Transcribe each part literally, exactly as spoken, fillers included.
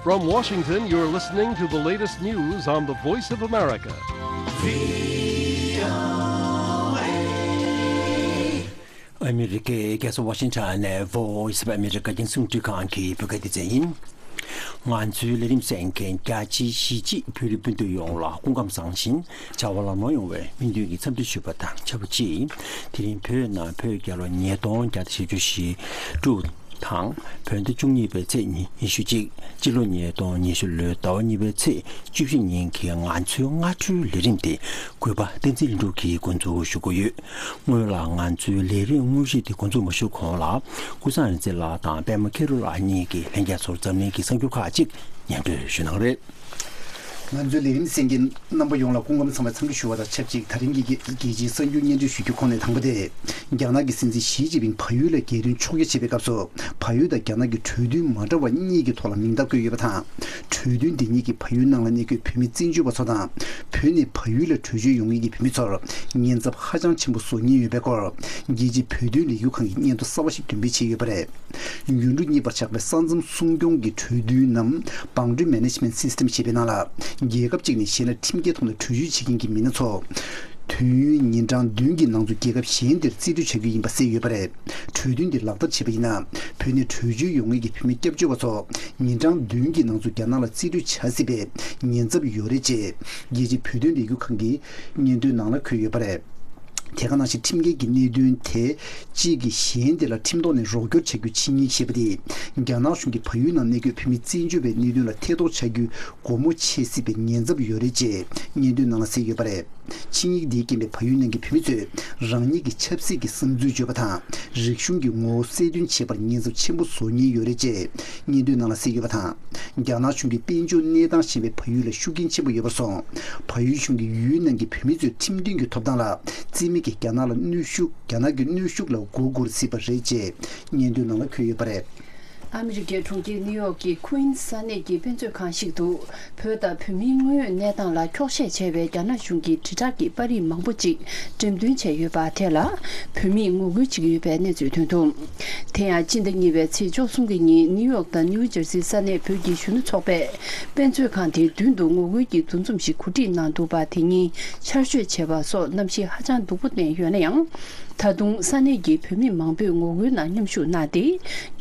From Washington, you're listening to the latest news on the Voice of America. ཨ་མི་རི་ཀའི་རྒྱལ་ས་ཝ་ཤིང་ཊོན་ནས་Voice of America་རྒྱང་སྲིང་རླུང་འཕྲིན་ཁང་གི་བོད་སྐད་སྡེ་ཚན་ཡིན། ང་ཚོའི་ལས་རིམ་གསན་མཁན་རྒྱ་ཆེའི་གཞིས་བྱེས་བོད་རིགས་སྤུན་ཟླ་ཡོངས་ལ་སྐུ་ཁམས་བཟང་ཞིང་བྱ་བ་ལམ་ལྷོང་ཡོང་བའི་སྨོན་འདུན་གྱི་འཚམས་འདྲི་ཞུས་པ་དང་ཆབས་ཅིག་དེ་རིང་བོད་ནང་བོད་རྒྱལ་ལོ་ཉིས་སྟོང་བརྒྱ་དང་བཞི་བཅུ་ཞེ་དྲུག་དང་། བོད་ཟླ་བཅུ་གཉིས་པའི་ཚེས་ཉི་ཤུ་གཅིག་སྤྱི་ལོ་ཉིས་སྟོང་ཉི་ཤུ་ལོའི་ཟླ་བ་གཉིས་པའི་ཚེས་བཅུ་བཞི་ཉིན་གྱི་ང་ཚོའི་སྔ་དྲོའི་ལས་རིམ་དེ་གུས་པ་བསྟན་འཛིན་ལྷུན་གྲུབ་ཀྱིས་འགོ་འཛུགས་ཞུ་གི་ཡོད། སྔོན་ལ་ང་ཚོའི་ལས་རིམ་དངོས་གཞི་དེ་འགོ་འཛུགས་མ་ཞུ་གོང་ལ། ཀུན་བཟང་རིག་འཛིན་ལགས་དང་པད་མ་ཁེ་རུ་ལགས་གཉིས་ཀྱིས་ལྷན་རྒྱས་ཚོར་འཛམ་གླིང་གི་གསར་འགྱུར་ཁག་ཅིག་སྙན་སྒྲོན་ཞུ་གནང་རེད། ང་ཚོའི་ལས་རིམ་གསན་མཁན་རྣམ་པ་ཡོངས་ལ་སྐུ་ཁམས་བཟང་བའི་འཚམས་འདྲི་ཞུ་བ་དང་ཆབས་ཅིག་དེ་རིང་གི་རྒྱལ་སྤྱིའི་གསར་འགྱུར་སྙན་སྒྲོན་ཞུ་རྒྱུ་ཁོངས་ནས་དང་པོ་དེ། རྒྱ་ནག་གི་སྲིད་འཛིན་ཞི་ཅིན་ཕིང་བལ་ཡུལ་ལ་རྒྱལ་དོན་ཕྱོགས་བསྐྱོད་བྱེད་པའི་སྐབས་སུ། བལ་ཡུལ་དང་རྒྱ་ནག་གི་གྲོས་མཐུན་མ་འདྲ་བ་གཉིས་ཀྱི་ཐོག་ལ་མིང་རྟགས་བཀོད་ཡོད་པ་དང་། གྲོས་མཐུན་འདི་ཉིད་ཀྱིས་བལ་ཡུལ་ནང་ལ་གནས་འཁོད་བོད་མི་བཙན་བྱོལ་བ་ཚོ་དང་། བོད་ནས་བལ་ཡུལ་ལ་བྲོས་བྱོལ་ཡོང་མཁན་གྱི་བོད་མི་ཚོར་ཉེན་ཚབས་ཧ་ཅང་ཆེན་པོ་བཟོ་ཉེན་ཡོད་པའི་སྐོར། རྒྱལ་སྤྱིའི་བོད་དོན་ལས་འགུལ་ཁང་གིས་སྙན་ཐོ་གསར་པ་ཞིག་འདོན་སྤེལ་བྱས་ཡོད་པ་རེད། ཡུལ་གྲུ་གཉིས་བར་ཆགས་པའི་ས་མཚམས་སྲུང་སྐྱོང་གི་གྲོས་མཐུན་ནམ་Boundary Management System ཞེས་པའི་ནང་ལ། རྒྱལ་ཁབ་ཅིག་ནས་གཞན་ལ་ཁྲིམས་འགལ་ཐོག་ནས་བྲོས་བྱོལ་བྱེད་མཁན་གྱི་མི་སྣ་ཚོ། དུས་ཡུན་ཉིན་གྲངས་བདུན་གྱི་ནང་དུ་རྒྱལ་ཁབ་གཞན་དེར་རྩིས་སྤྲོད་བྱ་རྒྱུ་ཡིན་པ་གསལ་ཡོད་པ་རེད། གྲོས་མཐུན་འདི་ལག་བསྟར་བྱས་པ་ཡིན་ན། བོད་ནས་བྲོས་བྱོལ་ཡོང་མཁན་གྱི་བོད་མི་སྐྱབས་བཅོལ་བ་ཚོ། ཉིན་གྲངས་བདུན་གྱི་ནང་དུ་རྒྱ་ནག་ལ་རྩིས་སྤྲོད་བྱ་སྲིད་པའི་ཉེན་ཚབས་ཡོད་རེད་ཅེས། རྒྱལ་སྤྱིའི་བོད་དོན་ལས་འགུལ་ཁང་གི་སྙན་ཐོའི་ནང་ལ་འཁོད་ཡོད་པ་རེད། དེ་ག་ནང་བཞིན་ཁྲིམས་འགལ་གྱི་གནད་དོན་དེ་གཅིག་གིས་གཞན་དེ་ལ་ཁྲིམས་ཐོག་ནས་རོགས་སྐྱོར་བྱ་རྒྱུའི་ཆིངས་ཡིག་ཞེས་པ་དེས། རྒྱ་ནག་གཞུང་གིས་བལ་ཡུལ་ནང་གནས་འཁོད་བོད་མི་བཙན་བྱོལ་བའི་གནད་དོན་ལ་ཐེ་གཏོགས་བྱ་རྒྱུའི་སྒོ་མོ་ཕྱེ་སྲིད་པའི་ཉེན་ཚབས་ཡོད་རེད་ཅེས་སྙན་ཐོའི་ནང་ལ་གསལ་ཡོད་པ་རེད། ཆིངས་ཡིག་འདིའི་རྐྱེན་པས་བལ་ཡུལ་ནང་གི་བོད་མི་ཚོས་རང་ཉིད་ཀྱི་ཆབ་སྲིད་ཀྱི་བསམ་ཚུལ་བརྗོད་པ་དང་། རིག་གཞུང་གི་ངོ་བོ་གསལ་སྟོན་བྱེད་པར་ཉེན་ཚབས་ཆེན་པོ་བཟོ་ཉེན་ཡོད་རེད་ཅེས་སྙན་ཐོའི་ནང་ལ་གསལ་ཡོད་པ་དང་། རྒྱ་ནག་གཞུང་གིས་དཔལ་འབྱོར་གནས་སྟངས་ཞན་པའི་བལ་ཡུལ་ལ་ཤུགས་རྐྱེན་ཆེན་པོ་ཡོད་པར་སོང་། བལ་ཡུལ་གཞུང་གིས་ཡུལ་ནང་གི་བོད་མི་ཚོའི་ཁྲིམས་མཐུན་གྱི་ཐོབ་ཐང་ལ་བརྩི་མེད་ཀྱིས་རྒྱ་ནག་ལ་གནོན་ཤུགས། རྒྱ་ནག་གི་གནོན་ཤུགས་ལ་མགོ་སྒུར་སྲིད་པ་རེད་ཅེས་སྙན་ཐོའི་ནང་ལ་འཁོད་ཡོད་པ་རེད། ཨ་མི་རི་ཀའི་གྲོང་ཁྱེར་ནིའུ་ཡོག་གི་ཁུན་ས་གནས་ཀྱི་དཔེ་མཛོད་ཁང་ཞིག་ཏུ། བོད་དང་བོད་མིའི་དངོས་ཡོད་གནས་སྟངས་ལ་འཁྱོག་བཤད་བྱས་པའི་རྒྱ་ནག་གཞུང་གི་དྲིལ་བསྒྲགས་ཀྱི་པར་རིས་མང་པོ་ཅིག་འགྲེམས་སྟོན་བྱས་ཡོད་པ་དེ་ལ། བོད་མིས་ངོ་རྒོལ་བྱེད་ཀྱི་ཡོད་པའི་གནས་ཚུལ་ཐོན་འདུག་དེ་ཡང་སྤྱི་ཟླ་གཉིས་པའི་ཚེས་བཅུ་གསུམ་གྱི་ཉིན་ནིའུ་ཡོག་དང་ནིའུ་ཇར་སི་ས་གནས་བོད་ཀྱི་གཞོན་ནུ་ཚོགས་པས། དཔེ་མཛོད་ཁང་དེའི་མདུན་དུ་ངོ་རྒོལ་གྱི་འདུ་འཛོམས་ཤིག་གོ་སྒྲིག་གནང་འདུག་པ་དེ་ཉིད་ཆར་ཞོད་བྱས་པ་སོགས་གནམ་གཤིས་ཧ་ཅང་སྡུག་པོ་བསྟན་ཡོད་ན་ཡང་། ད་དུང་ས་གནས་ཀྱི་བོད་མི་མང་པོས་ངོ་རྒོལ་ནང་མཉམ་ཞུགས་གནང་སྟེ།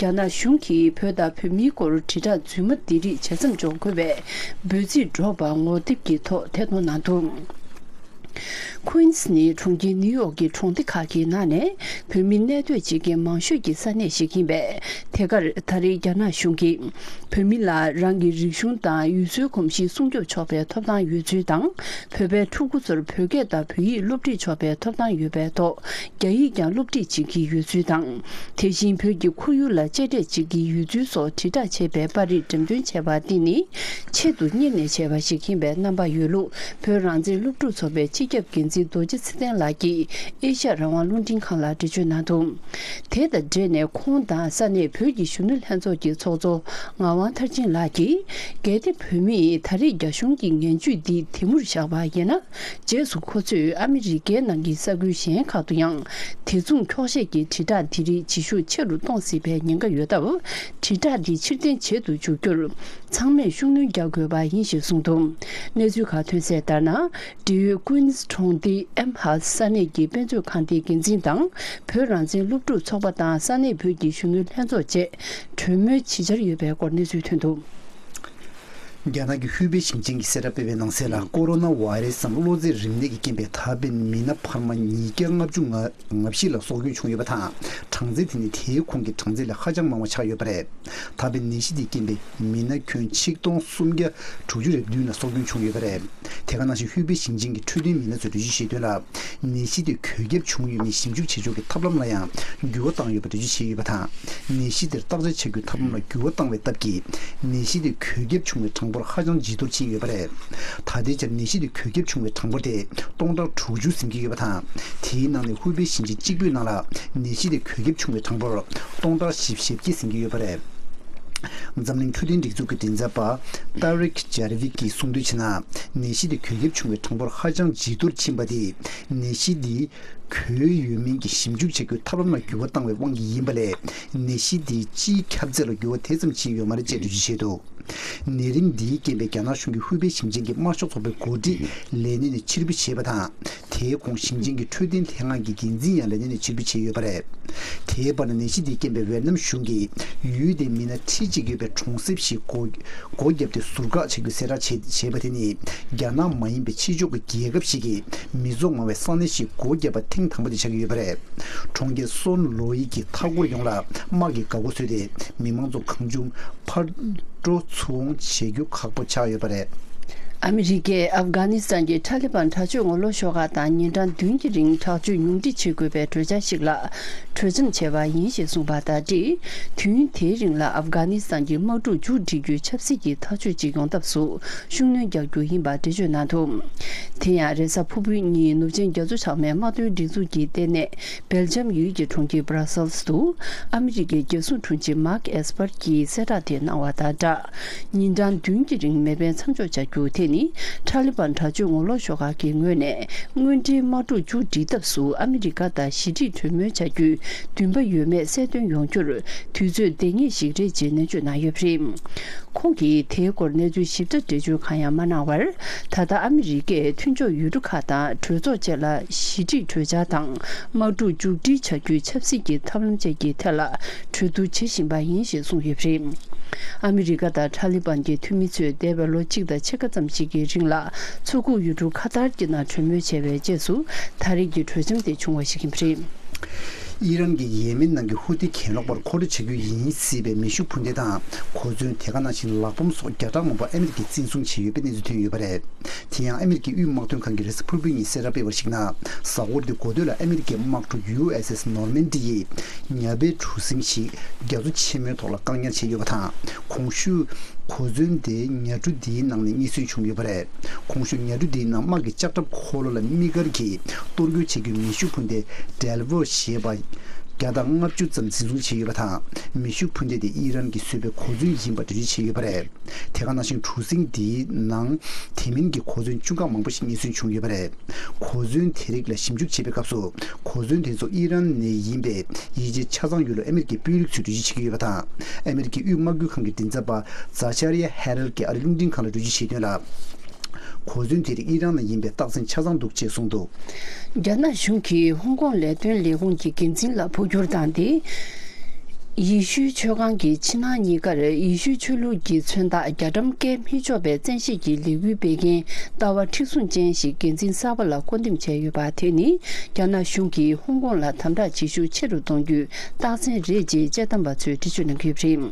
རྒྱ་ནག་གཞུང་གིས་བོད་དང་བོད་མིའི་སྐོར་དྲིལ་བསྒྲགས་རྫུན་མ་འདི་རིགས་བྱེད་མཚམས་འཇོག་དགོས་པའི་འབོད་ཚིག་སྒྲོག་པ་ངོ་དེབ་ཀྱི་ཐོག་ཐད་གཏོང་གནང་འདུག་ཁུན་སི་ནི་གྲོང་ཁྱེར་ནིའུ་ཡོག་གི་གྲོང་སྡེ་ཁག་གི་ནང་ནས་བོད་མི་གནས་སྡོད་བྱེད་མཁན་མང་ཤོས་ཀྱི་ས་གནས་ཤིག་ཡིན་པས། དེ་གར་ད་རེས་རྒྱ་ནག་གཞུང་གིས་བོད་མི་ལ་རང་གི་རིག་གཞུང་དང་ཡུལ་སྲོལ་གོམས་གཤིས་སྲུང་སྐྱོབ་ཆོག་པའི་ཐོབ་ཐང་ཡོད་ཚུལ་དང་། བོད་པའི་ཕྲུ་གུ་ཚོར་བོད་སྐད་དང་བོད་ཡིག་སློབ་ཁྲིད་ཆོག་པའི་ཐོབ་ཐང་ཡོད་པའི་ཐོག་རྒྱ་ཡིག་ཀྱང་སློབ་ཁྲིད་བྱེད་ཀྱི་ཡོད་ཚུལ་དང་། དེ་བཞིན་བོད་ཀྱི་ཁོར་ཡུག་ལ་གཅེས་སྤྲས་བྱེད་ཀྱི་ཡོད་ཚུལ་སོགས་དྲིལ་བསྒྲགས་བྱས་པའི་པར་རིས་འགྲེམས་སྟོན་བྱས་པ་འདི་ནི་ཆེད་དུ་གཉེར་ནས་བྱས་པ་ཞིག་ཡིན་པའི་རྣམ་པ་ཡོད་ལུགས་བོད་རང་བཙན་སློབ་ཕྲུག་ཚོགས་པའི་སྤྱི་ཁྱབ་འགན་འཛིན་རྡོ་རྗེ་ཚེ་བརྟན་ལགས་ཀྱིས་ཨེ་ཤ་ཡ་རང་དབང་རླུང་འཕྲིན་ཁང་ལ་འགྲེལ་བརྗོད་གནང་འདུག་དེ་དང་འབྲེལ་ནས་ཁོང་དང་ས་གནས་བོད་ཀྱི་གཞོན་ནུ་ལྷན་ཚོགས་ཀྱི་ཚོགས་གཙོ་ངག་དབང་མཐར་ཕྱིན་ལགས་ཀྱིས། གལ་ཏེ་བོད་མིས་ད་རེས་རྒྱ་གཞུང་གི་ངན་ཇུས་འདི་དེ་མུར་བཞག་པ་ཡིན་ན། རྗེས་སུ་ཁོ་ཚོས་ཨ་མི་རི་ཀའི་ནང་གི་ས་ཁུལ་གཞན་ཁག་ཏུ་ཡང་། དེ་མཚུངས་འཁྱོག་བཤད་ཀྱི་དྲིལ་བསྒྲགས་འདི་རིགས་བྱེད་ཤུགས་ཆེ་རུ་གཏོང་སྲིད་པའི་ཉེན་ཁ་ཡོད་སྟབས། དྲིལ་བསྒྲགས་འདི་ཕྱིར་འཐེན་བྱེད་དུ་འཇུག་རྒྱུར། ཚང་མས་ཤུགས་སྣོན་རྒྱག་དགོས་པ་ཡིན་ཞེས་གསུངས་འདུག་གནས་ཚུལ་ཁག་ཐོན་གསལ་ལྟར་ན། འབྲེལ་ཡོད་ཀུན་སི་གྲོང་སྡེའི་ཨེམ་ཧ་ས་གནས་ཀྱི་དཔེ་མཛོད་ཁང་དེའི་འགན་འཛིན་དང་། བོད་རང་བཙན་སློབ་ཕྲུག་ཚོགས་པ་དང་ས་གནས་བོད་ཀྱི་གཞོན་ནུ་ལྷན་ཚོགས་བཅས་གྲོས་མོལ་བྱེད་འཆར་ཡོད་པའི་སྐོར་གནས་ཚུལ་ཐོན་འདུག་རྒྱ་ནག་གི་ཧུའུ་པེ་ཞིང་ཆེན་གྱིས་གསལ་བསྒྲགས་སྤེལ་བའི་ནང་གསལ་ལ། ཀོ་རོ་ན་བྷ་ཡི་རེ་སི་སམ་གློ་ཚད་རིམས་ནད་ཀྱི་རྐྱེན་པས་ད་ཕན་མི་སྣ་འཕར་མ་ཉིས་བརྒྱ་ལྔ་བཅུ་ང་བཞི་ལ་སྲོག་སྐྱོན་བྱུང་ཡོད་པ་དང་། གྲངས་ཚད་དེ་ནི་དེའི་གོང་གི་གྲངས་ཚད་ལས་ཧ་ཅང་མང་བ་ཆགས་ཡོད་པ་རེད། ད་ཕན་ནད་གཞི་དེའི་རྐྱེན་པས་མི་སྣ་ཁྱོན་ཆིག་སྟོང་སུམ་བརྒྱ་དྲུག་ཅུ་རེ་བདུན་ལ་སྲོག་སྐྱོན་བྱུང་ཡོད་པ་རེད། དེ་ག་ནང་བཞིན་ཧུའུ་པེ་ཞིང་ཆེན་གྱི་འཕྲོད་བསྟེན་མི་སྣ་ཚོས་འགྲེལ་བརྗོད་བྱས་དོན་ལ། ནད་གཞི་དེ་འགོས་ཁྱབ་བྱུང་ཡོད་མེད་ཞིབ་འཇུག་བྱེད་ཕྱོགས་ཀྱི་ཐབས་ལམ་ལ་ཡང་འགྱུར་བ་བཏང་ཡོད་པ་འགྲེལ་བརྗོད་བྱས་ཡོད་པ་དང་། ནད་གཞི་དེར་བརྟག་དཔྱད་བྱ་རྒྱུའི་ཐབས་ལམ་ལ་འགྱུར་བ་བཏང་བའི་སྟབས་ཀྱིས། ནད་གཞི་དེ་འགོས་ཁྱབ་བྱུང་བའི་གྲངས་འབོར་ཧ་ཅང་ཇེ་མཐོར་ཕྱིན་ཡོད་པ་རེད། ད་ལྟའི་ཆར་ནད་གཞི་དེ་འགོས་ཁྱབ་བྱུང་བའི་གྲངས་འབོར་དེ་སྟོང་ཕྲག་དྲུག་ཅུ་ཟིན་གྱི་ཡོད་པ་དང་། དེའི་ནང་ནས་ཧུའུ་པེ་ཞིང་ཆེན་གཅིག་པུའི་ནང་ལ་ནད་གཞི་དེ་འགོས་ཁྱབ་བྱུང་བའི་གྲངས་འབོར་སྟོང་ཕྲག་བཞི་བཅུ་ཞེ་བརྒྱད་ཟིན་གྱི་ཡོད་པ་རེད། འཛམ་གླིང་འཕྲོད་བསྟེན་སྒྲིག་འཛུགས་ཀྱི་མགྲིན་ཚབ་པ་ཏཱ་རིག་ཇར་བི་གིས་གསུངས་དོན་བྱས་ན། ནད་གཞི་དེ་འགོས་ཁྱབ་བྱུང་བའི་གྲངས་འབོར་ཧ་ཅང་ཇེ་མཐོར་ཕྱིན་པ་དེས་ནད་གཞི་འདི་འགོས་ཡོད་མིན་གྱི་ཞིབ་འཇུག་བྱ་རྒྱུའི་ཐབས་ལམ་ལ་འགྱུར་བ་བཏང་བའི་དབང་གིས་ཡིན་པ་ལས། ནད་གཞི་འདིའི་སྤྱིའི་ཁྱབ་ཚད་ལ་འགྱུར་བ་དེ་ཙམ་ཕྱིན་ཡོད་མ་རེད་ཅེས་འགྲེལ་བརྗོད་བྱས་འདུག་ནད་རིམས་འདིའི་རྐྱེན་པས་རྒྱ་ནག་གཞུང་གི་ཧུའུ་པེ་ཞིང་ཆེན་གྱི་དམར་ཤོག་ཚོགས་པའི་འགོ་ཁྲིད་ལས་གནས་ནས་ཕྱིར་འབུད་བྱས་པ་དང་། དེའི་གོང་ཞིང་ཆེན་གྱི་འཕྲོད་བསྟེན་ལྷན་ཁང་གི་འགན་འཛིན་ཡང་ལས་གནས་ནས་ཕྱིར་འབུད་བྱས་ཡོད་པ་རེད། དེའི་བར་ན་ནད་གཞི་འདིའི་རྐྱེན་པས་ཝེ་ཏི་ནམ་གཞུང་གིས་ཡུལ་དེའི་མི་སྣ་ཁྲི་གཅིག་ཡོད་པའི་གྲོང་གསེབ་ཞིག་སྒོ་སྒོ་བརྒྱབ་སྟེ་ཟུར་བཀག་བྱ་རྒྱུའི་གསལ་བསྒྲགས་བྱས་བྱས་པ་དེ་ནི། རྒྱ་ནག་མ་ཡིན་པའི་ཕྱི་ཕྱོགས་ཀྱི་རྒྱལ་ཁབ་ཞིག་གིས་མི་ཚོགས་མང་བའི་ས་གནས་ཤིག་སྒོ་བརྒྱབ་པ་ཐེངས་དང་པོ་དེ་ཆགས་ཀྱི་ཡོད་པ་རེད། གྲོང་ཁྱེར་སོན་ལོའི་གི་མཐའ་འཁོར་ཡོངས་ལ་དམག་གིས་འགག་སྒོ་བཟོས་ཏེ། མི་མང་ཚོ་གང་བྱུང་ཕར་འགྲོ་ཚུར་འོང་བྱེད་རྒྱུ་ཁག་པོ་ཆགས་ཡོད་པ་རེད། ཨ་མི་རི་ཀས་ཨབ་གྷ་ནི་སི་ཐན་གྱི་ཐ་ལི་བན་དྲག་སྤྱོད་ངོ་ལོག་ཤོག་ཁག་དང་ཉིན་གྲངས་བདུན་གྱི་རིང་དྲག་སྤྱོད་ཉུང་འཕྲི་བྱེད་དགོས་པའི་གྲོས་འཆར་ཞིག་ལ་གྲོས་འཆམ་བྱས་པ་ཡིན་ཞེས་གསུངས་པ་དང་འབྲེལ། དུས་ཡུན་དེའི་རིང་ལ་ཨབ་གྷ་ནི་སི་ཐན་གྱི་དམག་འཁྲུག་མཇུག་སྒྲིལ་རྒྱུའི་ཆབ་སྲིད་ཀྱི་ཐག་གཅོད་ཅིག་ཡོང་ཐབས་སུ་ཤུགས་སྣོན་རྒྱག་རྒྱུ་ཡིན་པ་འགྲེལ་བརྗོད་གནང་འདུག་དེ་ཡང་རེས་གཟའ་ཕུར་བུའི་ཉིན་ནུབ་ཆིངས་རྒྱ་མཚོ་བྱང་མའི་དམག་དོན་སྒྲིག་འཛུགས་ཀྱི་ལྟེ་གནས་སྦེལ་ཇམ་ཡུལ་གྱི་གྲོང་ཁྱེར་སྦ་ར་སེལ་སི་དུ་ཨ་མི་རི་ཀའི་རྒྱལ་སྲུང་དྲུང་ཆེ་མཱག་ཨེས་པར་གྱིས་གསལ་བསྒྲགས་དེ་གནང་བ་དང་སྦྲགས། ཉིན་གྲངས་བདུན་གྱི་རིང་མེ་འཕེན་མཚམས་འཇོག་བྱ་རྒྱུ་དེ་ནི་ཐ་ལི་བན་དྲག་སྤྱོད་ངོ་ལོག་ཤོག་ཁག་གི་ངོས་ནས་དངོས་འབྲེལ་དམག་འཁྲུག་མཇུག་སྒྲིལ་ཐབས་སུ་ཨ་མི་རི་ཀ་དང་ཞི་འགྲིག་གྲོས་མོལ་བྱ་རྒྱུའི་འདུན་པ་ཡོད་མེད་གསལ་སྟོན་ཡོང་རྒྱུར་དུས་ཚོད་ལྡང་ངེས་ཤིག་རེད་ཅེས་ནན་བརྗོད་གནང་ཡོད་པ་རེད། ཁོང་གིས་དེའི་སྐོར་གནས་ཚུལ་ཞིབ་ཕྲ་འགྲེལ་བརྗོད་གང་ཡང་མ་གནང་བར། ད་ལྟ་ཨ་མི་རི་ཀས་མཐུན་ཕྱོགས་ཡུལ་གྲུ་ཁག་དང་གྲོས་ཚོགས་བཅས་ལ་ཞི་འགྲིག་གྲོས་འཆར་དང་དམག་འཁྲུག་མཇུག་སྒྲིལ་བྱ་རྒྱུའི་ཆབ་སྲིད་ཀྱི་ཐབས་ལམ་བཅས་ཀྱི་ཐད་ལ་གྲོས་བསྡུར་བྱེད་བཞིན་པ་ཡིན་ཞེས་གསུངས་ཡོད་པ་རེད། ཨ་མི་རི་ཀ་དང་ཐ་ལི་བན་གྱི་འཐུས་མི་ཚོས་འདས་པའི་ལོ་གཅིག་དང་ཕྱེད་ཀ་ཙམ་ཞིག་གི་རིང་ལ་མཚོ་ཁུག་ཡུལ་གྲུ་ཁ་ཐར་གྱི་ནང་གྲོས་མོལ་བྱས་པའི་རྗེས་སུ་ད་རེས་ཀྱི་གྲོས་འཆམ་དེ་བྱུང་བ་ཞིག་ཡིན་པ་རེད། ཨི་རན་གྱིས་ཡེ་མེན་ནང་གི་ཧུ་ཐི་གྱེན་ལོག་པར་མཁོ་སྤྲོད་བྱ་རྒྱུ་ཡིན་སྲིད་པའི་མེ་ཤུགས་འཕུར་མདེལ་དང་གོ་མཚོན། དེ་ག་ནང་བཞིན་ལག་འབོམ་སོགས་བརྒྱ་ཕྲག་མང་པོ་ཨ་མི་རི་ཀས་འཛིན་བཟུང་བྱས་ཡོད་པའི་གནས་ཚུལ་ཐོན་ཡོད་པ་རེད། དེ་ཡང་ཨ་མི་རི་ཀའི་དབུས་དམག་དོན་ཁང་གིས་རེས་གཟའ་ཕུར་བུའི་ཉིན་གསལ་བསྒྲགས་སྤེལ་བར་གཞིགས་ན། གཟའ་འཁོར་འདིའི་འགོ་སྟོད་ལ་ཨ་མི་རི་ཀའི་དམག་གྲུ་ཡུ་ཨེས་ཨེས་ནོར་མན་ཌི་ཡིས་ཉ་པའི་གྲུ་གཟིངས་ཤིག་རྒྱ་མཚོ་ཆེན་མོའི་ཐོག་ལ་བཀག་ཉར་བྱས་ཡོད་པ་དང་། གོང་ཞུས་གོ་མཚོན་དེ་ཉ་གྲུ་འདིའི་ནང་ནས་རྙེད་སོན་བྱུང་ཡོད་པ་རེད། གོང་ཞུས་ཉ་གྲུ་འདིའི་ནང་དམག་གི་ལྕགས་ཁྲབ་འཁོར་ལོ་ལ་དམིགས་བཀར་གྱིས་གཏོར་རྒོལ་བྱེད་རྒྱུའི་མེ་ཤུགས་འཕུར་མདེལ་ཌེལ་ཝོ་ཞེས་པ་བརྒྱ་དང་ལྔ་བཅུ་ཙམ་འཛིན་བཟུང་བྱས་ཡོད་པ་དང་། མེ་ཤུགས་འཕུར་མདེལ་དེ་ཨི་རན་གྱིས་བཟོས་པའི་གོ་མཚོན་ཡིན་པ་འགྲེལ་བརྗོད་བྱས་ཡོད་པ་རེད། དེ་ག་ནང་བཞིན་གྲུ་གཟིངས་འདིའི་ནང་དེ་མིན་གྱི་གོ་མཚོན་ཆུང་ཁག་མང་པོ་ཞིག་རྙེད་སོན་བྱུང་ཡོད་པ་རེད། གོ་མཚོན་དེ་རིགས་ལ་ཞིབ་འཇུག་བྱེད་པའི་སྐབས་སུ། གོ་མཚོན་དེ་ཚོ་ཨི་རན་ནས་ཡིན་པའི་ཡིད་ཆེས་ཆ་ཚང་ཡོད་ལུགས་ཨ་མི་རི་ཀའི་དཔོན་རིགས་ཚོས་འགྲེལ་བརྗོད་བྱེད་ཀྱི་ཡོད་པ་དང་། ཨ་མི་རི་ཀའི་དབུས་དམག་ཁུལ་ཁང་གི་མགྲིན་ཚབ་པ་ཛ་ཆ་རི་ཡ་ཧེ་རལ་གྱིས་ཨ་རིའི་རླུང་འཕྲིན་ཁང་ལ་འགྲེལ་བརྗོད་བྱས་དོན་ལ། གོ་མཚོན་དེ་རིགས་ཨི་རན་ནས་ཡིན་པའི་རྟགས་མཚན་ཆ་ཚང་འདུག་ཅེས་གསུངས་འདུག་རྒྱ་ནག་གཞུང་གིས་ཧོང་ཀོང་ལས་དོན་ལས་ཁུངས་ཀྱི་འགན་འཛིན་ལ་འཕོ་འགྱུར་བཏང་སྟེ། ཡེ་ཤུའི་ཆོས་ཁང་གི་ཕྱི་ནང་གཉིས་ཀར་ཡེ་ཤུའི་ཆོས་ལུགས་ཀྱི་མཚོན་རྟགས་རྒྱ་གྲམ་བཀལ་མི་ཆོག་པའི་བཙན་ཤེད་ཀྱི་ལས་འགུལ་སྤེལ་མཁན་ལྟ་བ་མཁྲེགས་བཟུང་ཅན་ཞིག་འགན་འཛིན་གསར་པ་ལ་བསྐོ་འདེམས་བྱས་ཡོད་པ་དེ་ནི་རྒྱ་ནག་གཞུང་གིས་ཧོང་ཀོང་ལ་དམ་དྲག་བྱེད་ཤུགས་ཆེ་རུ་གཏོང་རྒྱུའི་རྟགས་མཚན་རེད་ཅེས་དཔྱད་གཏམ་པ་ཚོས་འགྲེལ་བརྗོད་གནང་གི་ཡོད་པ་རེད།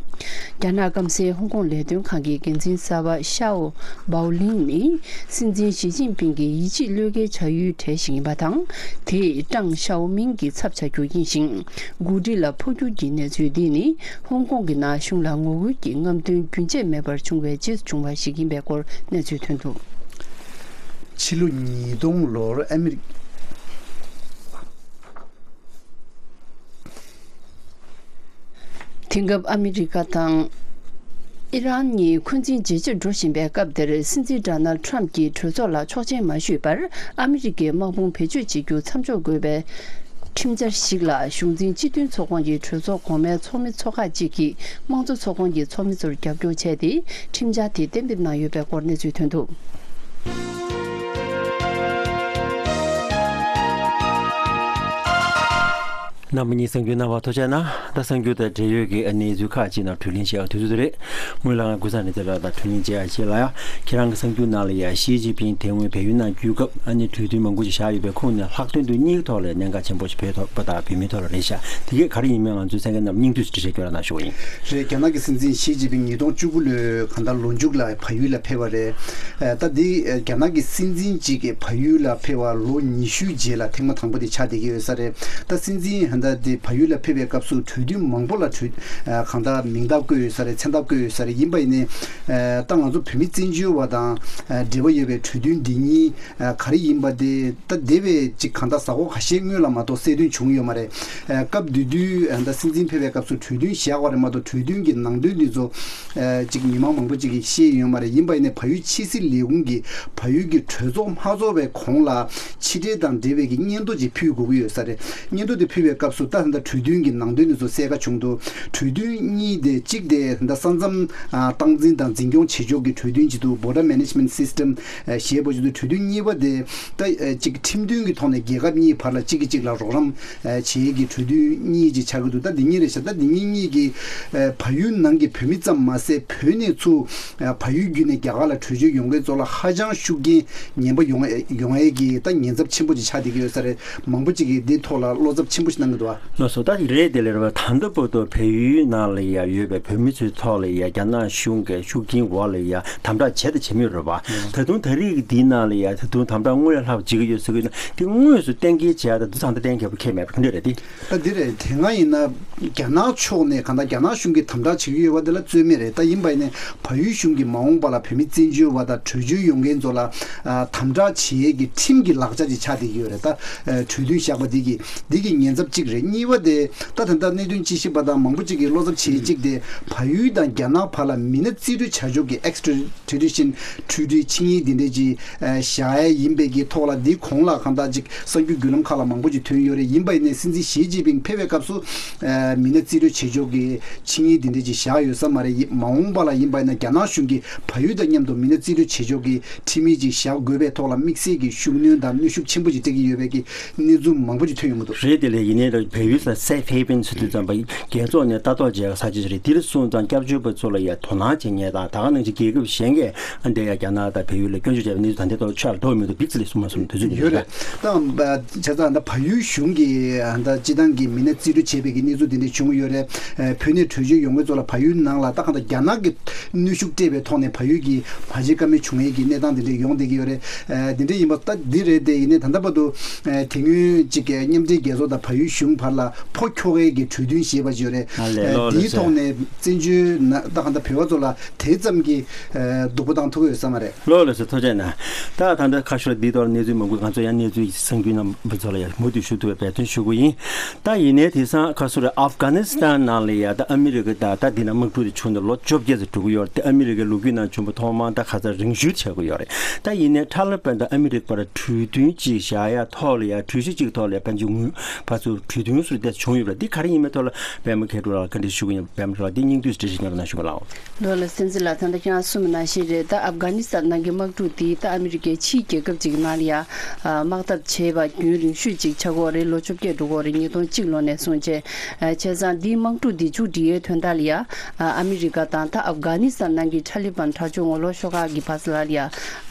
རྒྱ་ནག་སྐམ་སའི་ཧོང་ཀོང་ལས་དོན་ཁང་གི་འགན་འཛིན་གསར་པ་ཤའོ་པའོ་ལིན་ནི་སྲིད་འཛིན་ཞི་ཅིན་ཕིང་གི་ཡིད་ཆེས་བློས་འགེལ་བྱ་ཡུལ་གྲས་ཤིག་ཡིན་པ་དང་། དེས་ཀྲང་ཞའོ་མིང་གི་ཚབ་བྱ་རྒྱུ་ཡིན་ཞིང་། འགོ་ཁྲིད་ལ་འཕོ་འགྱུར་གྱི་གནས་ཚུལ་འདི་ནི་ཧོང་ཀོང་གི་ནང་གཞུང་ལ་ངོ་རྒོལ་གྱི་རྔམ་སྟོན་རྒྱུན་ཆད་མེད་པར་བྱུང་བའི་རྗེས་སུ་བྱུང་བ་ཞིག་ཡིན་པའི་སྐོར་གནས་ཚུལ་ཐོན་འདུག་ཕྱི་ལོ་ཉིས་སྟོང་ལོར་ཨ་མི་རི། དེང་སྐབས་ཨ་མི་རི་ཀ་དང་ཨི་རན་གཉིས་འཁོན་འཛིན་ཇེ་ཆེར་འགྲོ་བཞིན་པའི་སྐབས་འདིར། སྲིད་འཛིན་ཌོ་ནལ་ཌི་ཊརམ་ཕི་གྱིས་གྲོས་ཚོགས་ལ་ཆོག་མཆན་མ་ཞུས་པར། ཨ་མི་རི་ཀའི་དམག་དཔུང་བེད་སྤྱོད་བྱེད་རྒྱུ་མཚམས་འཇོག་དགོས་པའི་ཁྲིམས་འཆར་ཞིག་ལ། གཞུང་འཛིན་སྤྱི་མཐུན་ཚོགས་ཁང་གི་གྲོས་ཚོགས་གོང་མའི་ཚོགས་མི་ཚོ་ཁག་ཅིག་གིས་དམངས་གཙོ་ཚོགས་ཁང་གི་ཚོགས་མི་ཚོར་རྒྱབ་སྐྱོར་བྱས་ཏེ། ཁྲིམས་འཆར་དེ་གཏན་འབེབས་གནང་ཡོད་པའི་སྐོར་གནས་ཚུལ་ཐོན་འདུག་རྣམ་པ་གཉིས་གསར་འགྱུར་གནང་བར་ཐུགས་རྗེ་གནང་། ད་གསར་འགྱུར་དང་འབྲེལ་ཡོད་ཀྱི་གནས་ཚུལ་ཁག་ཅིག་ནང་དྲི་ལན་བྱེད་ཡག་དུས་ཚོད་རེད། སྔོན་ལ་ང་ཀུན་བཟང་ནས་དེ་ལ་ད་དྲི་ལན་བྱེད་ཡག་ཅིག་ལ་ཡ། ཁྱེད་རང་གི་གསར་འགྱུར་ནང་ལ་ཡ་ཞི་ཅིན་ཕིང་དེ་སྔོན་བལ་ཡུལ་ནང་བསྐྱོད་སྐབས་ཨ་ནི་གྲོས་མཐུན་མང་པོ་ཅིག་བཞག་ཡོད་པའི་ཁོངས་ནས་ལྷག་དོན་དུ་གཉིས་ཀྱི་ཐོག་ལ་གནད་འགག་ཆེན་པོ་ཞིག་བོད་ཐོག་པ་དང་བོད་མིའི་ཐོག་ལ་རེད་ཤག་དེ་གས་ག་རེ་ཡིན་མིན་ང་ཚོའི་གསན་མཁན་རྣམས་སྙིང་བསྡུས་སུ་འགྲེལ་བཤད་སྐྱོན་ར་གནང་ཞུ་བ་ཡིན། རེད། རྒྱ་ནག་གི་སྲིད་འཛིན་ཞི་ཅིན་ཕིང་ཉིས་སྟོང་བཅུ་དགུ་ལོའི་གང་ལྟར་ལོ་མཇུག་ལ་བལ་ཡུལ་ལ་ཕེབས་པ་རེད། ད་འདི་རྒྱ་ནག་གི་སྲིད་འཛིན་གཅིག་གིས་བལ་ཡུལ་ལ་ཕེབས་པ་ལོ་ཉི་ཤུའི་རྗེས་ལ་ཐེངས་མ་དང་པོ་དེ་ཆགས་བསྡད་ཀྱི་ཡོད་ས་རེད། ད་སྲིད་འཛིན་ད་འདི་བལ་ཡུལ་ལ་ཕེབས་པའི་སྐབས་སུ་གྲོས་མཐུན་མང་པོ་ལ་གྲོས་གང་ལྟར་མིང་རྟགས་བཀོད་ཡོད་ས་རེད། མཚན་རྟགས་བཀོད་ཡོད་ས་རེད། ཡིན་པ་ཡིན་ནའི་ད་ང་ཚོ་བོད་མི་བཙན་བྱོལ་བ་དང་འབྲེལ་བ་ཡོད་པའི་གྲོས་མཐུན་འདི་གཉིས་ག་རེ་ཡིན་པ་དེ་ད་འདས་པའི་ཅིག་གང་ལྟར་གཟའ་འཁོར་ཁ་ཤས་སྔོན་ལ་མ་གཏོགས་གསལ་སྟོན་བྱུང་ཡོད་མ་རེད། སྐབས་དེ་དུས་ད་སྲིད་འཛིན་ཕེབས་པའི་སྐབས་སུ་གྲོས་མཐུན་བཞག་པ་རེད་མ་གཏོགས་གྲོས་མཐུན་གྱི་ནང་དོན་འདི་ཚོ་ ཨ་ཅིག་མི་མང་མང་པོ་ཅིག་གིས་ཤེས་ཡོད་མ་རེད། ཡིན་པ་ཡིན་ནའི་བལ་ཡུལ་ཕྱི་སྲིད་ལས་ཁུངས་ཀྱིས་བལ་ཡུལ་གྱི་གྲོས་ཚོགས་མ་ཚོགས་པའི་གོང་ལ་ཕྱི་འབྲེལ་དང་འབྲེལ་བའི་གི་སྙན་ཐོ་ཅིག་ཕུལ་དགོས་ཀྱི་ཡོད་ས་རེད། སྙན་ཐོ་དེ་ཕུལ་བའི་སྐབས་སུ་ད་ད་ལྟ་གྲོས་མཐུན་གྱི་ནང་དོན་དེ་ཚོ་གསལ་ཁ་བྱུང་འདུག་གྲོས་མཐུན་གཉིས་དེ་གཅིག་དེ་ད་ལྟ་ས་མཚམས་ཨ་སྟངས་འཛིན་དང་འཛིན་སྐྱོང་བྱེད་ཕྱོགས་ཀྱི་གྲོས་མཐུན་ཅིག་འདུག Border Management System ཨ་ཞེས་པ་ཅིག་འདུག་གྲོས་མཐུན་གཉིས་པ་དེ་ད་ཨ་ཅིག་ཁྲིམས་མཐུན་གྱི་ཐོག་ནས་རྒྱལ་ཁབ་གཉིས་བར་ལ་གཅིག་གིས་གཅིག་ལ་རོགས་རམ་ཨ་བྱེད་ཀྱི་གྲོས་མཐུན་གཉིས་ཅིག་ཆགས་ཀྱི་འདུག་ད་འདི་གཉིས་རེད་ཤག་ད་འདི་གཉིས་གཉིས་ཀྱིས་ཨ་བལ་ཡུལ་ནང་གི་བོད་མི་ཙམ་མ་ཟད་བོད་ནས་ཚུར་ཨ་བལ་ཡུལ་བརྒྱུད་ནས་རྒྱ་གར་ལ་བྲོས་བྱོལ་ཡོང་མཁན་ཚོ་ལ་ཧ་ཅང་ཤུགས་རྐྱེན་ངན་པ་ཡོང་ཡོང་ཡས་ཀྱི་ད་ཉེན་ཚབས་ཆེན་པོ་ཅིག་ཆགས་བསྡད་ཀྱི་ཡོད་ས་རེད། མང་པོ་ཅིག་གིས་འདིའི་ཐོག་ལ་བློ་འཚབ་ཆེན་པོ་ཞིག་གནང་གི་འདུག་ཨ། ལགས་སོ། ད་རེད་དེ་ལས་རེད་བ། ད་ལྟ་བར་དུ་བལ་ཡུལ་ནང་ལ་ཡ་ཡོད་པའི་བོད་མི་ཚོའི་ཐོག་ལ་ཡ་རྒྱ་ནག་གཞུང་གི་ཤུགས་རྐྱེན་འོག་ལ་ཡ་དམ་དྲག་བྱས་དང་བྱེད་མུས་རེད་བ། ད་དུང་ད་རེས་ཀྱི་འདིའི་ནང་ལ་ཡ་ད་དུང་དམ་དྲག་དངོས་ལས་ལྷག་པ་བྱེད་ཀྱི་ཡོད་ཟེར་གྱི་ཡོད་ན། དེ་དངོས་སུ་གཏན་འཁེལ་བྱས་ད་དུང་ད་ལྟ་གཏན་འཁེལ་པ་ཁེལ་མེད་པ་ག་འདྲ་རེད་དེ། ད་འདི་རེད། དེ་སྔ་ཡིན་ན་རྒྱ་ནག་ཕྱོགས་ནས་གང་ལྟར་རྒྱ་ནག་གཞུང་གིས་དམ་དྲག་བྱེད་ཀྱི་ཡོད་པ་དེ་ལ་རྩོད་མེད་རེད། ད་ཡིན་པ་ཡིན་ནའི་བལ་ཡུལ་གཞུང་གིས་མ་འོངས་པ་ལ་བོད་མི་བཙན་བྱོལ་བ་དང་བྲོས་བྱོལ་ཡོང་མཁན་ཚོ་ལ་ཨ་དམ་དྲག་བྱེད་ཡས་ཀྱི་ཁྲིམས་ཀྱི་ལག་ཆ་ཅིག་ཆགས་བསྡད་ཀྱི་ཡོད་རེད། ད་ཨ་གྲོས་མཐུན་བཞག་པ་འདི་གིས་འདི་གི་ཉེན་ཚབས་གཅིག་རེད། གཉིས་པ་དེ་ད་ད་ལྟ་གནད་དོན་དཔྱད་ཞིབ་པ་དང་མང་པོ་ཅིག་གིས་བློ་འཚབ་བྱེད་ཡས་གཅིག་དེ་བལ་ཡུལ་དང་རྒྱ་ནག་བར་ལ་མི་སྣ་རྩིས་སྤྲོད་བྱ་ཕྱོགས་ཀྱི་extradition treaty ཆིངས་ཡིག་འདི་འདྲས་ཅིག་ཨ་བཞག་ཡས་ཡིན་པའི་གི་ཐོག་ལ་འདིའི་གོང་ལ་གང་ལྟར་ཅིག་གསར་འགྱུར་བརྒྱུད་ལམ་ཁག་ལ་མང་པོ་ཅིག་ཐོན་ཡོད་རེད། ཡིན་པ་ཡིན་ནའི་སྲིད་འཛིན་ཞི་ཅིན་ཕིང་ཕེབས་པའི་སྐབས་སུ་ཨ་མི་སྣ་རྩིས་སྤྲོད་བྱེད་ཕྱོགས་ཀྱི་ཆིངས་ཡིག་འདི་འདྲས་ཅིག་བཞག་ཡོད་ས་མ་རེད། ཡིན་མ་འོངས་པ་ལ་ཡིན་པ་ཡིན་ན་རྒྱ་ནག་གཞུང་གིས་བལ་ཡུལ་དང་མཉམ་དུ་མི་སྣ་རྩིས་སྤྲོད་བྱེད་ཕྱོགས་ཀྱི་ཁྲིམས་ཡིག་ཅིག་བཞག་དགོས་པའི་ཐོག་ལ་དམིགས་བསལ་གྱི་ཤུགས་སྣོན་དང་གནོན་ཤུགས་ཆེན་པོ་ཅིག་སྤྲད་ཀྱི་ཡོད་པའི་གི་གནས་ཚུལ་མང་པོ་ཅིག་ཐོན་ཡོང་གི་འདུག་རེད་དེ་ལས། ཡིན་ནའི་ད་བལ་ཡུལ་ས་safe haven ཟེར་དུས་ཙམ་པ་རྒྱལ་ཚོགས་ནས་ལྟ་རྟོག་བྱེད་ས་ཆ་ཞིག་རེད། འདིར་སོང་ཙང་སྐྱབས་བཅོལ་བ་ཚོ་ལ་ཡ་དོ་སྣང་བྱེད་མཁན་དང་ད་ག་ནང་བཞིན་རྒྱལ་ཁབ་གཞན་གྱི་ཨ་འདི་ཡ་རྒྱ་ནག་དང་བལ་ཡུལ་ལ་སྐྱོན་བརྗོད་བྱས་པའི་གནས་ཚུལ་ད་ལྟའི་ཐོག་ལ་ཆ་ལ་དོགས་མི་འདུག་བིག་ཙི་ལས་གསུངས་མ་སོང་དུས་ཚོད་ཡོད་རེད། ད་བྱས་ཙང་ད་བལ་ཡུལ་གཞུང་གིས་ད་སྤྱི་བཏང་གི་མི་སྣ་རྩིས་སྤྲོད་བྱས་པའི་གི་གནས་ཚུལ་དེ་འདྲ་བྱུང་ཡོད་རེད། བོད་ནས་བྲོས་བྱོལ་ཡོང་མཁན་ཚོ་ལ་བལ་ཡུལ་ནང་ལ་ད་གང་ལྟར་རྒྱ་ནག་གི་གནོན་ཤུགས་སྤྲད་པའི་ཐོག་ནས་བལ་ཡུལ་གྱི་མ་བྱེད་ཀ་མེད་བྱུང་ཡས་ཀྱི་གནས་སྟངས་དེ་འདྲ་ཡོང་བསྡད་ཀྱི་ཡོད་རེད། ཨ་དེ་འདྲ་ཡིན་པ་ད་འདི་རེད་དེ། ཡིན་ནའི་ད་ལྟ་བར་དུ་ཨ་དེ་སྔོན་གཅིག་གི་མཉམ་འབྲེལ་རྒྱལ་ཚོགས་དང་བལ་ཡུལ་གཞུང་བར་ལ་ཕོ་ཁྱོ་གའི་གི་གྲོས་མཐུན་ཞེས་པ་ཅིག་ཡོད་རེད། ཨ་ལས། ཨ་ལོ་ལོ་དེའི་ཟེར། ཐོག་ནས་བཙན་བྱོལ་ན་ད་གང་ལྟར་བོད་པ་ཚོ་ལ་དེ་ཙམ་གྱི་ཨ་སྡུག་པོ་བཏང་ཐུབ་ཀྱི་ཡོད་ས་མ་རེད། ལོ་ལོ་ཟེར། ཐུགས་རྗེ་གནང་། ད་ད་ལྟ་ཁ་ཤོར་འདི་ཐོག་གནས་ཚུལ་མང་པོ་ང་ཚོ་ཡང་གནས་ཚུལ་གསར་འགྱུར་རྣམ་པ་ཚོ་ལ་ཡང་མུ་མཐུད་ཞུ་ཐུབ་པའི་འབད་བརྩོན་ཞུ་གི་ཡིན། ད་ཡིན་ནའི་དེང་སང་ཁ་སོ་རེ་ཨབ་གྷ་ནི་སི་ཐན་ནང་ལ་ཡ་ད་ཨ་མི་རི་ཀ་དང་ད་འདི་ན་དམག་འཁྲུག་དེ་བྱུང་ནས་ལོ་བཅོ་བརྒྱད་ཙམ་འགྲོ་གི་ཡོད་རེད། དེ་ཨ་མི་རི་ཀའི་ལོ་རྒྱུས་ནང་བྱུང་བ་ཐོག་མ་ད་ཁ་ཚ་རིང་ཤོས་ཆགས་ཀྱི་ཡོད་རེད། ད་ཡིན་ནའི་ཐ་ལི་བན་དང་ཨ་མི་རི་ཀ་བར་གྲོས་མཐུན་ཅིག་བཞག་ཡ་ཐོག་ལ་ཡ་གྲོས་གཞི་གཅིག་ཐོག་ལ་ཡ་ཕན་ཚུན་ངོས་ཕར་ཚུར་གྲོས་མཐུན་སུ་བལྟས་བྱུང་ཡོད་པ་རེད། འདི་ག་རེ་ཡིན་མིན་ཐོག་ལ་པད་མ་མཁས་གྲུབ་ལགས་བཀའ་འདྲི་ཞུ་གི་ཡིན། པད་མ་ལགས་འདི་སྙིང་བསྡུས་འགྲེལ་བཤད་ཉོབ་ནང་ཞུ་གི་ལགས། ལོ་ལ་སྲིད་འཛིན་ལགས། ད་ལྟ་ཁྱེད་རང་གསུངས་པ་ནང་བཞིན་རེད། ད་ཨབ་གྷ་ནི་སི་ཐན་ནང་གི་དམག་འཁྲུག་འདི་ད་ཨ་མི་རི་ཀའི་ཕྱིའི་རྒྱལ་ཁབ་ཅིག་ནང་ལ་ཡ་དམག་འཐབ་བྱས་པ་རྒྱུན་རིང་ཤོས་ཅིག་ཆགས་ཀྱི་ཡོད་རེད། ལོ་བཅོ་བརྒྱད་འགྲོ་གི་ཡོད་རེད། ཉིས་སྟོང་གཅིག་ལོ་ནས་བཟུང་བྱས། བྱས་ཙང་འདིའི་དམག་འཁྲུག་འདི་མཇུག་སྒྲིལ་ཡའི་དོན་དག་ལ་ཡ་ཨ་མི་རི་ཀ་དང་ད་ཨབ་གྷ་ནི་སི་ཐན་ནང་གི་ཐ་ལི་བན་དྲག་སྤྱོད་ངོ་ལོག་ཤོག་ཁག་གི་བར་ལ་ཡ་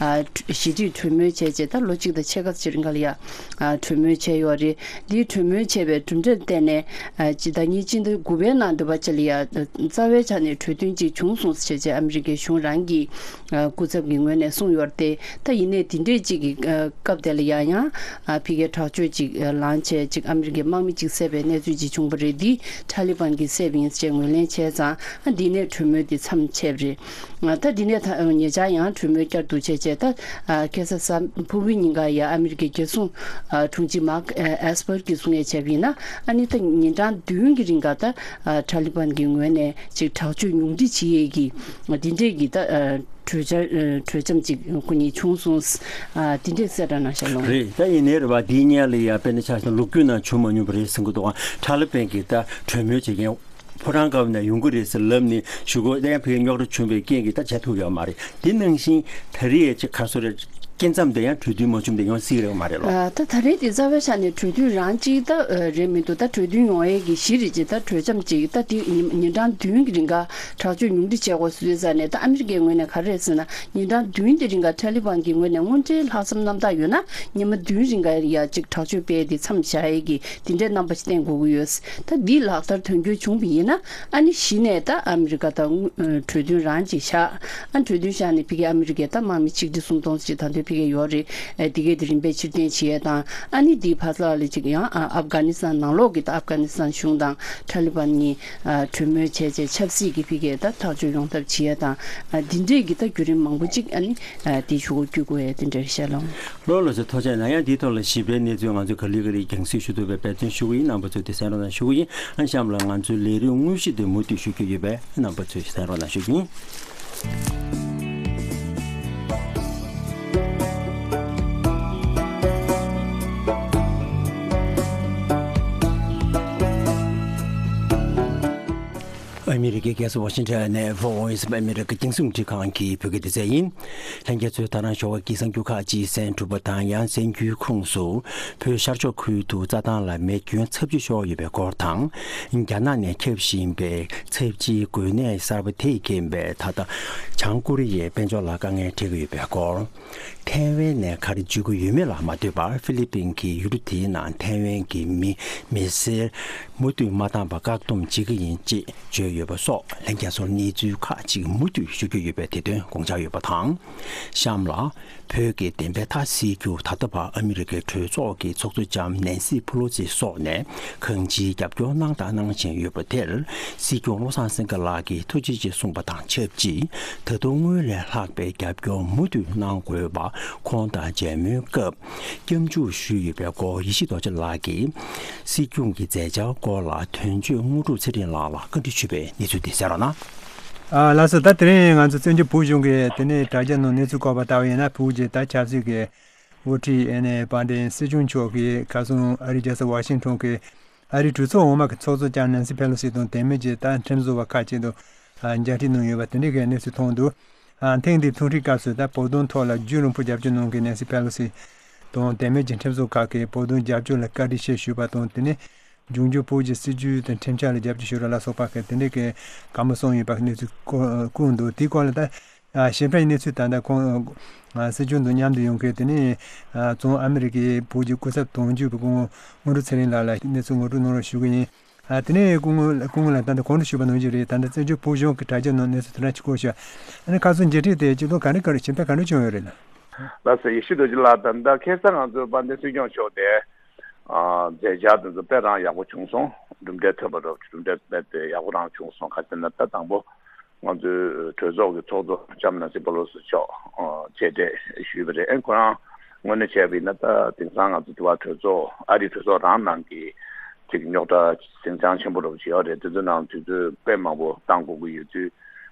ཞི་འགྲིག་གྲོས་མོལ་བྱས་རྗེས་ད་ལོ་གཅིག་དང་ཕྱེད་ཀ་ཙམ་རིང་ག་ལ་ཡ་གྲོས་མོལ་བྱས་ཡོད་རེད། འདིའི་གྲོས་མོལ་བྱས་པའི་གྲུབ་འབྲས་བརྟེན་ནས་ཨ་སྤྱི་ཟླ་གཉིས་སྤྱི་ཟླ་དགུ་པའི་ནང་འདུག་པ་ཅིག་ལ་ཡ་རྩ་བའི་ཆ་ནས་གྲོས་མཐུན་ཅིག་བྱུང་སོང་ཟེར་བྱས་ཨ་མི་རི་ཀའི་གཞུང་རང་གི་ཨ་སྐུ་ཚབ་ཀྱི་ངོས་ནས་གསུངས་ཡོད་རེད་དེ། ད་ཡིན་ནའི་དེ་འདྲས་ཅིག་གི་ཨ་སྐབས་དེ་ལ་ཡ་ཡང་ཨ་ཕ་གིའི་དྲག་སྤྱོད་ཅིག་ཨ་ལངས་བྱས་ཅིག་ཨ་མི་རི་ཀའི་དམག་མི་ཅིག་བསད་པའི་གནས་ཚུལ་ཅིག་བྱུང་བ་རེད། འདི་ཐ་ལི་བན་གྱིས་བསད་པ་ཡིན་ཟེར་ངོས་ལེན་བྱས་ཙང་ཨ་འདི་ནས་གྲོས་མོལ་འདི་མཚམས་ཆད་པ་རེད། ད་འདི་ནས་ད་ཉེ་ཆར་ཡང་གྲོས་མོལ་བསྐྱར་དུ་བྱས་བྱས་ད་ཁ་སང་གཟའ་ཕུར་བུའི་ཉིན་ཀ་ཡ་ཨ་མི་རི་ཀའི་རྒྱལ་སྲུང་དྲུང་ཆེ་མཱག་ཨེ་སི་པར་གྱིས་གསུང་ཡས་བྱས་པ་ཡིན་ན་ཨ་ནི་ད་ཉིན་གྲངས་བདུན་གྱི་རིང་ག་ད་ཐ་ལི་བན་གྱི་ངོས་ནས་ཅིག་དྲག་སྤྱོད་ཉུང་འཕྲི་བྱེད་ཡས་ཀྱི་འདི་འདྲས་ཀྱི་ད་གྲོས་འཆར་གྲོས་འཆམ་ཅིག་ཁོ་གཉིས་བྱུང་སོང་། འདི་འདྲས་གསལ་བསྒྲགས་གནང་ཤག་ལོ། རེད། ད་ཡིན་ནའི་རེད་བ། འདིའི་སྔོན་ལ་ཡ་དཔེར་ན་ཆ་བཞག་ན་ལོ་རྒྱུས་ནང་བྱུང་མ་མྱོང་བ་རེད་ཟེར་གྱི་འདུག་ག་ཐ་ལི་བན་གྱིས་ད་གྲོས་མོལ་བྱེད་མཁན་ཕོ་བྲང་དཀར་པོ་ནས་ཡོང་གི་རེད་ཟེར་ལབ་ནས་གཞུག་གུ་ཡང་ཕ་གིར་རྙོག་དྲ་བྱུང་བའི་རྐྱེན་གྱིས་ད་བྱ་ཐུབ་ཡོད་མ་རེད། དེ་ནང་བཞིན་ད་རེས་ཅིག་ག་སོ་རེད། སྐབས་མཚམས་དེ་ཡང་གྲོས་མཐུན་མ་བྱུང་དེ་ཡང་སྲིད་རེད་མ་རེད་ལོ། ད་ད་རེས་དེ་རྩ་བའི་ཆ་ནས་གྲོས་མཐུན་རང་གཅིག་ད་རེད་མི་འདུག་ད་གྲོས་མཐུན་ཡོང་ཡས་ཀྱི་གཞི་རེད་ཅེས་ད་གྲོས་འཆམ་ཅིག་ད་དེ་ཉིན་གྲངས་བདུན་གྱི་རིང་ག་དྲག་སྤྱོད་ཉུང་འཕྲི་བྱས་དགོས་ཟེར་ཙང་ནས་ད་ཨ་མི་རི་ཀའི་ངོས་ནས་ག་རེ་རེད་ཟེར་ན་ཉིན་གྲངས་བདུན་དེ་རིང་ག་ཐ་ལི་བན་གྱི་ངོས་ནས་དངོས་འབྲེལ་ལྷག་བསམ་རྣམ་དག་ཡོད་ན་ཉི་མ་བདུན་རིང་ག་ཡ་གཅིག་དྲག་སྤྱོད་སྤེལ་ཏེ་མཚམས་བཞག་ཡས་ཀྱི་དེ་འདྲའི་རྣམ་པ་ཞིག་བསྟན་དགོས་ཀྱི་ཡོད། ད་འདི་ལག་བསྟར་དོན་འཁྱོལ་བྱུང་བ་ཡིན་ན་ཨ་ནི་གཞི་ནས་ད་ཨ་མི་རི་ཀ་དང་གྲོས་མཐུན་རང་ཅིག་བཞག་ཨ་གྲོས་མཐུན་བཞག་ནས་ཕ་གི་ཨ་མི་རི་ཀས་ད་དམག་མི་ཆིག་ཁྲི་སུམ་སྟོང་ཅིག་ད་དུང་ དེ་གས་ཡོད་རེད། ཨ་དེ་གས་དེ་རིམ་པས་ཕྱིར་འཐེན་བྱེད་ཡས་དང་། ཨ་ནི་དེའི་ཕར་ཚུར་ལ་ཅིག་ཡང་ཨ་ཨབ་གྷ་ནི་སི་ཐན་ནང་ལོགས་ཀྱི་ད་ཨབ་གྷ་ནི་སི་ཐན་གཞུང་དང་ཏཱ་ལི་བན་གཉིས་ཨ་གྲོས་མོལ་བྱས་བྱས་ཆབ་སྲིད་ཀྱི་ཕ་གིའི་ད་ཐག་གཅོད་ཡོང་ཐབས་བྱེད་ཡས་དང་། ཨ་དེ་འདྲས་ཀྱི་ད་བརྒྱུད་རིམ་མང་པོ་ཅིག་ཨ་ནི་ཨ་དེའི་ཕྱོགས་སུ་བསྐྱོད་དགོས་ཡས་དེ་འདྲ་རེད་ཤག་ལགས། ལགས་ལགས་སོ། ཐུགས་རྗེ་གནང་། ཡང་དེའི་ཐོག་ལ་ཞིབ་ཕྲའི་གནས་ཚུལ་ང་ཚོས་ག་ལེ་ག་ལེ་རྒྱང་སྲིང་ཞུ་ཐུབ་པའི་འབད་བརྩོན་ཞུ་གི་ཡིན། རྣམ་པ་ཚོས་དེ་གསན་རོགས་གནང་ཞུ་གི་ཡིན། ཨ་གཤམ་ལ་ང་ཚོའི་ལས་རིམ་དངོས་གཞི་དེ་མུ་མཐུད་ཞུ་རྒྱུ་ཡོད་པས་རྣམ་པ་ཚོས་གསན་རོགས་གནང་ཞུ་གི་ཡིན། ཨ་མི་རི་ཀའི་རྒྱལ་ས་ཝ་ཤིང་ཊོན་ནས་Voice of America རྒྱང་སྲིང་རླུང་འཕྲིན་ཁང་གི་བོད་སྐད་སྡེ་ཚན་ཡིན། ལྷན་རྒྱས་ཚོས་ད་རང་ཞོགས་ཀ་གི་གསར་འགྱུར་ཁག་ཅིག་གསན་གྲུབ་པ་དང་། ཡང་གསར་འགྱུར་ཁོངས་སུ་བོད་ཤར་ཕྱོགས་ཁུལ་དུ་རྩྭ་ཐང་ལ་མེ་སྐྱོན་ཚབས་ཆེ་ཤོར་ཡོད་པའི་སྐོར་དང་། རྒྱ་ནག་ནས་ཁྱབ་བཞིན་པའི་ཚབས་ཆེའི་འགོས་ནད་གསར་པ་དེས་རྐྱེན་པས་ད་ལྟ་བྱང་ཀོ་རི་ཡའི་དཔལ་འབྱོར་ལ་དཀའ་ངལ་འཕྲད་ཀྱི་ཡོད་པའི་སྐོར། ཐའེ་ཝན་ནས་ག་རེ་བརྗོད་ཀྱི་ཡོད་མེད་ལ་མ་ལྟོས་པར་ཧྥི་ལི་པིན་གྱིས་ཡུལ་གྲུ་དེའི་ནང་ཐའེ་ཝན་གྱི་མི་མི་སེར་མུ་མཐུད་མ་བཏང་བར་བཀག་སྡོམ་བྱེད་ཀྱི་ཡིན་ཅེས་བརྗོད་ཡོད་པ་སོགས་ལྷན་རྒྱས་ཚོར་གནས་ཚུལ་ཁག་ཅིག་མུ་མཐུད་ཞུ་རྒྱུ་ཡོད་པས་དེ་དོན་དགོངས་འཇགས་ཡོད་པ་དང་། གཤམ་ལ། བོད་ཀྱི་བདེན་པའི་མཐའ་སེལ་རྒྱུར་ད་ལྟ་བར་ཨ་མི་རི་ཀའི་གྲོས་ཚོགས་ཀྱི་ཚོགས་གཙོ་ལྕམ་ནན་སི་ཕུ་ལོ་སི་སོགས་ནས་གང་ཅིའི་རྒྱབ་སྐྱོར་གནང་དང་གནང་བཞིན་ཡོད་པ་དེར། སྲིད་སྐྱོང་བློ་བཟང་སེང་གེ་ལགས་ཀྱིས་ཐུགས་རྗེ་ཆེ་གསུངས་པ་དང་ཆབས་ཅིག་ད་དུང་སྔོན་ལས་ལྷག་པའི་རྒྱབ་སྐྱོར་མུ་མཐུད་གནང་དགོས་པ་ཁོང་དང་མཇལ་མོལ་སྐབས་སྐྱབས་འཇུག་ཞུས་ཡོད་པའི་སྐོར། ཡེ་ཤེས་རྡོ་རྗེ་ལགས་ཀྱིས་སྲིད་སྐྱོང་གི་མཛད་འཆར་སྐོར་ལ་དོན་གཅོད་དངོས་གྲུབ་ཚེ་རིང་ལགས་ལ་བཀའ་འདྲི་ཞུས་པའི་གནས་ཚུལ་དེ་གསན་རོགས་གནང་། ཨ་ལགས་སོ། ད་དེ་རིང་ང་ཚོ་བཙན་བྱོལ་བོད་གཞུང་གི་དེ་ནས་དྲ་རྒྱ་ནང་གནས་ཚུལ་བཀོད་པ་ལྟ་བུ་ཡིན་ན། བོད་ཀྱི་ད་ཆབ་སྲིད་ཀྱི་འགོ་ཁྲིད་ཨ་ནི་དཔལ་ལྡན་སྲིད་སྐྱོང་མཆོག་གིས་ཁ་སང་ཨ་རིའི་རྒྱལ་ས་ཝ་ཤིང་ཊོན་གྱི་ཨ་རིའི་གྲོས་ཚོགས་འོག་མ་གི་ཚོགས་གཙོ་ལྕམ་ནན་སི་ཕེ་ལོ་སི་དང་དེ་མིན་གྱི་ད་ཁྲིམས་བཟོ་བ་ཁག་ཅིག་དང་ཨ་མཇལ་འཕྲད་གནང་ཡོད་པ་དེ་འདྲའི་གི་གནས་ཚུལ་མཐོང་འདུག་ཨ་ཐེངས་འདིའི་ཐུག་འཕྲད་སྐབས་སུ་ད་བོད་དོན་ཐོག་ལ་རྒྱུན་རིང་པོ་རྒྱབ་སྐྱོར་གནང་མཁན་ནན་སི་ཕེ་ལོ་སི་དང་དེ་མིན་གྱི་ཁྲིམས་བཟོ་ཁག་གིས་བོད་དོན་རྒྱབ་སྐྱོར་ལ་བཀའ་དྲིན་ཆེ་ཞུས་པ་དང་། དེ་ནས་འབྱུང་འགྱུར་བོད་ཀྱི་སྲིད་བྱུས་དང་ཁྲིམས་འཆར་ལ་རྒྱབ་སྐྱོར་ཞུ་རོགས་ལ་སོགས་པ་གི་དེ་འདྲའི་གི་བཀའ་མོལ་གསུངས་ཡོད་པ་གི་གནས་ཚུལ་བཀོད་འདུག་དེའི་སྐོར་ལ་ད་ཞིབ་ཕྲའི་གནས་ཚུལ་ད་ལྟ་ཁོང་སྲིད་སྐྱོང་དང་མཉམ་དུ་ཡོང་མཁན་དེ་ནས་བཙོན་ཨ་མི་རི་ཀའི་བོད་ཀྱི་སྐུ་ཚབ་དོན་གཅོད་པ་སྐུ་ངོ་དངོས་གྲུབ་ཚེ་རིང་ལགས་ལ་གནས་ཚུལ་ངོ་སྤྲོད་གནང་རོགས་ཞུ་གི་ཡིན། ཨ་དེ་ནས་སྐུ་ངོ་སྐུ་ངོ་ལགས་ད་ལྟ་གོང་དུ་ཞུས་པ་ནང་བཞིན་རེད། ད་ལྟ་བཙན་བྱོལ་བོད་གཞུང་གི་དྲ་རྒྱ་ནང་གནས་ཚུལ་དེ་འདྲ་ཅིག་བཀོད་ཤག་ཨ་ནི་ཁ་སང་མཇལ་འཕྲད་དེ་སྤྱི་ཚོགས་ག་འདྲ་ག་རེ་ཞིབ་ཕྲ་ག་འདྲ་བྱུང་ཡོད་རེད་ལགས། ལགས་སོ། ཡེ་ཤེས་རྡོ་རྗེ་ལགས། ད་ལྟ་ཁ་སང་ང་ཚོའི་དཔལ་ལྡན་སྲིད་སྐྱོང་མཆོག་དེ་ཨ་མཛད་འཆར་དེ་ཚོ་དཔེ་རང་ཡག་པོ་བྱུང་སོང་། གྲུབ་འབྲས་ཐོན་པ་འདྲ་བོ། གྲུབ་འབྲས་དཔེ་དེ་ཡག་པོ་རང་བྱུང་སོང་། ག་ཅི་ན་ད་དང་པོ་ང་ཚོའི་གྲོས་ཚོགས་ཀྱི་ཚོགས་གཙོ་ལྕམ་ནན་སི་པེ་ལོ་སི་མཆོག་ཨ་མཇལ་འཕྲད་ཞུས་པ་རེད། ཨེ་ཁོ་རང་དངོས་གནས་བྱས་པ་ཡིན་ན་ད་དེང་སང་ང་ཚོ་འདི་བ་གྲོས་ཚོགས་ཨ་རིའི་གྲོས་ཚོགས་རང་ནང་གི་ཅིག་རྙོག་དྲ་ཟིང་ཆ་ཆེན་པོ་འདྲ་བོ་ཅིག་ཡོད་རེད། དེ་ཚོའི་ནང་དུས་ཚོད་དཔེ་མང་པོ་བཏང་དགོས་ཀྱི་ཡོད་དུས།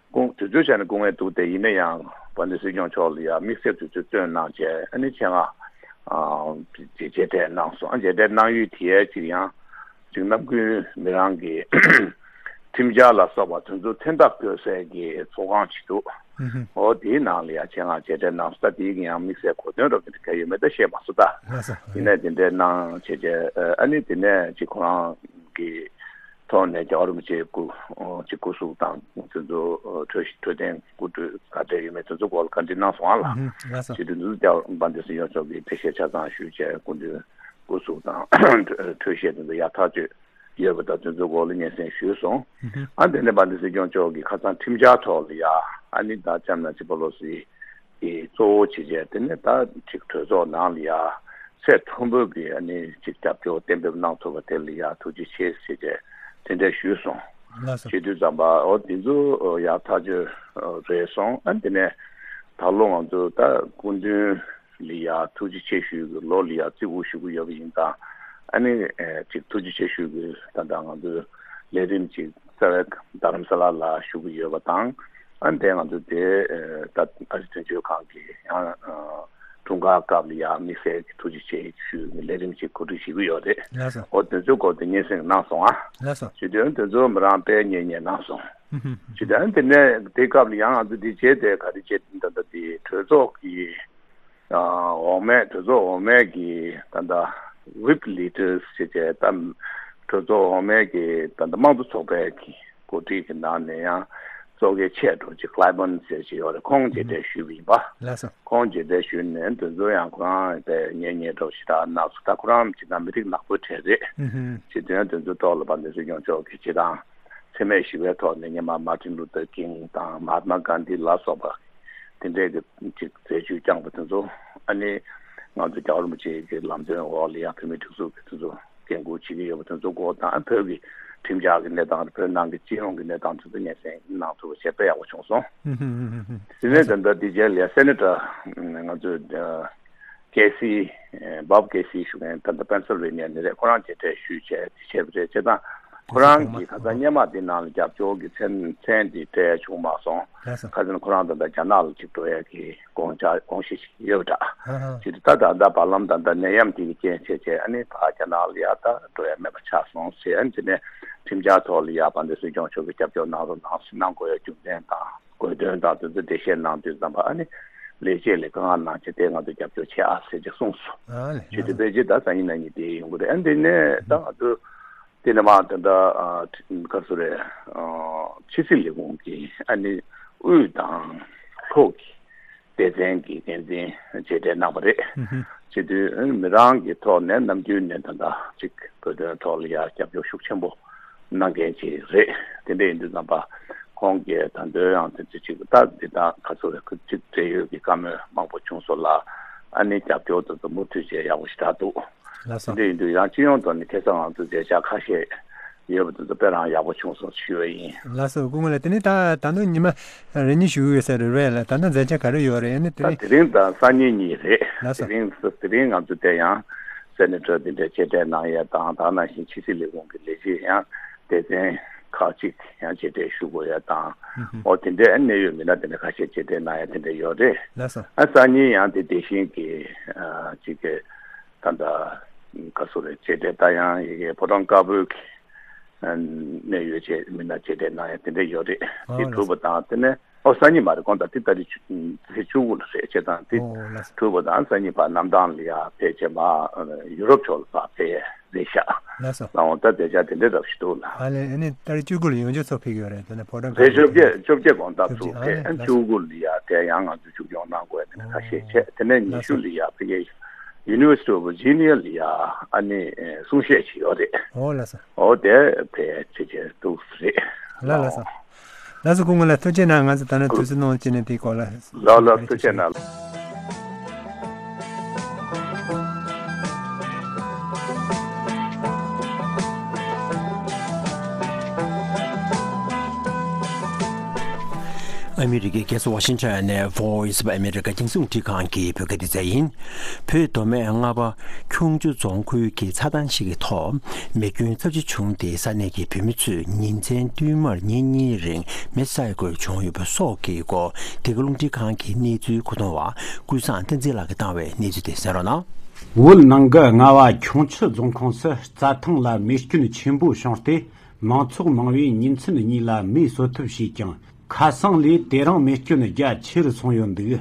སྐུ་དུས་ཚོད་བྱས་ནས་སྐུ་ངལ་འདུག་སྟེ། ཡིན་ན་ཡང་དཔལ་ལྡན་སྲིད་སྐྱོང་མཆོག་ལ་ཡང་དམིགས་བསལ་དུས་ཚོད་བཏོན་གནང་བྱས། ཨ་ནི་ཆེད་མངགས་ཨ་མཇལ་འཕྲད་གནང་སོང་། ཨ་མཇལ་འཕྲད་གནང་ཡུལ་དེའི་ཅིག་ཡང་ཅིག་ནམ་རྒྱུན་མི་རང་གི་ཁྲིམས་འཆར་ལ་སོགས་པ་དེ་ཚོ་མཚན་རྟགས་བཀོད་སའི་གི་ཚོགས་ཁང་ཅིག་འདུག་ཨོ་དེའི་ནང་ལ་ཡང་ཆེད་མངགས་མཇལ་འཕྲད་གནང་སོང་། ད་དེའི་གི་ཡང་དམིགས་བསལ་གོ་དོན་འདྲ་བོ་དེ་འདྲ་ག་ཡོད་མེད་ད་ཤེས་མ་སོང་ད། ཡིན་ནའི་དེ་འདྲའི་གནང་བྱས་བྱས། ཨ་ནི་དེ་ནས་ཅིག་ཁོ་རང་གི་ཐོག་ནས་རྒྱལ་བ་རིན་པོ་ཆེའི་སྐུ་ཅིག་སྐུ་གཟུགས་དང་དེ་ཚོ་འཕྲོད་འཕྲོད་བསྟེན་སྐུ་དྲུང་ག་འདྲ་ཡོད་མེད་དེ་ཚོ་སྐོར་ལ་བཀའ་འདྲི་གནང་སོང་ཨ་ལགས། ཨུ་ཧུམ། ལགས་སོ། བྱས་དུས་དེ་ཚོ་རྒྱལ་བ་དཔལ་ལྡན་སྲིད་སྐྱོང་མཆོག་གིས་འགྲེལ་བཤད་ཆ་ཚང་ཞུས་བྱས། སྐུ་མདུན་སྐུ་གཟུགས་དང་འཕྲོད་བཞེས་དེ་ཚོ་ཡག་ཐག་ཆོད་ཡོད་པ་དང་དེ་ཚོ་སྐོར་ལ་སྙན་སེང་ཞུས་སོང་། ཨུ་ཧུམ། ཨ་དེ་ནས་དཔལ་ལྡན་སྲིད་སྐྱོང་མཆོག་གིས་ཁ་སང་ཁྲིམས་འཆར་ཐོག་ལ་ཡ་ཨ་ནི་ད་ལྕམ་ནན་སི་པེ་ལོ་སི་གི་གཙོ་བོ་བྱས་བྱས། དེ་ནས་ད་ཅིག་གྲོས་ཚོགས་ནང་ལ་ཡ་ཚད་མཐོན་པོའི་གི་ཨ་ནི་ཅིག་རྒྱབ་སྐྱོར་གཏན་འབེབས་གནང་ཐུབ་པ་དེ་ལ་ཡ་ཐུགས་རྗེ་ཆེ་ཟེར་བྱས་དེ་འདྲ་ཞུས་སོང་། ལགས་སོ། བྱེད་དུས་ཙམ་པ་ཨོ་དེ་ཚོ་ཡག་ཐག་ཆོད་རེད་སོང་། ཨ་དེ་ནས་ད་ལོ་ང་ཚོ་ད་སྐུ་མདུན་ལ་ཡ་ཐུགས་རྗེ་ཆེ་ཞུ་གི་ལོ་ལ་ཡ་བརྩི་བཀུར་ཞུ་གི་ཡོད་པ་ཡིན་ཙང་། ཨ་ནི་ཅིག་ཐུགས་རྗེ་ཆེ་ཞུ་གི་ད་ལྟ་ང་ཚོའི་ལས་རིམ་ཅིག་རྩ་བའི་རྡ་རམ་ས་ལ་ལ་ཞུ་གི་ཡོད་པ་དང་། ཨ་ནི་དེ་ང་ཚོ་དེ་ད་ཨ་རི་དོན་གཅོད་ཁང་གི་ཡང་དྲུང་ཁག་སྐབས་ལ་ཡང་དམིགས་བསལ་གྱི་ཐུགས་རྗེ་ཆེ་ཞུ་ལས་རིམ་ཅིག་གོ་སྒྲིག་བྱེད་ཀྱི་ཡོད་རེད། ལགས་སོ། འོ་དེ་ཚོའི་སྐོར་དུ་སྙན་སེང་གནང་སོང་ཨ། ལགས་སོ། བྱས་དུས་དེ་ཚོ་མི་རང་དཔེ་ཉེ་ཉེ་གནང་སོང་། ཧུམ་ཧུམ། བྱས་དུས་དེ་ནས་དེ་སྐབས་ལ་ཡང་ང་ཚོ་དེ་བྱས་ཏེ་ག་རེ་བྱས་ད་ལྟ་དེ་གྲོས་ཚོགས་ཀྱི་འོག་མའི་གྲོས་ཚོགས་འོག་མའི་གི་ད་ལྟ་whip leaders་ཞེས་བྱས་ད་གྲོས་ཚོགས་འོག་མའི་གི་ད་ལྟ་དམངས་གཙོ་ཚོགས་པའི་གི་འགོ་ཁྲིད་ཀྱི་ནང་ནས་ཡང་གཙོ་གལ་ཆེ་འགྲོ་ཅིག་Clyburn་ཟེར་ཅིག་ཡོད་རེད། ཁོང་མཇལ་འཕྲད་ཞུས་པ་ཡིན་པ། ལགས་སོ། ཁོང་མཇལ་འཕྲད་ཞུས་ནས་དེ་ཚོ་ཡང་ཁོ་རང་དཔེ་ཉེ་ཉེ་འགྲོ་ཞེ་དྲག་གནང་སོང་། ད་ཁོ་རང་ཅིག་ད་མི་རིགས་ནག་པོའི་གྲས་རེད། ཨུ་ཧུམ། བྱས་དུས་དེ་ཚོའི་ཐོག་ལ་དཔལ་ལྡན་སྲིད་སྐྱོང་མཆོག་གིས་སྤྱིར་བཏང་འཚེ་མེད་ཞི་བའི་ཐོག་ནས་སྔོན་མ་Martin Luther King་དང་Mahatma Gandhi་ལ་སོགས་པ་དེ་འདྲས་ཀྱི་ཅིག་མཛད་བྱུས་བསྐྱངས་པ་དེ་ཚོ་ ཨ་ནི་ང་ཚོ་རྒྱལ་བ་རིན་པོ་ཆེ་གི་ལམ་སྟོན་འོག་ལ་ཡང་བོད་མིའི་སྒྲིག་འཛུགས་ཀྱི་དེ་ཚོ་འགན་འཁུར་བྱེད་ཀྱི་ཡོད་པ་དེ་ཚོ་སྐོར་དང་བོད་ཀྱི་ཁྲིམས་འཆར་གྱི་གནས་སྟངས་བོད་ནང་གི་སྤྱི་ཡོངས་ཀྱི་གནས་སྟངས་དེ་ཚོ་སྙན་སེང་གནང་ཐུབ་པ་བྱས་དཔེ་ཡག་པོ་བྱུང་སོང་། དེ་ནས་ད་ལྟ་དེ་རྗེས་ལ་སེ་ནེ་ཊར་ང་ཚོ་ཀེ་སི་བོབ་ཀེ་སི་ཞུ་མཁན་ད་ལྟ་པེན་སིལ་ཝེ་ནི་ཡ་ནས་རེད། ཁོ་རང་མཇལ་འཕྲད་ཞུས་བྱས་བྱས་པ་རེད། བྱས་ཙང་ཁོ་རང་གིས་ཁ་སང་སྔོན་མ་དེ་ནང་ལ་རྒྱབ་སྐྱོར་གྱི་མཚན་མཚན་དེ་སྤྲད་བྱུང་མ་སོང་། ལགས་སོ། ཁ་སང་ཁོ་རང་ད་ལྟ་རྒྱ་ནག་ལ་ཅིག་འགྲོ་ཡ་གི་དགོངས་འཆར་དགོངས་གཞི་ཞིག་ཡོད་པ་འདྲ། ཧ་ཧ། ཅིག་ད་ད་ད་བར་ལམ་ད་ད་ནད་ཡམས་དེ་གི་རྐྱེན་བྱས་བྱས་ཨ་ནི་ཕར་རྒྱ་ནག་ལ་ཡ་ད་འགྲོ་ཡ་མེད་པ་ཆགས་སོང་ཟེར། ཨ་ནི་དེ་ནས་ཁྲིམས་འཆར་ཐོག་ལ་ཡ་དཔལ་ལྡན་སྲིད་སྐྱོང་མཆོག་གིས་རྒྱབ་སྐྱོར་གནང་རོགས་གནང་ཟེར་གནང་དགོས་ཡ་རྒྱུ་མཚན་དང་། དགོས་དོན་དང་དེ་ཚོ་འགྲེལ་བཤད་གནང་དུས་ཙམ་པ་ཨ་ནི་ལས་བྱེད་ལ་དཀའ་ངལ་གནང་བྱས་དེ་ང་ཚོ་རྒྱབ་སྐྱོར་བྱེད་ཨ་ཟེར་ཅིག་གསུངས་སོང་། ཨ་ལས། བྱས་ཏེ་ཕལ་ཆེར་ད་སང་ཉིན་གནངས་ཉིན་དེ་ཡོང་གི་རེད། ཨ་འདི་ནས་ད་ང་ཚོ་དེ་ནས་མར་ད་ལྟ་ཨ་ག་རེ་ཟེར་རེད། ཨ་ཕྱི་སྲིད་ལས་ཁུངས་ཀྱི་ཨ་ནི་དབུས་དང་ལྷོ་གི་སྡེ་ཚན་གྱི་འགན་འཛིན་མཇལ་འཕྲད་གནང་བ་རེད། ཨུ་ཧུ། བྱས་དུས་མི་རང་གི་ཐོག་ནས་ནམ་རྒྱུན་ནས་ད་ལྟ་ཅིག་བོད་དོན་ཐོག་ལ་ཡ་རྒྱབ་སྐྱོར་ཤུགས་ཆེན་པོ་གནང་མཁན་ཅིག་རེད། དེ་འདྲ་ཡིན་དུས་ཙམ་པ་ཁོང་གིས་ད་དུང་ཡང་དེ་ཚོ་ཅིག་ད་འདི་དང་ག་ཚོད་རེད། ཁོ་ཅིག་འབྲེལ་ཡོད་ཀྱི་བཀའ་མོལ་མང་པོ་བྱུང་སོང་ལ། ཨ་ནི་རྒྱབ་སྐྱོར་དེ་ཚོ་མུ་མཐུད་བྱས་ཡག་པོ་ཞེ་དྲག་འདུག། ལགས་སོ། དེ་འདྲ་ཡིན་དུས་ཡང་སྤྱི་ཡོངས་ཐོག་ནས་ཁ་སང་ང་ཚོ་མཇལ་འཕྲད་ཁ་ཤས་ཡོད་པ་དེ་ཚོ་དཔེ་རང་ཡག་པོ་བྱུང་སོང་ཞུ་བ་ཡིན། ལགས་སོ། སྐུ་ངོ་ལགས། དེ་ནི་ད་ད་དུང་ཉི་མ་རེ་གཉིས་བཞུགས་ཡོད་ས་རེད་པས་ལགས། ད་ལྟ་མཛད་འཆར་ག་རེ་ཡོད་རེད། ཨ་ནི་དེ་ད་རིང་དེ་རིང་དང་སང་ཉིན་གཉིས་རེད། ལགས་སོ། དེ་རིང་དེ་རིང་ང་ཚོ་དེ་ཡང་སེ་ནེ་ཊར་དེ་འདྲ་མཇལ་འཕྲད་གནང་ཡས་དང་ད་ག་ནང་བཞིན་ཕྱི་སྲིད་ལས་ཁུངས་ཀྱི་ལས་བྱེད་ཡང་སྡེ་ཚན་ཁག་ཅིག་ཡང་མཇལ་འཕྲད་ཞུ་དགོས་ཡས་དང་། ཨུ་ཧུ། འོ་དེ་འདྲའི་གནད་ཡོད་མི་སྣ་དེ་འདྲ་ཁ་ཤས་མཇལ་འཕྲད་གནང་ཡས་དེ་འདྲ་ཡོད་རེད། ལགས་སོ། ཨ་སང་ཉིན་ཡང་དེ་དེ་བཞིན་གྱི་ཨ་ཅིག་གི་ད་ལྟ་ག་ཚོད་རེད། མཇལ་འཕྲད་ད་ཡང་ཡི་གེ་ཕོ་བྲང་དཀར་པོའི་གི་གནད་ཡོད་ཅེས་མི་སྣ་མཇལ་འཕྲད་གནང་ཡ་དེ་འདྲ་ཡོད་རེད། ཨོ་དེ་གྲུབ་པ་དང་དེ་ནས་ཨོ་སང་ཉིན་མ་རེད། དགོང་དག་དེ་ཏ་རིག་ཚེས་བཅུ་དགུ་ལ་རེད། བྱས་ཙང་དེ་ཨོ་ལགས་སོ། གྲུབ་པ་དང་སང་ཉིན་ཕར་གནམ་ཐང་ལ་ཡ་ཕེབས་བྱས་མ་ཡུ་རོབ་ཕྱོགས་ལ་ཕར་ཕེབས་ཡས་རེད་ཤག། ལགས་སོ། ལའང་ད་དེ་ཆ་དེ་འདྲ་རབ་ཞིག་འདུག་ལ། ཨ་ལས། ཨ་ནི་ཏ་རིག་བཅུ་དགུ་ལ་ཡོང་རྒྱུ་ཚོ་ཕེབས་ཀྱི་ཡོད་རེད། དེ་ནས་ཕོ་བྲང་རེད། བཅོ་བརྒྱད་བཅོ་བརྒྱད་དགོང་དག་ཚུར་ཕེབས། ཨ་ནི་བཅུ་དགུ་ལ་ཡ་དེ་ཡང་ང་ཚོ་མཇུག་སྐྱོང་གནང་དགོས་ཡ་དེ་འདྲ་ཁ་ཤས་བྱས། དེ་ནས་ཉི་ཤུ་ལ་ཡ་ཕ་གིའི་University of Virginia ལ་ཡ་ཨ་ནི་གསུང་བཤད་ཅིག་ཡོད་རེད། ཨོ་ལགས་སོ། ཨོ་དེ་ཕལ་ཆེར་ཆེར་འདུག་རེད། ལགས་ལགས་སོ། ལགས་སོ། སྐུ་ངོ་ལགས་ཐུགས་རྗེ་གནང་། ང་ཚོ་ད་ནི་དུས་ཚོད་གནང་བྱས་ནས་དེའི་སྐོར་ལ། ལགས་ལགས་ཐུགས་རྗེ་གནང་། ཨ་མི་རི་ཀའི་རྒྱལ་ས་ཝ་ཤིང་ཊོན་ནས་Voice of America རྒྱང་སྲིང་རླུང་འཕྲིན་ཁང་གི་བོད་སྐད་སྡེ་ཚན་ཡིན། བོད་མདོ་སྨད་རྔ་པ་ཁྱུང་མཆུ་རྫོང་ཁུལ་གྱི་ཚྭ་ཐང་ཞིག་གི་ཐོག་མེ་སྐྱོན་ཚབས་ཆེ་བྱུང་སྟེ་ས་གནས་ཀྱི་བོད་མི་ཚོས་ཉིན་མཚན་བསྟུད་མར་ཉིན་གཉིས་རིང་མེ་བསད་དགོས་བྱུང་ཡོད་པ་སོགས་ཀྱི་སྐོར་འདི་ག་རླུང་འཕྲིན་ཁང་གི་གནས་ཚུལ་མཁོ་གཏོང་བ་ཀུན་བཟང་བསྟན་འཛིན་ལགས་ཀྱིས་བཏང་བའི་གནས་ཚུལ་དེ་གསན་རོགས་གནང་། བོད་ནང་གི་རྔ་བ་ཁྱུང་མཆུ་རྫོང་ཁོངས་སུ་རྩྭ་ཐང་ལ་མེ་སྐྱོན་ཆེན་པོ་བྱུང་སྟེ། མང་ཚོགས་མང་བས་ཉིན་མཚན་གཉིས་ལ་མེ་གསོད་ཐབས་བྱས་ཀྱང་། ཁ་སང་ལས་དེ་རིང་མེ་སྐྱོན་རྒྱ་ཆེ་རུ་སོང་ཡོད་འདུག།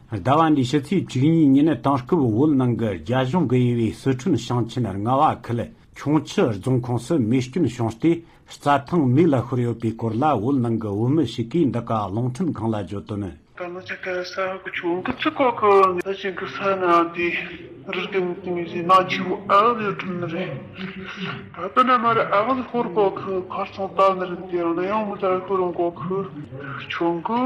ཟླ་བ་འདིའི་ཕྱི་ཚེས་བཅུ་གཉིས་ཉིན་དེང་སྐབས་བོད་ནང་གི་རྒྱ་གཞུང་གིས་དབྱེ་བའི་སི་ཁྲོན་ཞིང་ཆེན་རྔ་བ་ཁུལ་ཁྱུང་མཆུ་རྫོང་ཁོངས་སུ་མེ་སྐྱོན་བྱུང་སྟེ་རྩྭ་ཐང་མེ་ལ་ཤོར་ཡོད་པའི་སྐོར་ལ་བོད་ནང་གི་བོད་མི་ཞིག་གིས་འདི་ག་རླུང་འཕྲིན་ཁང་ལ་བརྗོད་དོན། ད་ང་ཅག་གི་ས་གི་ཆུང་གི་ཚིག་གོ་གི་ད་ཅིག་གི་ས་ན་དེ་རི་རྒན་དེ་མི་ཟི་ན་ཆུ་ཨ་ལི་ཁྲིམ་ནི་རེད། ད་ད་ན་མ་རེད། ཨ་ལི་ཧོར་གོ་གི་ཁར་སང་ད་ནི་རེད། དེ་རང་ཡང་མི་ད་ཁོ་རང་གོ་གི་ཆུང་གི་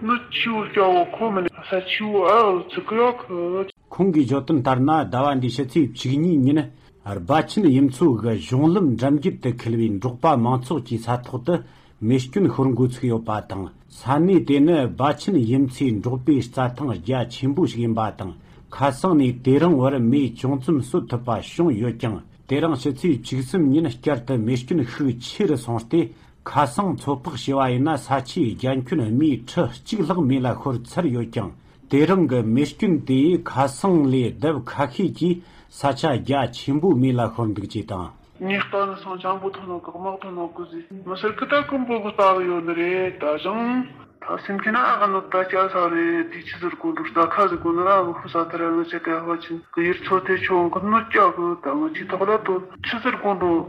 ནི་ཆུ་སྐྱ་བོ་ཁོ་མི་ནི་ས་ཆུ་ཨ་ལི་ཚིག་གི་ཡོད་གི། ཁོང་གིས་བརྗོད་དོན་ལྟར་ན་ཟླ་བ་འདིའི་ཕྱི་ཚེས་བཅུ་གཉིས་ཉིན་སྦ་ཆེན་དབྱི་མཚོ་གི་གཞུང་ལམ་འགྲམ་རྒྱུད་དུ་འཁེལ་བའི་འབྲོག་པ་མང་ཚོགས་ཀྱི་ས་ཐོག་ཏུ། མེ་སྐྱོན་ཤོར་འགོ་ཚུགས་ཡོད་པ་དང་། ས་གནས་དེ་ནི་སྦ་ཆེན་དབྱི་མཚོའི་འབྲོག་པའི་རྩྭ་ཐང་རྒྱ་ཆེན་པོ་ཞིག་ཡིན་པ་དང་། ཁ་སང་ནས་དེ་རིང་བར་མེ་ཅུང་ཙམ་གསོད་ཐུབ་པ་བྱུང་ཡོད་ཀྱང་། དེ་རིང་ཕྱི་ཚེས་བཅུ་གསུམ་ཉིན་བསྐྱར་དུ་མེ་སྐྱོན་ཤུགས་ཆེ་རུ་སོང་སྟེ། ཁ་སང་ཚོད་དཔག་བྱས་པ་ཡིན་ན་ས་ཆའི་རྒྱ་ཁྱོན་སྨི་ཁྲི་གཅིག་ལྷག་མེ་ལ་ཤོར་ཚར་ཡོད་ཀྱང་། དེ་རིང་གི་མེ་སྐྱོན་དེས་ཁ་སང་ལས་ལྡབ་ཁ་ཤས་ཀྱིས་ས་ཆ་རྒྱ་ཆེན་པོ་མེ་ལ་ཤོར་འདུག་ཅེས་དང་། ངས་ལྟ་ནི་སང་ཅང་པོ་ཐོན་ནོ་གི་དམག་ཐོན་ནོ་གི་ཟིག་མི་སེར་ཁི་ད་ཀུན་པོ་གི་ལྟ་གི་ཡོད་ནི་རེད། ད་ཞང་ད་སེམས་ཁྱི་ན་ཨ་ག་ནོ་ད་སྐྱ་ས་རེད། དེ་ཆི་ཟེར་དགོས་འདུག་ད་ཁ་ཟེར་དགོས་ནི་ར་ཨ་གི་ཧུ་ས་ད་ར་ལོ་ཆེ་ག་ཧ་ཅིན་གི་ཡིར་ཚོ་དེ་ཆོ་གི་ནོ་སྐྱ་གི་ད་ང་ཆི་ཐོག་ལ་དོ་ཆི་ཟེར་དགོས་འདུག་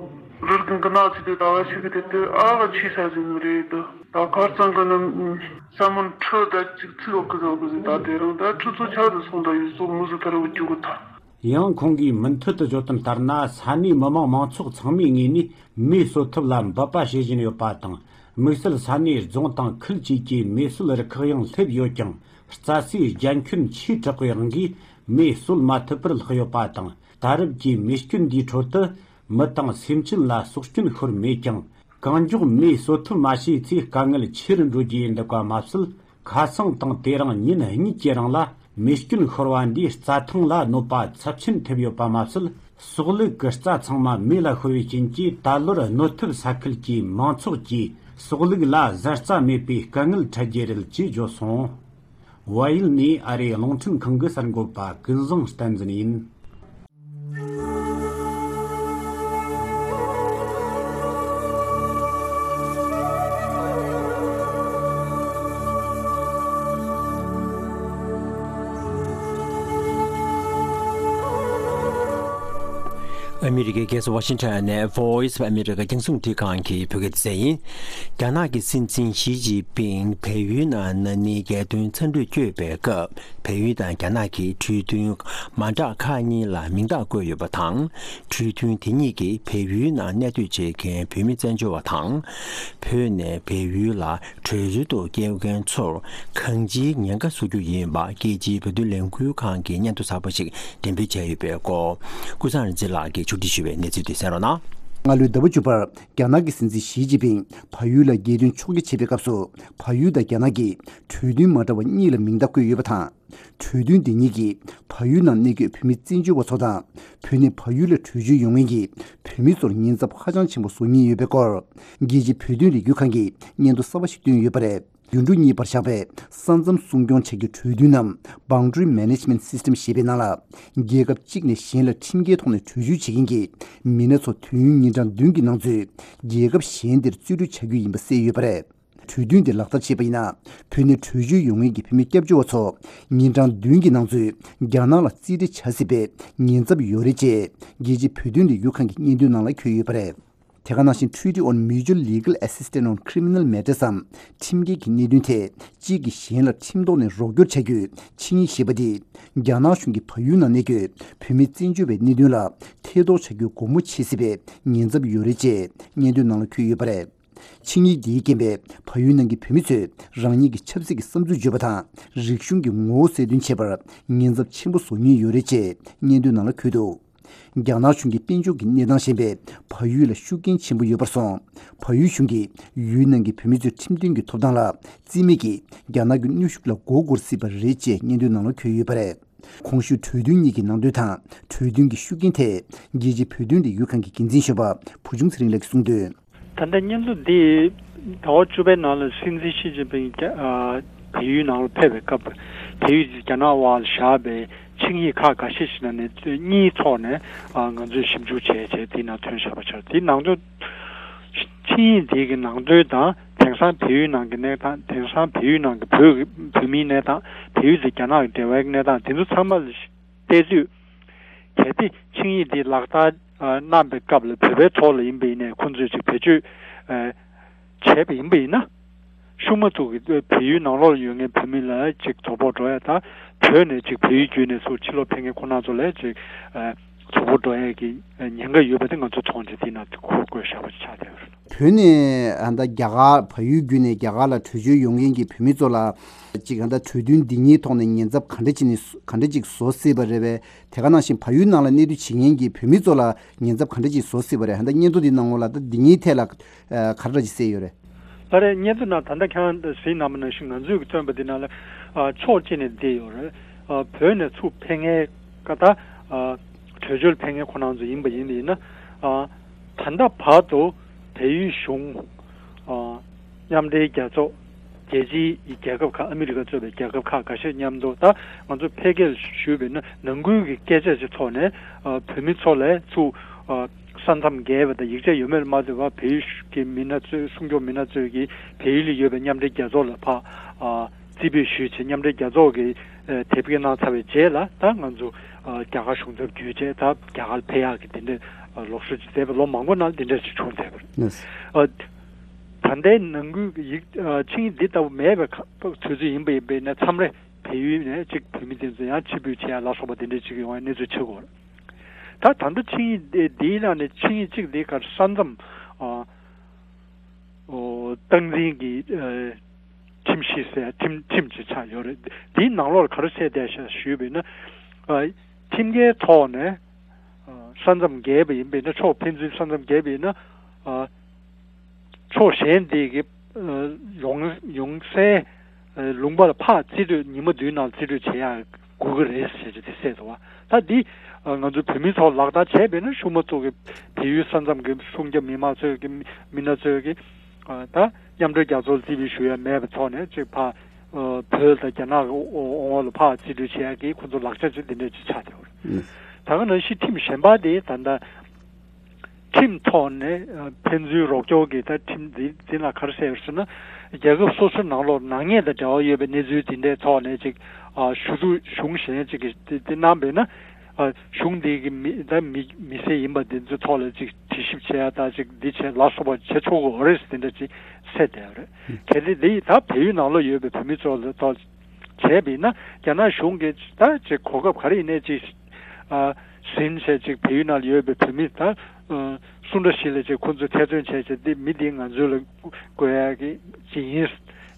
རི་རྒན་གི་ན་ཚི་དེ་ད་བ་ཆི་གི་དེ་དེ་ཨ་ག་ཆི་ས་ཟིན་ནི་རེད། ད་ད་གར་ཚང་གི་ནི་ས་མོན་ཁྲི་ད་ཅིག་ཚི་ལོ་གི་ཟོ་གི་ཟིན་ད་དེ་རང་ད་ཁྲི་ཚོ་ཆ་ཟིན་སོང་ད་ཡུལ་ཚོ་མུ་ཟི་ད་ར་བུ་རྒྱུ་གི་ད། ཡང་ཁོང་གིས་མུ་མཐུད་དུ་བརྗོད་དོན་ལྟར་ན། ས་གནས་མི་མང་མང་ཚོགས་ཚང་མའི་ངོས་ནས་མེ་གསོད་ཐབས་ལ་འབད་པ་བྱེད་བཞིན་ཡོད་པ་དང་། དམིགས་བསལ་ས་གནས་རྫོང་དང་ཁུལ་བཅས་ཀྱི་མེ་གསོད་རུ་ཁག་ཡང་སླེབས་ཡོད་ཀྱང་ རྩྭ་སའི་རྒྱ་ཁྱོན་ཆེ་དྲགས་པའི་དབང་གིས་མེ་གསོད་མ་ཐུབ་པར་ལྷག་ཡོད་པ་དང་། ད་རེབ་ཀྱི་མེ་སྐྱོན་འདིའི་ཁྲོད་དུ་མི་དང་སེམས་ཅན་ལ་སྲོག་སྐྱོན་ཤོར་མེད་ཀྱང་། གང་མགྱོགས་མེ་གསོད་ཐབས་མ་བྱས་ཚེ་དཀའ་ངལ་ཆེ་རུ་འགྲོ་རྒྱུ་ཡིན་འདུག་པ་མ་ཟད། ཁ་སང་དང་དེ་རིང་ཉིན་གཉིས་ཀྱི་རིང་ལ་མེ་སྐྱོན་ཤོར་བ་འདིས་རྩྭ་ཐང་ལ་གནོད་པ་ཚབས་ཆེན་ཐེབས་ཡོད་པ་མ་ཟད། ཟོག་ལུག་གི་རྩྭ་ཚང་མ་མེ་ལ་ཤོར་བའི་རྐྱེན་གྱིས། ད་ལོར་གནོད་ཐེབས་ས་ཁུལ་གྱི་མང་ཚོགས་ཀྱིས་ཟོག་ལུག་ལ་བཟའ་རྩྭ་མེད་པའི་དཀའ་ངལ་འཕྲད་རྒྱུ་རེད་ཅེས་བརྗོད་སོང་། ཝཱ་ཡིལ་ནས་ཨ་རིའི་རླུང་འཕྲིན་ཁང་གི་གསར་འགོད་པ་ཀུན་བཟང་བསྟན་འཛིན་ཡིན། ཨ་མི་རི་ཀའི་རྒྱལ་ས་ཝ་ཤིང་ཊོན་ནས་Voice of America རྒྱང་སྲིང་རླུང་འཕྲིན་ཁང་གི་བོད་སྐད་སྡེ་ཚན་ཡིན། རྒྱ་ནག་གི་སྲིད་འཛིན་ཞི་ཅིན་ཕིང་བལ་ཡུལ་ནང་ན་ནིང་རྒྱལ་དོན་འཚམས་འདྲིར་བསྐྱོད་པའི་སྐབས། བལ་ཡུལ་དང་རྒྱ་ནག་གི་གྲོས་མཐུན་མ་འདྲ་ཁག་གཉིས་ལ་མིང་རྟགས་བཀོད་ཡོད་པ་དང་། གྲོས་མཐུན་དེ་གཉིས་ཀྱིས་བལ་ཡུལ་ནང་གནས་སྡོད་བྱེད་མཁན་བོད་མི་བཙན་བྱོལ་བ་དང་། བོད་ནས་བལ་ཡུལ་ལ་བྲོས་བྱོལ་དུ་སྐྱེལ་མཁན་ཚོར་གང་ཅིའི་ཉེན་ཁ་བཟོ་རྒྱུ་ཡིན་པ། རྒྱལ་སྤྱིའི་བོད་དོན་ལས་འགུལ་ཁང་གིས་སྙན་ཐོ་གསར་པ་ཞིག་འགྲེམས་སྤེལ་བྱས་ཡོད་པའི་སྐོར། ཀུན་བཟང་རིག་འཛིན་ལགས་ཀྱིས་ཕྱོགས་སྒྲིག་ཞུས་པའི་གནས་ཚུལ་དེ་གསན་རོགས་གནང་། སྔ་ལོའི་ཟླ་བ་བཅུ་པར་རྒྱ་ནག་གི་སྲིད་འཛིན་ཞི་ཅིན་ཕིང་བལ་ཡུལ་ལ་རྒྱལ་དོན་ཕྱོགས་བསྐྱོད་བྱེད་པའི་སྐབས་སུ། བལ་ཡུལ་དང་རྒྱ་ནག་གིས་གྲོས་མཐུན་མ་འདྲ་བ་གཉིས་ལ་མིང་རྟགས་བཀོད་ཡོད་པ་དང་། གྲོས་མཐུན་འདི་གཉིས་ཀྱིས་བལ་ཡུལ་ནང་གནས་འཁོད་བོད་མི་བཙན་བྱོལ་བ་ཚོ་དང་། བོད་ནས་བལ་ཡུལ་ལ་བྲོས་བྱོལ་ཡོང་མཁན་གྱི་བོད་མི་ཚོར་ཉེན་ཚབས་ཧ་ཅང་ཆེན་པོ་བཟོ་ངེས་ཡོད་པའི་སྐོར། རྒྱལ་སྤྱིའི་བོད་དོན་ལས་འགུལ་ཁང་གིས་སྙན་ཐོ་གསར་པ་ཞིག་བཏོན་ཡོད་པ་རེད། དུད་འགྲོ་གཉིས་བར་བཞག་པའི་ས་མཚམས་སྲུང་སྐྱོང་བྱ་རྒྱུའི་གྲོས་མཐུན་ནམ། Boundary Management System ཞེས་པའི་ནང་ལ། རྒྱལ་ཁབ་གཅིག་ནས་གཞན་ལ་ཁྲིམས་འགལ་ཐོག་ནས་བྲོས་བྱོལ་བྱེད་མཁན་གྱི་མི་སྣ་ཚོ་དུས་ཡུན་ཉིན་གྲངས་བདུན་གྱི་ནང་ཚུད་རྒྱལ་ཁབ་གཞན་དེར་རྩིས་སྤྲོད་བྱ་རྒྱུ་ཡིན་པ་གསལ་ཡོད་པ་རེད། གྲོས་མཐུན་དེ་ལག་བསྟར་བྱས་པ་ཡིན་ན། བོད་ནས་བྲོས་བྱོལ་ཡོང་མཁན་གྱི་བོད་མི་སྐྱབས་བཅོལ་བ་ཚོ་ཉིན་གྲངས་བདུན་གྱི་ནང་ཚུད་རྒྱ་ནག་ལ་རྩིས་སྤྲད་བྱ་སྲིད་པའི་ཉེན་ཚབས་ཡོད་རེད་ཅེས་རྒྱལ་སྤྱིའི་བོད་དོན་ལས་འགུལ་ཁང་གི་སྙན་ཐོའི་ནང་ལ་འཁོད་ཡོད་པ་རེད། དེ་ག་ནང་བཞིན་Treaty on Mutual Legal Assistance on Criminal Matters འམ། ཁྲིམས་འགལ་གྱི་གནད་དོན་ཐད་གཅིག་གིས་གཞན་ལ་ཁྲིམས་ཐོག་ནས་རོགས་སྐྱོར་བྱ་རྒྱུའི་ཆིངས་ཡིག་ཞེས་པ་འདིས། རྒྱ་ནག་གཞུང་གིས་བལ་ཡུལ་ནང་གནས་འཁོད་བོད་མི་བཙན་བྱོལ་བའི་གནད་དོན་ལ་ཐེ་གཏོགས་བྱ་རྒྱུའི་སྒོ་མོ་ཕྱེ་སྲིད་པའི་ཉེན་ཚབས་ཡོད་རེད་ཅེས་སྙན་ཐོའི་ནང་ལ་འཁོད་ཡོད་པ་རེད། ཆིངས་ཡིག་འདིའི་རྐྱེན་པས་བལ་ཡུལ་ནང་གི་བོད་མི་ཚོས་རང་ཉིད་ཀྱི་ཆབ་སྲིད་ཀྱི་བསམ་ཚུལ་བརྗོད་པ་དང་། རིག་གཞུང་གི་ངོ་བོ་གསལ་སྟོན་བྱེད་པར་ཉེན་ཚབས་ཆེན་པོ་བཟོ་ཉེན་ཡོད་རེད་ཅེས་སྙན་ཐོའི་ནང་ལ་འཁོད་འདུག་རྒྱ་ནག་གཞུང་གིས་དཔལ་འབྱོར་གྱི་གནས་སྟངས་ཞན་པས་བལ་ཡུལ་ལ་ཤུགས་རྐྱེན་ཆེན་པོ་ཡོད་པར་སོང་། བལ་ཡུལ་གཞུང་གིས་ཡུལ་ནང་གི་བོད་མི་ཚོའི་ཁྲིམས་མཐུན་གྱི་ཐོབ་ཐང་ལ་རྩིས་མེད་ཀྱིས་རྒྱ་ནག་གི་གནོན་ཤུགས་ལ་མགོ་སྒུར་སྲིད་པ་རེད་ཅེས་སྙན་ཐོའི་ནང་ལ་འཁོད་ཡོད་པ་རེད། གོང་ཞུས་གྲོས་མཐུན་གཉིས་ཀྱི་ནང་དོན་དང་གྲོས་མཐུན་གྱི་ཤུགས་རྐྱེན་ཐད་རྒྱལ་སྤྱིའི་བོད་དོན་ལས་འགུལ་ཁང་གི་འགན་འཛིན་གཞོན་པ་བུ་ཆུང་ཚེ་རིང་ལགས་ཀྱིས་གསུངས་དོན། ད་ལྟ་སྙན་ཐོ་འདི་ཟླ་བ་བཅུ་པའི་ནང་ལ་སྲིད་འཛིན་ཞི་ཅིན་ཕིང་རྒྱ་ཨ་བལ་ཡུལ་ནང་ལ་ཕེབས་པའི་སྐབས། བལ་ཡུལ་གྱིས་རྒྱ་ནག་དབར་བཞག་པའི་ཆིངས་ཡིག་ཁག་འགའ་ཤས་ཤིག་ནང་ནས་གཉིས་ཐོག་ནས་ཨ་ང་ཚོས་ཞིབ་འཇུག་བྱས་བྱས་དེའི་ནང་ཐོན་བཞག་པ་ཆགས། དེའི་ནང་དོན་ཆིངས་ཡིག་འདི་གི་ནང་དོན་དང་། དེང་སང་བལ་ཡུལ་ནང་གི་གནས་སྟངས། དེང་སང་བལ་ཡུལ་ནང་གི་བོད་ཀྱི་བོད་མིའི་གནས་སྟངས། བལ་ཡུལ་དེ་རྒྱ་ནག་གི་འབྲེལ་བའི་གནས་སྟངས། དེ་ཚོ་ཚང་མ་ལ་བལྟས་དུས། གལ་ཏེ་ཆིངས་ཡིག་འདི་ལག་བསྟར་ཨ་གནང་པའི་སྐབས་ལ་བོད་པའི་ཐོག་ལ་ཡིན་པ་ཡིན་ནའི། ཁོང་ཚོས་ཅིག་བེད་སྤྱོད་ཨ་བྱས་པ་ཡིན་པ་ཡིན་ན། ཤུགས་མ་ཐུག་གི་བལ་ཡུལ་ནང་ལོགས་ལ་ཡོད་མཁན་བོད་མི་ལ་ཅིག་དོ་ཕོག་འགྲོ་ཡ་དང་། བོད་ནས་ཅིག་བལ་ཡུལ་བརྒྱུད་ནས་ཚུར་ཕྱི་ལོགས་ཕེབས་མཁན་ཁོང་རྣམ་ཚོ་ལ་ཅིག་ཨ་དོ་ཕོག་འགྲོ་ཡ་གི་ཉེན་ཁ་ཡོད་པ་དེ་ང་ཚོ་མཐོང་རྗེས་དེའི་ནང་དུ་ཁུར་དགོས་བཞག་པ་ཆགས་བསྡད་ཡོད་རེད། བོད་ནས་ཨ་ད་རྒྱ་གར་བལ་ཡུལ་བརྒྱུད་ནས་རྒྱ་གར་ལ་བྲོས་བྱོལ་ཡོང་མཁན་གྱི་བོད་མི་ཚོ་ལ་ཅིག་ཨ་ད་གྲོས་མཐུན་འདི་གཉིས་ཐོག་ནས་ཉེན་ཚབས་ག་འདྲ་ཅིག་ནས་ག་འདྲ་ཅིག་བཟོ་སྲིད་པ་རེད་པས། དེ་ག་ནང་བཞིན་བལ་ཡུལ་ནང་ལ་གནས་སྡོད་བྱེད་མཁན་གྱི་བོད་མི་ཚོ་ལ་ཉེན་ཚབས་ག་འདྲ་ཅིག་བཟོ་སྲིད་པ་རེད། ཨ་ད་སྙན་ཐོ་འདི་ནང་ལོགས་ལ་ད་འདི་གཉིས་ཐད་ལ་ཨ་ག་འདྲ་ཅིག་གསལ་ཡོད་རེད། ལགས་རེད། སྙན་ཐོ་ནང་ད་ལྟ་ཁྱེད་རང་གཟིགས་གནང་བ་ནང་བཞིན་ང་ཚོས་ཀྱི་བཏོན་པ་འདི་ནང་ལ་ཨ་ཕྱོགས་གཅིག་ནས་འདི་ཡོད་རེད། ཨ་བོད་ནས་ཚུར་ཕེབས་མཁན་ཀ་ད་ཨ་བྲོས་བྱོལ་ཕེབས་མཁན་ཁོ་རང་ཚོ་ཡིན་པ་ཡིན་པ་ཡིན་ན། ཨ་ད་ལྟ་བར་དུ་བལ་ཡུལ་གཞུང་། ཨ་མཉམ་འབྲེལ་རྒྱལ་ཚོགས། རྒྱལ་སྤྱིའི་རྒྱལ་ཁབ་ཁག། ཨ་མི་རི་ཀ་གཙོས་པའི་རྒྱལ་ཁབ་ཁག་འགའ་ཤས་མཉམ་དུ་ད་ང་ཚོ་ཕལ་སྐད་ཞུས་པ་ཡིན་ན་ནང་ཁུལ་གྱི་སྐད་ཆ་ཞིག་ཐོག་ནས་ཨ་བོད་མི་ཚོ་ལ་ཚུར་ཨ་ས་མཚམས་བརྒལ་བ་དང་ཡིག་ཆ་ཡོད་མེད་ལ་མ་ལྟོས་པར་བལ་ཡུལ་གྱི་མི་སྣ་ཚོས། སྲུང་སྐྱོབ་མི་སྣ་ཚོས་ཀྱིས་བལ་ཡུལ་ལ་ཡོད་པའི་མཉམ་འབྲེལ་རྒྱལ་ཚོགས་ལ་ཕར་ཨ་རྩིས་སྤྲོད་ཞུས་བྱས། མཉམ་འབྲེལ་རྒྱལ་ཚོགས་ཀྱིས་ཨ་དེབ་སྐྱེལ་གནང་ཚར་བའི་རྗེས་ལ་ད་ང་ཚོ་ཨ་རྒྱ་གར་གཞུང་ཚབ་བརྒྱུད་བྱས་ད་རྒྱ་གར་ལ་ཕེབས་ཡག་གི་དེ་འདྲའི་ཨ་ལོག་སྲོལ་ཅིག་མཛད་པ་ལོ་མང་པོ་ནང་དེ་འདྲ་ཅིག་བྱུང་བསྡད་པ་རེད། ཨ་ད་ལྟའི་ནང་ཁུལ་གྱི་ཡིག་ཨ་ཆིངས་ཡིག་འདི་ལྟ་བུ་མེད་པའི་ཁ་དུས་ཚོད་ཡིན་པ་ཡིན་པས་ན། མཚམས་རེ་བལ་ཡུལ་ནས་ཅིག་བོད་མི་དེ་ཚོ་ཡང་ཕྱིར་འབུད་བྱེད་ཡ་ལ་སོགས་པ་དེ་འདྲ་ཅིག་ཡོང་བའི་གནས་ཚུལ་ཆགས་ཀྱི་ཡོད་རེད། ད་ད་ལྟ་ཆིངས་ཡིག་འདི་འདིའི་ནང་ནས་ཆིངས་ཡིག་གཅིག་འདི་གར་ས་མཚམས་ཨ་ཨོ་སྟངས་འཛིན་གྱི་ཨ་ ཁྲིམས་གཞི་ཟེར་ཁྲིམས་ཁྲིམས་ཅིག་ཆགས་ཡོད་རེད། འདིའི་ནང་ལོགས་ལ་ག་རེ་བཤད་བསྡད་ཤག་ཞུས་པ་ཡིན་ན། ཨ། ཁྲིམས་འགལ་ཐོག་ནས། ཨ། ས་མཚམས་བརྒལ་བ་ཡིན་པ་ཡིན་ན། ཕྱོགས་ཕན་ཚུན་ས་མཚམས་བརྒལ་བ་ཡིན་ན། ཨ། ཕྱོགས་གཞན་དེ་གི། ཨ། ཡོང་ཡོང་སའི། ཨ། ལུང་པ་ལ་ཕར་རྩིས་སྤྲོད། ཉི་མ་བདུན་ནང་རྩིས་སྤྲོད་བྱེད་ཡག་དགོས་ཀྱི་རེད་ཟེར་གྱི་དེ་གསལ་འདུག་བ། ད་འདི། ཨ། ང་ཚོ་བོད་མི་ཚོ་ལག་བསྟར་བྱས་པས་ན། གཞུང་མ་ཚོ་གི། བལ་ཡུལ་ས་མཚམས་ཀྱི་སྲུང་སྐྱོབ་མི་མང་ཚོས་ཀྱི། མི་སྣ་ཚོས་ཀྱི། ཨ། ད་མཉམ་འབྲེལ་རྒྱལ་ཚོགས་ལ་རྩིས་སྤྲོད་ཞུ་ཡ་མེད་པའི་ཐོག་ནས་ཅིག་ཕར། ཨ། བོད་དང་རྒྱ་ནག་གི་འོང་བ་ལ་ཕར་རྩིས་སྤྲོད་བྱེད་ཡ་གི་ཁོ་ཚོ་ལག་ཆ་ཅིག་འདི་འདྲ་ཅིག་ཆགས་བསྡད་ཡོད་རེད། ད་ག་ནང་བཞིན་ཁྲིམས་གཞན་པ་དེ་ད་ལྟ། ཁྲིམས་ཐོག་ནས། ཨ། ཕན་ཚུན་རོགས་སྐྱོར་གྱི་ད་ཁྲིམས་འདི་འདི་ལ་ག་རེ་ཟེར་ཟེར་ན། རྒྱལ་ཁབ་སོ་སོའི་ནང་ལོགས་ནག་ཉེས་དང་འབྲེལ་བ་ཡོད་པའི་གནས་ཚུལ་འདི་འདྲའི་ཐོག་ནས་ཅིག་ཨ། ཞུ་གཏུག་གཞུང་གཞན་ཅིག་གིས་དེ་དེ་གནང་བས་ན། ཨ། གཞུང་འདི་གི་མི་ད་མི་མི་སེར་ཡིན་པ་འདི་ཚོའི་ཐོག་ལ་ཅིག་དྲི་ཞིབ་བྱེད་ཡ་ད་ཅིག་འདི་བྱེད་ལ་སོགས་པ་བྱེད་ཆོག་གི་ཡོད་རེད་ཟེར་དེ་འདྲ་ཅིག་གསལ་བསྡད་ཡོད་རེད། གལ་ཏེ་འདི་ད་བལ་ཡུལ་ནང་ལོགས་ཡོད་པའི་བོད་མི་ཚོ་ལ་ཐོག་བྱས་པ་ཡིན་ན། རྒྱ་ནག་གཞུང་གིས་ད་ཅིག་གོ་སྐབས་ག་རེ་ཡིན་ནའི་ཅིག་ཨ། ཟིན་བྱས་ཅིག་བལ་ཡུལ་ནང་ལ་ཡོད་པའི་བོད་མི་ད། ཨ། སུ་འདྲ་ཞིག་ལ་ཅིག་ཁོ་ཚོས་ཐེ་ཚོམ་བྱས་བྱས། འདི་མི་འདིས་ང་ཚོ་ལ་དགོས་ཡག་གི་ཅིག་ཡིན།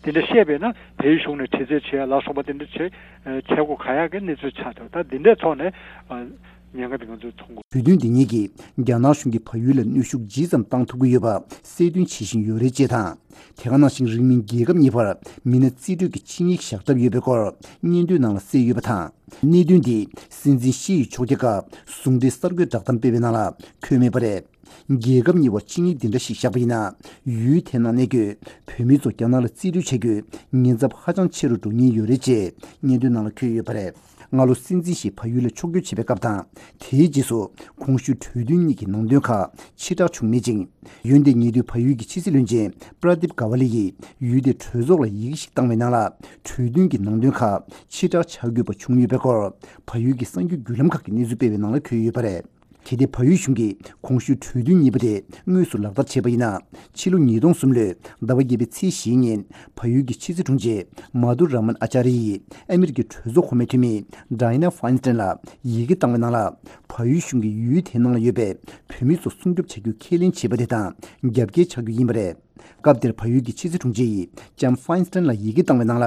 དེ་འདྲ་བཤད་པས་ན། བལ་ཡུལ་གཞུང་ནས་དྲི་རྩད་བྱེད་ཡ་ལ་སོགས་པ་དེ་འདྲ་བྱེད་བྱེད་སྒོ་ག་ཡག་གི་གནས་ཚུལ་ཆགས་འདུག་ད་འདི་འདྲའི་ཐོག་ནས། ཨ། ཉེན་ཁ་དེ་ང་ཚོས་མཐོང་དགོས། གྲོས་མཐུན་འདི་གཉིས་ཀྱིས་རྒྱ་ནག་གཞུང་གིས་བལ་ཡུལ་ལ་གནོན་ཤུགས་ཇི་ཙམ་བཏང་ཐུབ་ཀྱི་ཡོད་པ་གསལ་སྟོན་བྱེད་བཞིན་ཡོད་རེད་ཅེས་དང་། དེ་ག་ནང་བཞིན་རིང་མིན་རྒྱལ་ཁབ་གཉིས་བར་མི་སྣ་རྩིས་སྤྲོད་ཀྱི་ཆིངས་ཡིག་བཞག་གྲབས་ཡོད་པའི་སྐོར་སྙན་ཐོའི་ནང་ལ་གསལ་ཡོད་པ་དང་། གནད་དོན་འདི་སྲིད་འཛིན་ཞི་ཡི་ཕྱོགས་རྒྱ་སྐབས་ཟུང་འབྲེལ་གསར་འགོད་བསྒྲགས་གཏམ་སྤེལ་བའི་ནང་ལ་འཁོད་མེད་པ་རེད། རྒྱལ་ཁབ་གཉིས་བར་ཆིངས་ཡིག་འདི་འདྲ་ཞིག་བཞག་པ་ཡིན་ན། ཡུལ་དེའི་ནང་གནས་འཁོད་བོད་མི་ཚོ་རྒྱ་ནག་ལ་རྩིས་སྤྲོད་བྱ་རྒྱུའི་ཉེན་ཚབས་ཧ་ཅང་ཆེ་རུ་འགྲོ་ཉེན་ཡོད་རེད་ཅེས་སྙན་ཐོའི་ནང་ལ་འཁོད་ཡོད་པ་རེད། སྔ་ལོ་སྲིད་འཛིན་ཞིག་བལ་ཡུལ་ལ་ཕྱོགས་བསྐྱོད་བྱས་པའི་སྐབས་དང་། དེའི་རྗེས་སུ་གོང་ཞུས་གྲོས་མཐུན་གཉིས་ཀྱི་ནང་དོན་ཁག་ཕྱིར་བསྒྲགས་བྱུང་མེད་ཅིང་། འོན་ཏེ་ཉེ་དུས་བལ་ཡུལ་གྱི་ཕྱི་སྲིད་བློན་ཆེན་པྲ་དིབ་ག་ཝ་ལི་ཡིས་ཡུལ་དེའི་གྲོས་ཚོགས་ལ་ཡི་གེ་ཞིག་བཏང་བའི་ནང་ལ། གྲོས་མཐུན་གྱི་ནང་དོན་ཁག་ཕྱིར་བསྒྲགས་བྱ་དགོས་པ་བྱུང་ཡོད་པའི་སྐོར་བལ་ཡུལ་གྱི་གསར་འགྱུར་བརྒྱུད་ལམ་ཁག་གིས་གནས་ཚུལ་སྤེལ་བའི་ནང་ལ་འཁོད་ཡོད་པ་རེད། གལ་ཏེ་བལ་ཡུལ་གཞུང་གིས་གོང་ཞུས་གྲོས་མཐུན་གཉིས་པོ་དེ་དངོས་སུ་ལག་བསྟར་བྱས་པ་ཡིན་ན། ཕྱི་ལོ་ཉིས་སྟོང་གསུམ་ལོའི་ཟླ་བ་བརྒྱད་པའི་ཚེས་བཞིའི་ཉིན་བལ་ཡུལ་གྱི་ཕྱི་སྲིད་དྲུང་ཆེ་མ་དུ་ར་མན་ཨ་ཅཱ་རི་ཡིས་ཨ་མི་རི་ཀའི་གྲོས་ཚོགས་གོང་མའི་འཐུས་མི་ཌའི་ན་ཕའིན་སྟན་ལ་ཡི་གེ་བཏང་བའི་ནང་ལ། བལ་ཡུལ་གཞུང་གིས་ཡུལ་དེའི་ནང་ལ་ཡོད་པའི་བོད་མི་ཚོ་སྲུང་སྐྱོབ་བྱ་རྒྱུ་ཁས་ལེན་བྱས་པ་དེ་དང་རྒྱབ་འགལ་བྱ་རྒྱུ་ཡིན་པ་རེད། སྐབས་དེར་བལ་ཡུལ་གྱི་ཕྱི་སྲིད་དྲུང་ཆེ་ཡིས་ལྕམ་ཕའིན་སྟན་ལ་ཡི་གེ་བཏང་བའི་ནང་ལ།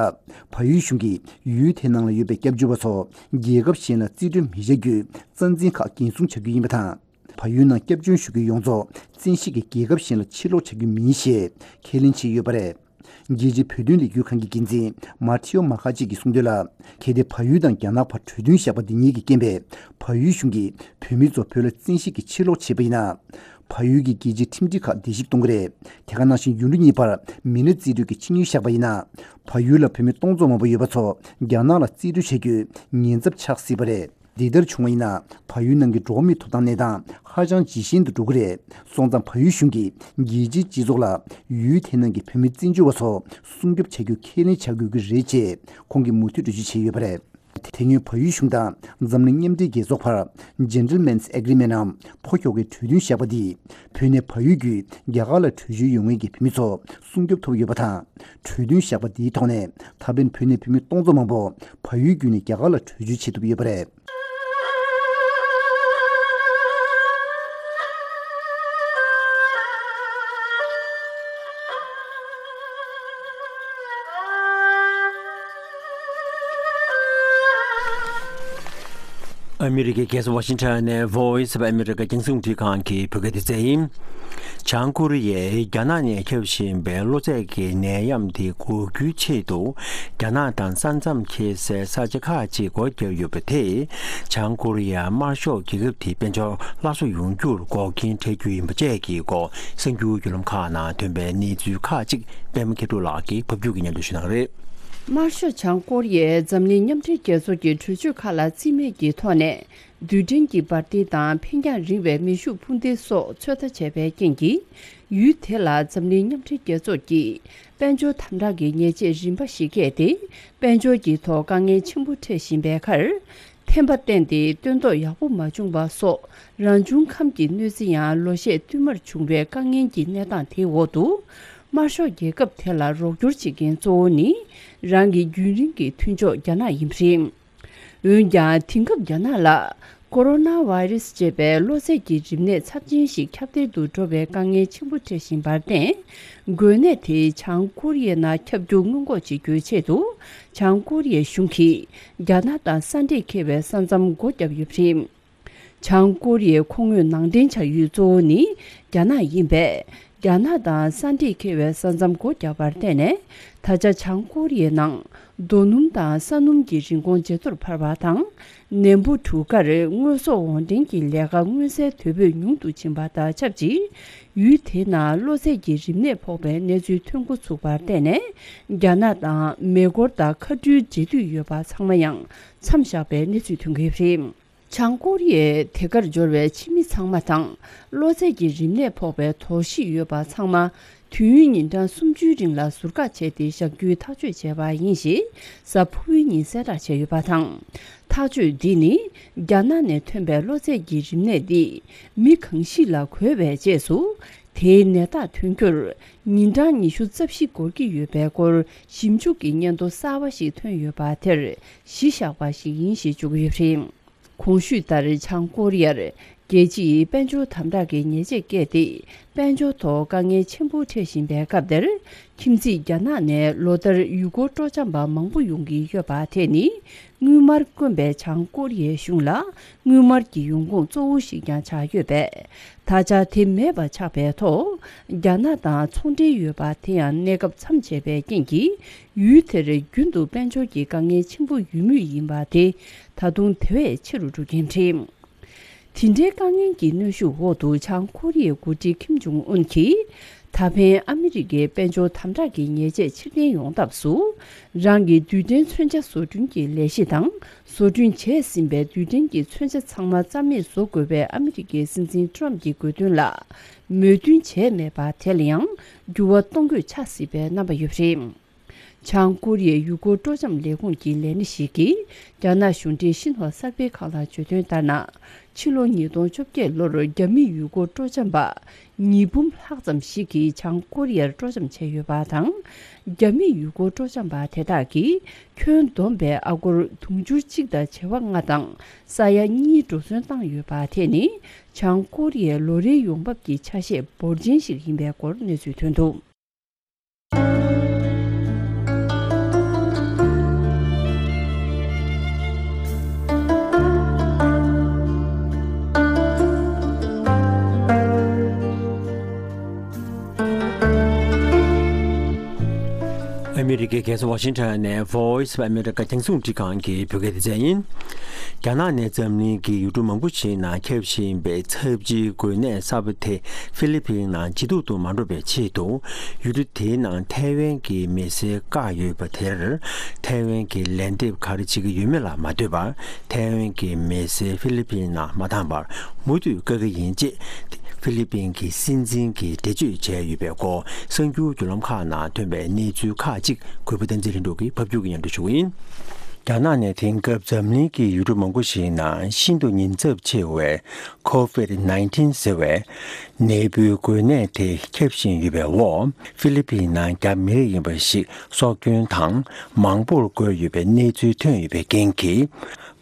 བལ་ཡུལ་གཞུང་གིས་ཡུལ་དེའི་ནང་ལ་ཡོད་པའི་སྐྱབས་བཅོལ་བ་ཚོ་རྒྱལ་ཁབ་གཞན་ལ་རྩིས་སྤྲོད་མི་བྱ་རྒྱུའི་རྩ་འཛིན་ཁག་འགན་སྲུང་བྱ་རྒྱུ་ཡིན་པ་དང་། བལ་ཡུལ་ནང་སྐྱབས་བཅོལ་ཞུ་རྒྱུའི་ཡོངས་རྫོགས་བཙན་ཤེད་ཀྱིས་རྒྱལ་ཁབ་གཞན་ལ་ཕྱིར་སློག་བྱ་རྒྱུ་མིན་ཞེས་ཁས་ལེན་བྱས་ཡོད་པ་རེད། རྒྱལ་སྤྱིའི་བོད་དོན་ལས་འགུལ་ཁང་གི་འགན་འཛིན་མཱ་ཐེའོ་མཱ་ཁ་ཅིག་གིས་གསུངས་དོན་ལ། གལ་ཏེ་བལ་ཡུལ་དང་རྒྱ་ནག་བར་གྲོས་མཐུན་བཞག་པ་འདི་གཉིས་ཀྱི་རྐྱེན་པས་བལ་ཡུལ་གཞུང་གིས་བོད་མི་ཚོ་བོད་ལ་བཙན་ཤེད་ཀྱིས་ཕྱིར་སློག་བྱས་པ་ཡིན་ན། བལ་ཡུལ་གྱི་རྒྱལ་སྤྱིའི་ཁྲིམས་སྒྲིག་ཁག་བརྡལ་བཤིག་གཏོང་གི་རེད། དེ་ག་ནང་བཞིན་ཡུལ་གྲུ་གཉིས་བར་མི་སྣ་རྩིས་སྤྲོད་ཀྱི་ཆིངས་ཡིག་བཞག་པ་ཡིན་ན། བལ་ཡུལ་ལ་བོད་མི་སྟོང་ཚོ་མང་པོ་ཡོད་པ་ཚོ་རྒྱ་ནག་ལ་རྩིས་སྤྲོད་བྱ་རྒྱུའི་ཉེན་ཚབས་ཆགས་སྲིད་པ་རེད། འདི་ལྟར་བྱུང་བ་ཡིན་ན། བལ་ཡུལ་ནང་གི་འགྲོ་བ་མིའི་ཐོབ་ཐང་གནས་སྟངས་ཧ་ཅང་ཇེ་ཞན་དུ་འགྲོ་གི་རེད། སོང་ཙང་བལ་ཡུལ་གཞུང་གིས་རྒྱལ་སྤྱིའི་སྤྱི་ཚོགས་ལ་ཡུལ་དེ་ནང་གི་བོད་མི་བཙན་བྱོལ་བ་ཚོ་སྲུང་སྐྱོབ་བྱ་རྒྱུ་ཁས་ལེན་བྱ་དགོས་ཀྱི་རེད་ཅེས་ཁོང་གིས་མུ་མཐུད་འགྲེལ་བརྗོད་བྱས་ཡོད་པ་རེད། དེ་སྔོན་བལ་ཡུལ་གཞུང་དང་འཛམ་གླིང་མཉམ་འབྲེལ་རྒྱལ་ཚོགས་བར་Gentlemen's Agreement ནམ་ཕོ་ཁྱོ་གའི་གྲོས་མཐུན་བཞག་པ་འདིས་བོད་ནས་བལ་ཡུལ་བརྒྱུད་རྒྱ་གར་ལ་བྲོས་བྱོལ་ཡོང་མཁན་གྱི་བོད་མི་ཚོ་སྲུང་སྐྱོབ་ཐོབ་ཡོད་པ་དང་། གྲོས་མཐུན་བཞག་པ་འདིའི་ཐོག་ནས་ད་ཕན་བོད་ནས་བོད་མི་སྟོང་ཚོ་མང་པོ་བལ་ཡུལ་བརྒྱུད་ནས་རྒྱ་གར་ལ་བྲོས་བྱོལ་བྱེད་ཐུབ་ཡོད་པ་རེད། ཨ་མི་རི་ཀའི་རྒྱལ་ས་ཝ་ཤིང་ཊོན་ནས་Voice of America རྒྱང་སྲིང་རླུང་འཕྲིན་ཁང་གི་བོད་སྐད་སྡེ་ཚན་ཡིན། བྱང་ཀོ་རི་ཡས་རྒྱ་ནག་ནས་ཁྱབ་བཞིན་པའི་གློ་ཚད་ཀྱི་ནད་ཡམས་དེ་འགོག་རྒྱུའི་ཆེད་དུ། རྒྱ་ནག་དང་ས་མཚམས་འཁེལ་སའི་ས་ཆ་ཁག་ཅིག་སྒོ་བརྒྱབ་ཡོད་པ་དེས། བྱང་ཀོ་རི་ཡ་དམར་ཤོག་རྒྱལ་ཁབ་དེའི་དཔལ་འབྱོར་སླར་གསོ་ཡོང་རྒྱུར་འགོག་རྐྱེན་འཕྲད་རྒྱུ་ཡིན་པ་བཅས་ཀྱི་སྐོར་གསར་འགྱུར་བརྒྱུད་ལམ་ཁག་ནང་ཐོན་པའི་གནས་ཚུལ་ཁག་ཅིག་པད་མ་མཁས་གྲུབ་ལགས་ཀྱིས་ཕབ་སྒྱུར་གྱིས་སྙན་སྒྲོན་ཞུ་གནང་གི་རེད། དམར་ཤོག་བྱང་ཀོ་རི་ཡས་འཛམ་གླིང་མཉམ་འབྲེལ་རྒྱལ་ཚོགས་ཀྱི་གྲོས་ཆོད་ཁག་ལ་རྩིས་མེད་ཀྱི་ཐོག་ནས། རྡུལ་ཕྲན་གྱི་འབར་མདེལ་དང་འཕེན་རྒྱང་རིང་བའི་མེ་ཤུགས་འཕུར་མདེལ་སོགས་ཚོད་ལྟ་བྱས་པའི་རྐྱེན་གྱིས། ཡུལ་དེ་ལ་འཛམ་གླིང་མཉམ་འབྲེལ་རྒྱལ་ཚོགས་ཀྱིས་དཔལ་འབྱོར་དམ་དྲག་གི་ཉེས་ཆད་རིམ་པ་ཞིག་བཀལ་ཏེ། དཔལ་འབྱོར་གྱི་ཐོག་དཀའ་ངལ་ཆེན་པོ་འཕྲད་བཞིན་པའི་ཁར། ཐན་པ་བསྟན་ཏེ་སྟོན་ཐོག་ཡག་པོ་མ་བྱུང་བ་སོགས་རང་བྱུང་ཁམས་ཀྱི་གནོད་འཚེ་ཡང་ལོ་ཤས་བསྟུད་མར་བྱུང་བའི་དཀའ་ངལ་གྱི་གནས་སྟངས་དེའི་འོག་ཏུ། དམར་ཤོག་རྒྱལ་ཁབ་དེ་ལ་རོགས་སྐྱོར་བྱེད་མཁན་གཙོ་བོ་ནི། རང་གི་རྒྱུན་རིང་གི་མཐུན་ཕྱོགས་རྒྱ་ནག་ཡིན་པ་རེད། འོན་ཀྱང་དེང་སྐབས་རྒྱ་ནག་ལ་ ཀོ་རོ་ན་བྷ་ཡི་རུ་སི་ཅེས་པའི་གློ་ཚད་ཀྱི་རིམས་ནད་ཚབས་ཆེན་ཞིག་ཁྱབ་གདལ་དུ་འགྲོ་བའི་དཀའ་ངལ་ཆེན་པོ་འཕྲད་བཞིན་པར་བརྟེན། འགོས་ནད་དེ་བྱང་ཀོ་རི་ཡའི་ནང་ཁྱབ་རྒྱུ་སྔོན་འགོག་བྱེད་རྒྱུའི་ཆེད་དུ། བྱང་ཀོ་རི་ཡའི་གཞུང་གིས་རྒྱ་ནག་དང་ས་འདྲེས་འཁེལ་བའི་ས་མཚམས་སྒོ་བརྒྱབ་ཡོད་པ་རེད། བྱང་ཀོ་རི་ཡའི་མཁོ་དངོས་ནང་འདྲེན་བྱ་ཡུལ་གཙོ་བོ་ནི་རྒྱ་ནག་ཡིན་པས། རྒྱ་ནག་དང་ས་འདྲེས་འཁེལ་བའི་ས་མཚམས་སྒོ་བརྒྱབ་པར་བརྟེན་ནས། ད་ཆ་བྱང་ཀོ་རི་ཡའི་ནང་རྡོ་སྣུམ་དང་ས་སྣུམ་གྱི་རིན་གོང་ཇེ་མཐོར་འཕར་བ་དང་། ནེམ་པོ་གྲུ་ཁར་དངོས་ཟོག་འོར་འདྲེན་གྱི་ལས་ཀ་མངོན་གསལ་དོད་པོས་ཉུང་དུ་ཕྱིན་པ་དང་ཆབས་ཅིག་ཡུལ་དེའི་ནང་གློ་ཚད་ཀྱི་རིམས་ནད་ཕོག་པའི་གནས་ཚུལ་ཐོན་འགོ་ཚུགས་པར་བརྟེན་ནས། རྒྱ་ནག་དང་མེ་འཁོར་དང་མཁའ་འགྲུལ་འབྲེལ་མཐུད་ཡོད་པ་ཚང་མ་ཡང་མཚམས་བཞག་པའི་གནས་ཚུལ་ཐོན་གྱི་ཡོད་པ་རེད། བྱང་ཀོ་རི་ཡས་དེ་གར་འབྱོར་བའི་ཕྱི་མི་ཚང་མ་དང་། གློ་ཚད་ཀྱི་རིམས་ནད་ཕོག་པའི་དོགས་གཞི་ཡོད་པ་ཚང་མ། དུས་ཡུན་ཉིན་གྲངས་སུམ་ཅུའི་རིང་ལ་ཟུར་བཀག་བྱས་ཏེ་བཞག་རྒྱུའི་ཐག་གཅོད་བྱས་པ་ཡིན་ཞེས། གཟའ་ཕུར་བུའི་ཉིན་གསལ་བསྒྲགས་བྱས་ཡོད་པ་དང་། ཐག་གཅོད་འདི་ནི། རྒྱ་ནག་ནས་ཐོན་པའི་གློ་ཚད་ཀྱི་རིམས་ནད་འདི། མི་གང་ཞིག་ལ་འགོས་པའི་རྗེས་སུ། དེའི་ནད་རྟགས་ཐོན་རྒྱུར། ཉིན་གྲངས་ཉི་ཤུ་རྩ་བཞི་འགོར་གྱི་ཡོད་པའི་སྐོར། ཞིབ་འཇུག་གི་སྙན་ཐོ་གསར་བ་ཞིག་ཐོན་ཡོད་པ་དེར། གཞི་བཞག་པ་ཞིག་ཡིན་ཞེས་བརྗོད་ཀྱི་ཡོད་པ་རེད། གོང་ཞུས་ལྟར། བྱང་ཀོ་རི་ཡར་རྒྱལ་སྤྱིའི་དཔལ་འབྱོར་དམ་དྲག་གི་ཉེས་ཆད་བཀལ་ཏེ། དཔལ་འབྱོར་ཐོག་དཀའ་ངལ་ཆེན་པོ་འཕྲད་བཞིན་པའི་སྐབས་དེར། ཁྱིམ་མཚེས་རྒྱ་ནག་ནས་ལོ་ལྟར་ཡུལ་སྐོར་སྤྲོ་འཆམ་པ་མང་པོ་ཡོང་གི་ཡོད་པ་དེ་ནི། དངུལ་དམར་དཀོན་པའི་བྱང་ཀོ་རི་ཡའི་གཞུང་ལ། དངུལ་དམར་གྱི་ཡོང་ཁུངས་གཙོ་བོ་ཞིག་ཀྱང་ཆགས་ཡོད་པས། ད་ཆ་དེ་མེད་པ་ཆགས་པའི་ཐོག་རྒྱ་ནག་དང་ཚོང་འབྲེལ་ཡོད་པ་དེ་ཡང་གནས་སྐབས་མཚམས་ཆད་པའི་རྐྱེན་གྱིས། ཡུལ་དེར་རྒྱུན་དུ་དཔལ་འབྱོར་གྱི་དཀའ་ངལ་ཆེན་པོ་ཡོད་མུས་ཡིན་པ་དེ། ད་དུང་དེ་བས་ཆེ་རུ་འགྲོ་གིན་རེད། དེ་འདྲའི་དཀའ་ངལ་གྱི་གནོན་ཤུགས་འོག་ཏུ། བྱང་ཀོ་རི་ཡའི་འགོ་ཁྲིད་ཁིམ་ཇོང་ཨུན་གྱིས། ད་ཕན་ཨ་མི་རི་ཀའི་དཔལ་འབྱོར་དམ་དྲག་གི་ཉེས་ཆད་ཕྱིར་འཐེན་ཡོང་ཐབས་སུ། རང་གི་རྡུལ་ཕྲན་མཚོན་ཆ་བཟོ་སྐྲུན་གྱི་ལས་གཞི་དང་། བཟོ་སྐྲུན་བྱས་ཟིན་པའི་རྡུལ་ཕྲན་གྱི་མཚོན་ཆ་ཚང་མ་རྩ་མེད་བཟོ་དགོས་པའི་ཨ་མི་རི་ཀའི་སྲིད་འཛིན་ཏྲམ་གྱི་དགོས་འདུན་ལ། མོས་མཐུན་བྱས་མེད་པ་དེ་ལ་ཡང་འགྱུར་བ་གཏོང་དགོས་ཆགས་སྲིད་པའི་རྣམ་པ་ཡོད་པ་རེད། བྱང་ཀོ་རི་ཡའི་ཡུལ་སྐོར་སྤྲོ་འཆམ་ལས་ཁུངས་ཀྱི་ལས་སྣེ་ཞིག་གིས། རྒྱ་ནག་གཞུང་འབྲེལ་ཤིན་ཧྭ་གསར་སྤེལ་ཁང་ལ་བརྗོད་དོན་ལྟར་ན། ཕྱི་ལོ་ཉིས་སྟོང་བཅོ་བརྒྱད་ལོར་རྒྱ་མི་ཡུལ་སྐོར་སྤྲོ་འཆམ་པ་ཉིས་འབུམ་ལྷག་ཙམ་ཞིག་གིས་བྱང་ཀོ་རི་ཡར་སྤྲོ་འཆམ་བྱས་ཡོད་པ་དང་། རྒྱ་མི་ཡུལ་སྐོར་སྤྲོ་འཆམ་པ་དེ་དག་གིས་ཁྱོན་བསྡོམས་པའི་ཨ་སྒོར་དུང་ཕྱུར་གཅིག་དང་བྱེ་བ་ལྔ་དང་ས་ཡ་གཉིས་འགྲོ་སོན་བཏང་ཡོད་པ་དེ་ནི། བྱང་ཀོ་རི་ཡའི་ལོ་རེའི་ཡོང་འབབ་ཀྱི་ཆ་ཤས་འབོར་ཆེན་ཞིག་ཡིན་པའི་སྐོར་གནས་ཚུལ་ཐོན་འདུག་ཨ་མི་རི་ཀའི་རྒྱལ་ས་ཝ་ཤིང་ཊོན་ནས་Voice of America རྒྱང་སྲིང་རླུང་འཕྲིན་ཁང་གི་བོད་སྐད་སྡེ་ཚན་ཡིན། རྒྱ་ནག་ནས་འཛམ་གླིང་གི་ཡུལ་གྲུ་མང་པོ་ཞིག་ནང་ཁྱབ་བཞིན་པའི་ཚབས་ཆེའི་འགོས་ནད་གསར་པ་དེ་ཧྥི་ལི་ཕིན་ནང་ཇེ་སྡུག་ཏུ་མ་འགྲོ་བའི་ཆེད་དུ། ཡུལ་གྲུ་དེའི་ནང་ཐའེ་ཝན་གྱི་མི་སེར་བཀག་ཡོད་པ་དེར། ཐའེ་ཝན་གྱིས་ལན་འདེབས་ག་རེ་བྱེད་ཀྱི་ཡོད་མེད་ལ་མ་ལྟོས་པར། ཐའེ་ཝན་གྱི་མི་སེར་ཧྥི་ལི་ཕིན་ནང་མ་བཏང་བར་མུ་མཐུད་བཀག་གི་ཡིན་ཅེས་ཧྥི་ལི་ཕིན་གྱི་སྲིད་འཛིན་གྱིས་འགྲེལ་བརྗོད་བྱས་ཡོད་པའི་སྐོར། གསར་འགྱུར་བརྒྱུད་ལམ་ཁག་ནང་ཐོན་པའི་གནས་ཚུལ་ཁག་ཅིག་གུས་པ་བསྟན་འཛིན་ལྷུན་གྲུབ་ཀྱིས་ཕབ་སྒྱུར་གྱིས་སྙན་སྒྲོན་ཞུ་གི་ཡིན། རྒྱ་ནག་ནས་དེང་སྐབས་འཛམ་གླིང་གི་ཡུལ་གྲུ་མང་པོ་ཞིག་ནང་ཤིན་ཏུ་ཉེན་ཚབས་ཆེ་བའི་ཁོ་ཝིད་ནའིན་ཊིན་ཟེར་བའི་ནད་འབུའི་འགོས་ནད་དེ་ཁྱབ་བཞིན་ཡོད་པའི་འོག་ཧྥི་ལི་ཕིན་ནང་རྒྱ་མི་རིགས་ཡིན་པ་ཞིག་སྲོག་སྐྱོན་དང་མང་པོར་འགོས་ཡོད་པའི་གནས་ཚུལ་ཐོན་ཡོད་པའི་རྐྱེན་གྱིས།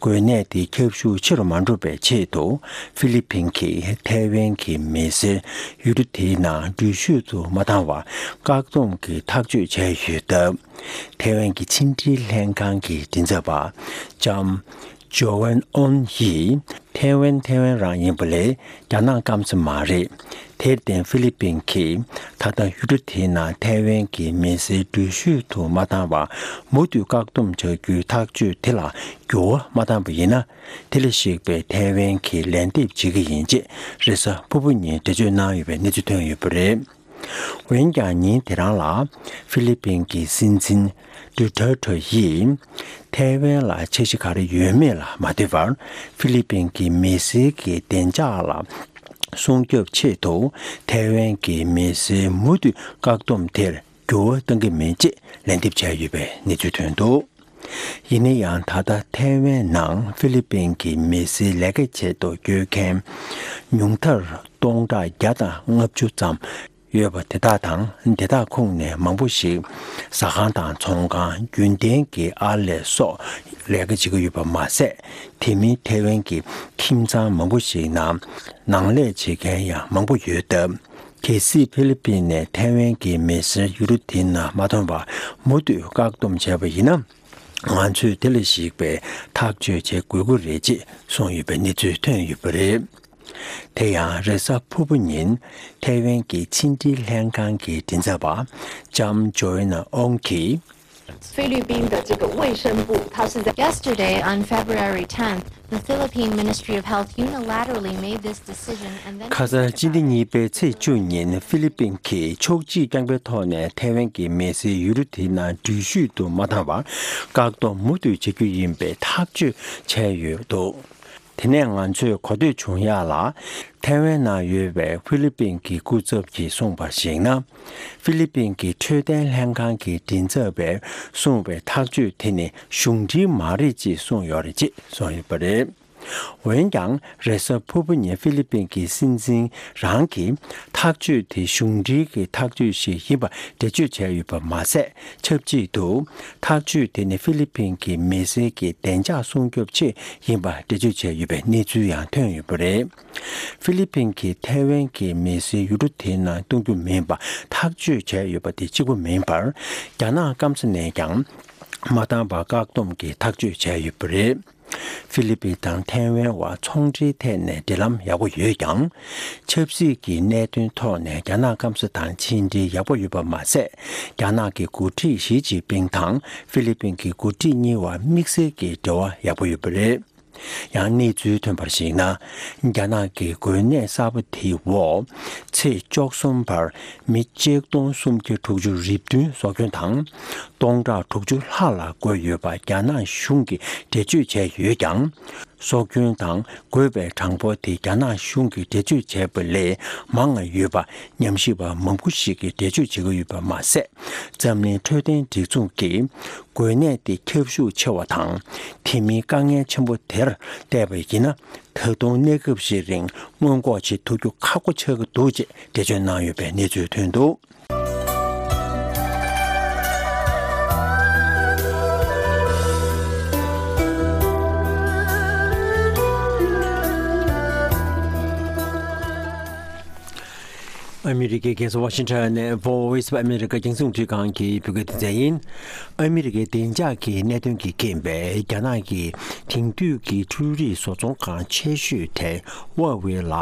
འགོས་ནད་དེ་ཁྱབ་ཤུགས་ཆེ་རུ་མ་འགྲོ་བའི་ཆེད་དུ། ཧྥི་ལི་ཕིན་གྱིས་ཐའེ་ཝན་གྱི་མི་སེར་ཡུལ་གྲུ་དེའི་ནང་འགྲུལ་བཞུད་དུ་མ་བཏང་བར་བཀག་སྡོམ་གྱི་ཐག་གཅོད་བྱས་ཡོད་སྟབས། ཐའེ་ཝན་གྱི་ཕྱི་འབྲེལ་ལྷན་ཁང་གི་མགྲིན་ཚབ་པ་ལྕམ་ཇོ་ཝན་ཨོན་ཡིས། ཐའེ་ཝན་ཐའེ་ཝན་རང་ཡིན་པ་ལས་རྒྱ་ནག་སྐམ་ས་མ་རེད། དེར་བརྟེན་ཧྥི་ལི་ཕིན་གྱིས་ད་ལྟ་ཡུལ་གྲུ་དེའི་ནང་ཐའེ་ཝན་གྱི་མི་སེར་འགྲུལ་བཞུད་དུ་མ་བཏང་བར་མུ་མཐུད་བཀག་སྡོམ་བྱ་རྒྱུའི་ཐག་གཅོད་དེ་ལ་འགྱུར་བ་མ་བཏང་པ་ཡིན་ན། དེ་ལ་གཞིགས་པའི་ཐའེ་ཝན་གྱིས་ལན་འདེབས་བྱེད་ཀྱི་ཡིན་ཅེས་རེས་གཟའ་ཕུར་བུ་ཉིན་འགྲེལ་བརྗོད་གནང་ཡོད་པའི་གནས་ཚུལ་ཐོན་ཡོད་པ་རེད། འོན་ཀྱང་ཉིན་དེ་རང་ལ་ཧྥི་ལི་ཕིན་གྱི་སྲིད་འཛིན་ཌུ་ཊར་ཊེ་ཡིས་ཐའེ་ཝན་ལ་འཆར་གཞི་ག་རེ་ཡོད་མེད་ལ་མ་ལྟོས་པར། ཧྥི་ལི་ཕིན་གྱི་མི་སེར་གྱི་བདེ་འཇགས་ལ་སྲུང་སྐྱོབ་ཆེད་དུ་ཐའེ་ཝན་གྱི་མི་སེར་མུ་མཐུད་བཀག་སྡོམ་དེར་འགྱུར་བ་གཏང་གི་མེད་ཅེས་ལན་འདེབས་བྱས་ཡོད་པའི་གནས་ཚུལ་ཐོན་འདུག་ཡིན་ན་ཡང་། ད་ལྟ་ཐའེ་ཝན་ནང་ཧྥི་ལི་ཕིན་གྱི་མི་སེར་ལས་ཀའི་ཆེད་དུ་བསྐྱོད་མཁན་ཉུང་མཐར་སྟོང་ཕྲག་བརྒྱ་དང་ལྔ་བཅུ་ཙམ་ཡོད་པ་དེ་དག་དང་། དེ་དག་ཁོངས་ནས་མང་པོ་ཞིག་ཟ་ཁང་དང་ཚོང་ཁང་། རྒྱུན་ལྡན་གྱི་ཨར་ལས་སོགས་ ལས་ཀ་བྱེད་ཀྱི་ཡོད་པ་མ་ཟད། དེ་མིན་ཐའེ་ཝན་གྱི་ཁྱིམ་ཚང་མང་པོ་ཞིག་ནང་ནང་ལས་བྱེད་མཁན་ཡང་མང་པོ་ཡོད་སྟབས། གལ་སྲིད་ཧྥི་ལི་པིན་ནས་ཐའེ་ཝན་གྱི་མི་སེར་ཡུལ་གྲུ་དེའི་ནང་མ་ཐོན་པར་མུ་མཐུད་བཀག་སྡོམ་བྱས་པ་ཡིན་ན། ང་ཚོས་དེ་ལ་གཞིགས་པའི་ཐག་གཅོད་བྱེད་དགོས་ཀྱི་རེད་ཅེས་གསུངས་ཡོད་པའི་གནས་ཚུལ་ཐོན་ཡོད་པ་རེད། དེ་ཡང་རེས་གཟའ་ཕུར་བུ་ཉིན་ཐའེ་ཝན་གྱི་ཕྱི་འབྲེལ་ལྷན་ཁང་གི་མགྲིན་ཚབ་པ་ལྕམ་ཇོ་ཨེ་ན་ཨོང་གིས། 菲律宾的这个卫生部，它是在 Yesterday, on February tenth, the Philippine Ministry of Health unilaterally made this decision and then ཁ་སང་སྤྱི་ཟླ་གཉིས་པའི་ཚེས་བཅུ་ཉིན་ཧྥི་ལི་པིན་གྱིས་ཕྱོགས་གཅིག་རྐྱང་པའི་ཐོག་ནས་ཐའེ་ཝན་གྱི་མི་སེར་ཡུལ་གྲུ་དེའི་ནང་འགྲུལ་བཞུད་དུ་མ་བཏང་བར་བཀག་སྡོམ་མུ་མཐུད་བྱ་རྒྱུ་ཡིན་པའི་ཐག་གཅོད་བྱས་ཡོད་འདུག་དེ་ནས་ང་ཚོས་གོ་ཐོས་བྱུང་ཡག་ལ། ཐའེ་ཝན་ནང་ཡོད་པའི་ཧྥི་ལི་པིན་གྱི་སྐུ་ཚབ་ཀྱིས་གསུངས་པར་གཞིགས་ན། ཧྥི་ལི་པིན་གྱི་འཕྲོད་བསྟེན་ལྷན་ཁང་གི་མགྲིན་ཚབ་པས་གསུངས་པའི་ཐག་གཅོད་དེ་ནི་གཞུང་འབྲེལ་མ་རེད་ཅེས་གསུངས་ཡོད་རེད་ཅེས་གསུངས་ཡོད་པ་རེད། འོན་ཀྱང་རེས་གཟའ་ཕུར་བུ་ཉིན་ཧྥི་ལི་པིན་གྱི་སྲིད་འཛིན་རང་གིས་ཐག་གཅོད་དེ་གཞུང་འབྲེལ་གྱི་ཐག་གཅོད་ཞིག་ཡིན་པ་འགྲེལ་བརྗོད་བྱས་ཡོད་པ་མ་ཟད། ཆབས་ཅིག་ཏུ་ཐག་གཅོད་དེ་ནི་ཧྥི་ལི་པིན་གྱི་མི་སེར་གྱི་བདེ་འཇགས་སྲུང་སྐྱོབ་ཆེད་ཡིན་པ་འགྲེལ་བརྗོད་བྱས་ཡོད་པའི་གནས་ཚུལ་ཡང་ཐོན་ཡོད་པ་རེད། ཧྥི་ལི་པིན་གྱིས་ཐའེ་ཝན་གྱི་མི་སེར་ཡུལ་གྲུ་དེའི་ནང་གཏོང་རྒྱུ་མིན་པ་ཐག་གཅོད་བྱས་ཡོད་པ་དེ་གཅིག་པུ་མིན་པར། རྒྱ་ནག་སྐམ་ས་ནས་ཀྱང་མ་བཏང་བར་བཀག་སྡོམ་གྱི་ཐག་གཅོད་བྱས་ཡོད་པ་རེད། ཧྥི་ལི་པིན་དང་ཐའེ་ཝན་བར་ཚོང་འབྲེལ་ཐད་ནས་འབྲེལ་ལམ་ཡག་པོ་ཡོད་ཀྱང་། ཆབ་སྲིད་ཀྱི་གནད་དོན་ཐོག་ནས་རྒྱ་ནག་སྐམ་ས་དང་ཕྱི་འབྲེལ་ཡག་པོ་ཡོད་པ་མ་ཟད། རྒྱ་ནག་གི་འགོ་ཁྲིད་ཞི་ཅིན་ཕིང་དང་ཧྥི་ལི་པིན་གྱི་འགོ་ཁྲིད་གཉིས་བར་དམིགས་བསལ་གྱི་འབྲེལ་བ་ཡག་པོ་ཡོད་པ་རེད། ཡང་གནས་ཚུལ་ཐོན་པར་གཞིགས་ན། རྒྱ་ནག་གི་འགོས་ནད་གསར་པ་དེའི་འོག་ཚེས་བཅུ་གསུམ་བར་མི་གཅིག་སྟོང་སུམ་བརྒྱ་དྲུག་ཅུ་རེ་བདུན་སྲོག་སྐྱོན་དང་། སྟོང་ཕྲག་དྲུག་ཅུ་ལྷག་ལ་འགོས་ཡོད་པ་རྒྱ་ནག་གཞུང་གིས་འགྲེལ་བརྗོད་བྱས་ཡོད་ཀྱང་། སྲོག་སྐྱོན་དང་འགོས་པའི་གྲངས་འབོར་དེ་རྒྱ་ནག་གཞུང་གིས་འགྲེལ་བརྗོད་བྱས་པ་ལས་མང་བ་ཡོད་པ་ཉམས་ཞིབ་པ་མང་པོ་ཞིག་གིས་འགྲེལ་བརྗོད་བྱེད་ཀྱི་ཡོད་པ་མ་ཟད། འཛམ་གླིང་འཕྲོད་བསྟེན་སྒྲིག་འཛུགས་ཀྱིས་འགོས་ནད་དེ་ཁྱབ་ཤུགས་ཆེ་བ་དང་། དེ་མིན་དཀའ་ངལ་ཆེན་པོ་དེར་བལྟས་པ་ཡིན་ན། ད་དུང་གནས་སྐབས་ཤིག་རིང་སྔོན་འགོག་བྱེད་ཐུབ་རྒྱུ་ཁག་པོ་ཆགས་ཀྱི་འདུག་ཅེས་འགྲེལ་བརྗོད་གནང་ཡོད་པའི་གནས་ཚུལ་ཐོན་འདུག་ཨ་མི་རི་ཀའི་རྒྱལ་ས་ཝ་ཤིང་ཊོན་ནས་Voice of America རྒྱང་སྲིང་རླུང་འཕྲིན་ཁང་གི་བོད་སྐད་སྡེ་ཚན་ཡིན། ཨ་མི་རི་ཀའི་བདེ་འཇགས་ཀྱི་གནད་དོན་གྱིས་རྐྱེན་པས་རྒྱ་ནག་གི་དེང་དུས་ཀྱི་འཕྲུལ་རིག་བཟོ་ཚོང་ཁང་ཆེ་ཤོས་དེ་ཧྭ་ཝེ་ལ་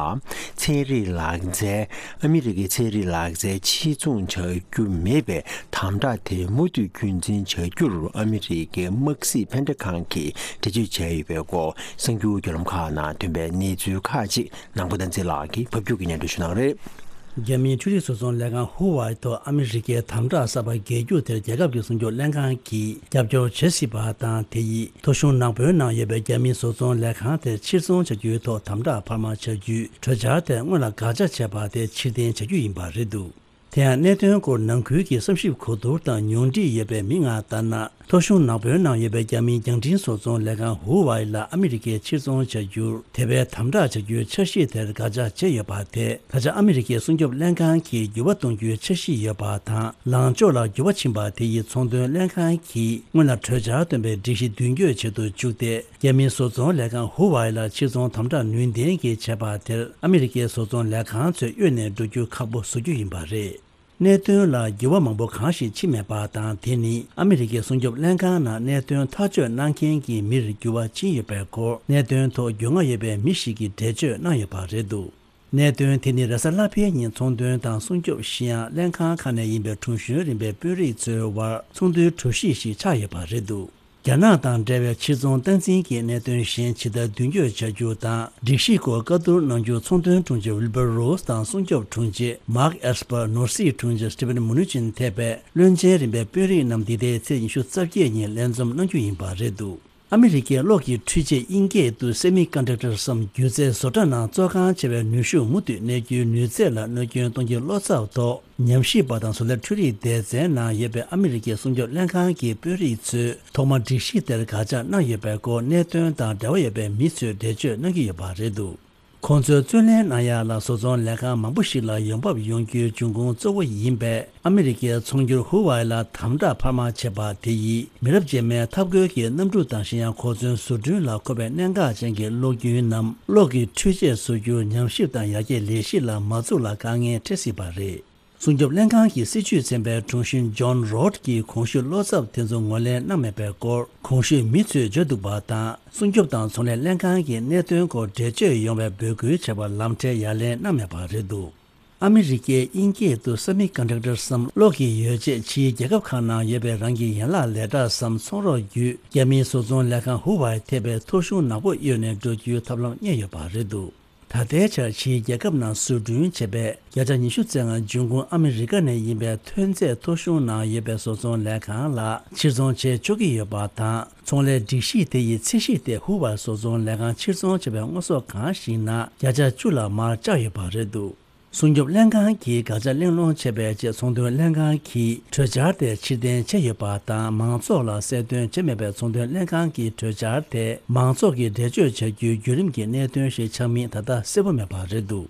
ཚན་རིག་ལག་རྩལ། ཨ་མི་རི་ཀའི་ཚན་རིག་ལག་རྩལ་ཕྱིར་ཚོང་བྱ་རྒྱུ་མེད་པའི་དམ་དྲག་དེ་མུ་མཐུད་རྒྱུན་འཛིན་བྱ་རྒྱུར་ཨ་མི་རི་ཀའི་དམག་སྲིད་ཕན་བདེ་ཁང་གིས་འགྲེལ་བརྗོད་བྱས་ཡོད་པའི་སྐོར། གསར་འགྱུར་བརྒྱུད་ལམ་ཁག་ནང་ཐོན་པའི་གནས་ཚུལ་ཁག་ཅིག་ནང་པ་བསྟན་འཛིན་ལགས་ཀྱིས་ཕབ་སྒྱུར་གྱིས་སྙན་སྒྲོན་ཞུ་གནང་རེད། རྒྱ་མིའི་འཕྲུལ་རིག་བཟོ་ཚོང་ལས་ཁང་ཧུ་ཝའེ་ཐོག་ཨ་མི་རི་ཀའི་དམ་དྲག་གསར་པ་འགེལ་རྒྱུ་དེར་རྒྱལ་ཁབ་ཀྱི་སྲུང་སྐྱོབ་ལྷན་ཁང་གིས་རྒྱབ་སྐྱོར་བྱེད་སྲིད་པ་དང་། དེ་ཡིས་ཐོ་གཞུང་ནག་པོའི་ནང་ཡོད་པའི་རྒྱ་མིའི་བཟོ་ཚོང་ལས་ཁང་དེ་ཕྱིར་ཚོང་བྱ་རྒྱུའི་ཐོག་དམ་དྲག་འཕར་མ་བྱ་རྒྱུའི་གྲོས་འཆར་དེ་སྔོན་ལ་དགག་བྱ་བྱས་པ་དེ་ཕྱིར་འཐེན་བྱ་རྒྱུ་ཡིན་པ་རེད་འདུག་དེ་ཡང་གནད་དོན་སྐོར་ནང་ཁུལ་གྱི་བསམ་ཞིབ་གོ་བསྡུར་དང་ཉུང་འཕྲི་ཡོད་པའི་མི་ལྔ་ལྟར་ན། ཐོ་གཞུང་ནག་པོའི་ནང་ཡོད་པའི་རྒྱ་མིའི་རྒྱང་འཕྲིན་བཟོ་ཚོང་ལས་ཁང་ཧུ་ཝའེ་ལ་ཨ་མི་རི་ཀས་ཕྱིར་ཚོང་བྱ་རྒྱུར་དེ་བས་དམ་དྲག་བྱ་རྒྱུའི་འཆར་གཞི་དེར་དགག་བྱ་བྱས་ཡོད་པ་དེ། ད་ཆ་ཨ་མི་རི་ཀའི་སྲུང་སྐྱོབ་ལྷན་ཁང་གིས་འགྱུར་བ་གཏོང་རྒྱུའི་འཆར་གཞི་ཡོད་པ་དང་། ལངས་ཕྱོགས་ལ་འགྱུར་བ་ཕྱིན་པ་དེ་ཡིས་ཚོང་དོན་ལྷན་ཁང་གིས་སྔོན་ལ་གྲོས་འཆར་བཏོན་པའི་སྒྲིག་གཞི་མདུན་སྐྱོད་བྱེད་དུ་བཅུག་སྟེ། རྒྱ་མིའི་བཟོ་ཚོང་ལས་ཁང་ཧུ་ཝའེ་ལ་ཕྱིར་ཚོང་དམ་དྲག་ནུས་ལྡན་གྱིས་བྱས་པ་དེར་ཨ་མི་རི་ཀའི་བཟོ་ཚོང་ལས་ཁང་ཚོས་གཡོལ་ནས་འགྲོ་རྒྱུ་ཁག་པོ་བཟོ་རྒྱུ་ཡིན་པ་རེད། གནད་དོན་ལ་འགྱུར་བ་མང་པོ་གང་ཞིག་ཕྱིན་མེད་པ་དང་། དེ་ནི་ཨ་མི་རི་ཀའི་སྲུང་སྐྱོབ་ལྷན་ཁང་ནང་གནད་དོན་ཐག་གཅོད་གནང་མཁན་གྱི་མིར་འགྱུར་བ་ཕྱིན་ཡོད་པའི་སྐོར། གནད་དོན་ཐོག་རྒྱུས་མངའ་ཡོད་པའི་མི་ཞིག་གིས་འགྲེལ་བརྗོད་གནང་ཡོད་པ་རེད་འདུག་གནད་དོན་དེ་ནི་རེས་གཟའ་ལྷག་པའི་ཉིན་ཚོང་དོན་དང་སྲུང་སྐྱོབ་ཤེས་ཡོན་ལྷན་ཁང་ཁག་ནས་ཡིན་པའི་དྲུང་གཞོན་རིམ་པའི་དཔོན་རིགས་ཚོའི་དབར་ཚོགས་འདུའི་གྲོས་གཞི་ཞིག་ཆགས་ཡོད་པ་རེད་འདུག་རྒྱ་ནག་དང་འབྲེལ་བའི་ཕྱིར་ཚོང་སྟངས་འཛིན་གྱི་གནད་དོན་གཞན་ཇི་ལྟར་མདུན་སྐྱོད་བྱ་རྒྱུ་དང་། སྒྲིག་གཞིའི་སྐོར་བཀའ་བསྡུར་གནང་རྒྱུ་ཚོང་དོན་དྲུང་ཆེ་ཝིལ་བར་རོ་སི་དང་སྲུང་སྐྱོབ་དྲུང་ཆེ་མཱག་ཨེ་སི་པར། ནོར་སྲིད་དྲུང་ཆེ་སི་ཊི་ཕན་མུ་ནུ་ཅིན་ཐེ་བའི་བློན་ཆེན་རིམ་པའི་དཔོན་རིགས་རྣམས་འདི་ཟླའི་ཚེས་ཉི་ཤུ་རྩ་བརྒྱད་ཉིན་ལས་འཛོམས་གནང་རྒྱུ་ཡིན་པ་རེད་འདུག་ཨ་མི་རི་ཀའི་གློག་གི་འཕྲུལ་ཆས་དབྱིན་སྐད་དུ་སེ་མི་ཀོན་ཌག་ཊར་སམ་སྒྱུ་རྩལ་བཟོ་གྲྭ་ནང་བཙོ་ཁང་ཆེ་བའི་ནུས་ཤུགས་མུ་མཐུད་གནས་རྒྱུའི་ནུས་ཚད་ལ་གནོད་སྐྱོན་གཏོང་རྒྱུའི་བློ་འཚབ་ཐོག་ཉམས་ཞིབ་པ་དང་བཟོ་ལས་འཕྲུལ་རིག་སྡེ་ཚན་ནང་ཡོད་པའི་ཨ་མི་རི་ཀའི་སྲུང་སྐྱོབ་ལྷན་ཁང་གི་དཔོན་རིགས་ཚོས་ཐོག་མར་སྒྲིག་གཞི་དེར་དགག་བྱ་གནང་ཡོད་པའི་སྐོར་གནད་དོན་དང་འབྲེལ་བ་ཡོད་པའི་མི་ཚོས་འགྲེལ་བརྗོད་གནང་གི་ཡོད་པ་རེད་འདུག་ཁོང་ཚོའི་བརྩོན་ལེན་གནང་ཡག་ལ་བཟོ་ཚོང་ལས་ཁང་མང་པོ་ཞིག་ལ་ཡོང་འབབ་ཡོང་རྒྱུའི་འབྱུང་ཁུངས་གཙོ་བོ་ཡིན་པས། ཨ་མི་རི་ཀའི་ཚོང་སྒྱུར་ཧུ་ཝའེ་ལ་དམ་དྲག་འཕར་མ་བྱས་པ་དེ་ཡིས། མི་རབས་རྗེས་མའི་འཐབ་རྒོལ་གྱི་གནམ་གྲུ་དང་གཞན་ཡང་གོ་མཚོན་བཟོ་སྐྲུན་ལ་མཁོ་བའི་གནད་འགག་ཅན་གྱི་གློག་རྒྱུན་ནམ་གློག་གི་འཕྲུལ་ཆས་བཟོ་རྒྱུར་ཉམས་ཞིབ་དང་ཡར་རྒྱས་ལས་གཞི་ལ་མ་འཛུགས་ལ་དཀའ་ངལ་འཕྲད་སྲིད་པ་རེད། སྲུང་སྐྱོབ་ལྷན་ཁང་གི་སྲིད་བྱུས་ཚན་པའི་དྲུང་ཆེ་ཇོན་རོད་ཀྱིས་གོང་ཞུས་བློ་འཚབ་དེ་ཚོ་ངོས་ལེན་གནང་མེད་པའི་སྐོར་གོང་ཞུས་མི་ཚོས་བརྗོད་འདུག་པ་དང་། སྲུང་སྐྱོབ་དང་ཚོང་ལས་ལྷན་ཁང་གིས་གནད་དོན་སྐོར་འགྲེལ་བརྗོད་ཡོང་བའི་འབོད་སྐུལ་བྱས་པར་ལམ་ཁྲལ་ཡ་ལན་གནང་མེད་པ་རེད་འདུག་ཨ་མི་རི་ཀས་དབྱིན་སྐད་དུ་སེ་མི་ཀོན་ཌག་ཊར་སམ་གློག་གི་ཡོ་བྱད་ཕྱིའི་རྒྱལ་ཁབ་ཁག་ནང་ཡོད་པའི་རང་གི་ཡན་ལག་ལས་གྲྭ་སམ་ཚོང་རོགས་བརྒྱུད་རྒྱ་མིའི་བཟོ་ཚོང་ལས་ཁང་ཧུ་ཝའེ་ཐེ་པའི་ཐོ་གཞུང་ནག་པོ་གཡོལ་ནས་འགྲོ་རྒྱུའི་ཐབས་ལམ་རྙེད་ཡོད་པ་རེད་འདུག་ད་ལྟའི་ཆར་ཕྱིའི་རྒྱལ་ཁབ་ནང་བཟོ་སྐྲུན་བྱས་པའི་བརྒྱ་ཆ་ཉི་ཤུ་རྩ་ལྔ་འབྱུང་ཁུངས་ཨ་མི་རི་ཀ་ནས་ཡིན་པའི་ཐོན་རྫས་ཐོ་གཞུང་ནང་ཡོད་པའི་བཟོ་ཚོང་ལས་ཁང་ལ་ཕྱིར་ཚོང་བྱེད་ཆོག་གི་ཡོད་པ་དང་། ཚོང་ལས་སྒྲིག་གཞི་དེ་ཡི་ཚད་གཞི་དེ་ཧུ་ཝའེ་བཟོ་ཚོང་ལས་ཁང་ཕྱིར་ཚོང་བྱས་པའི་དངོས་ཟོག་གང་ཞིག་ནང་བརྒྱ་ཆ་བཅུ་ལ་མར་བཅག་ཡོད་པ་རེད་འདུག་སྲུང་སྐྱོབ་ལྷན་ཁང་གིས་དགག་བྱ་གླེང་སློང་བྱས་པའི་རྗེས་ཚོང་དོན་ལྷན་ཁང་གིས་གྲོས་འཆར་དེ་ཕྱིར་འཐེན་བྱས་ཡོད་པ་དང་། མང་ཚོགས་ལ་གསལ་སྟོན་བྱས་མེད་པའི་ཚོང་དོན་ལྷན་ཁང་གི་གྲོས་འཆར་དེ་མང་ཚོགས་ཀྱིས་འགྲེལ་བརྗོད་བྱ་རྒྱུའི་བརྒྱུད་རིམ་གྱི་གནད་དོན་ཞིག་ཆགས་མིན་ད་ལྟ་གསལ་པོ་མེད་པ་རེད་འདུག་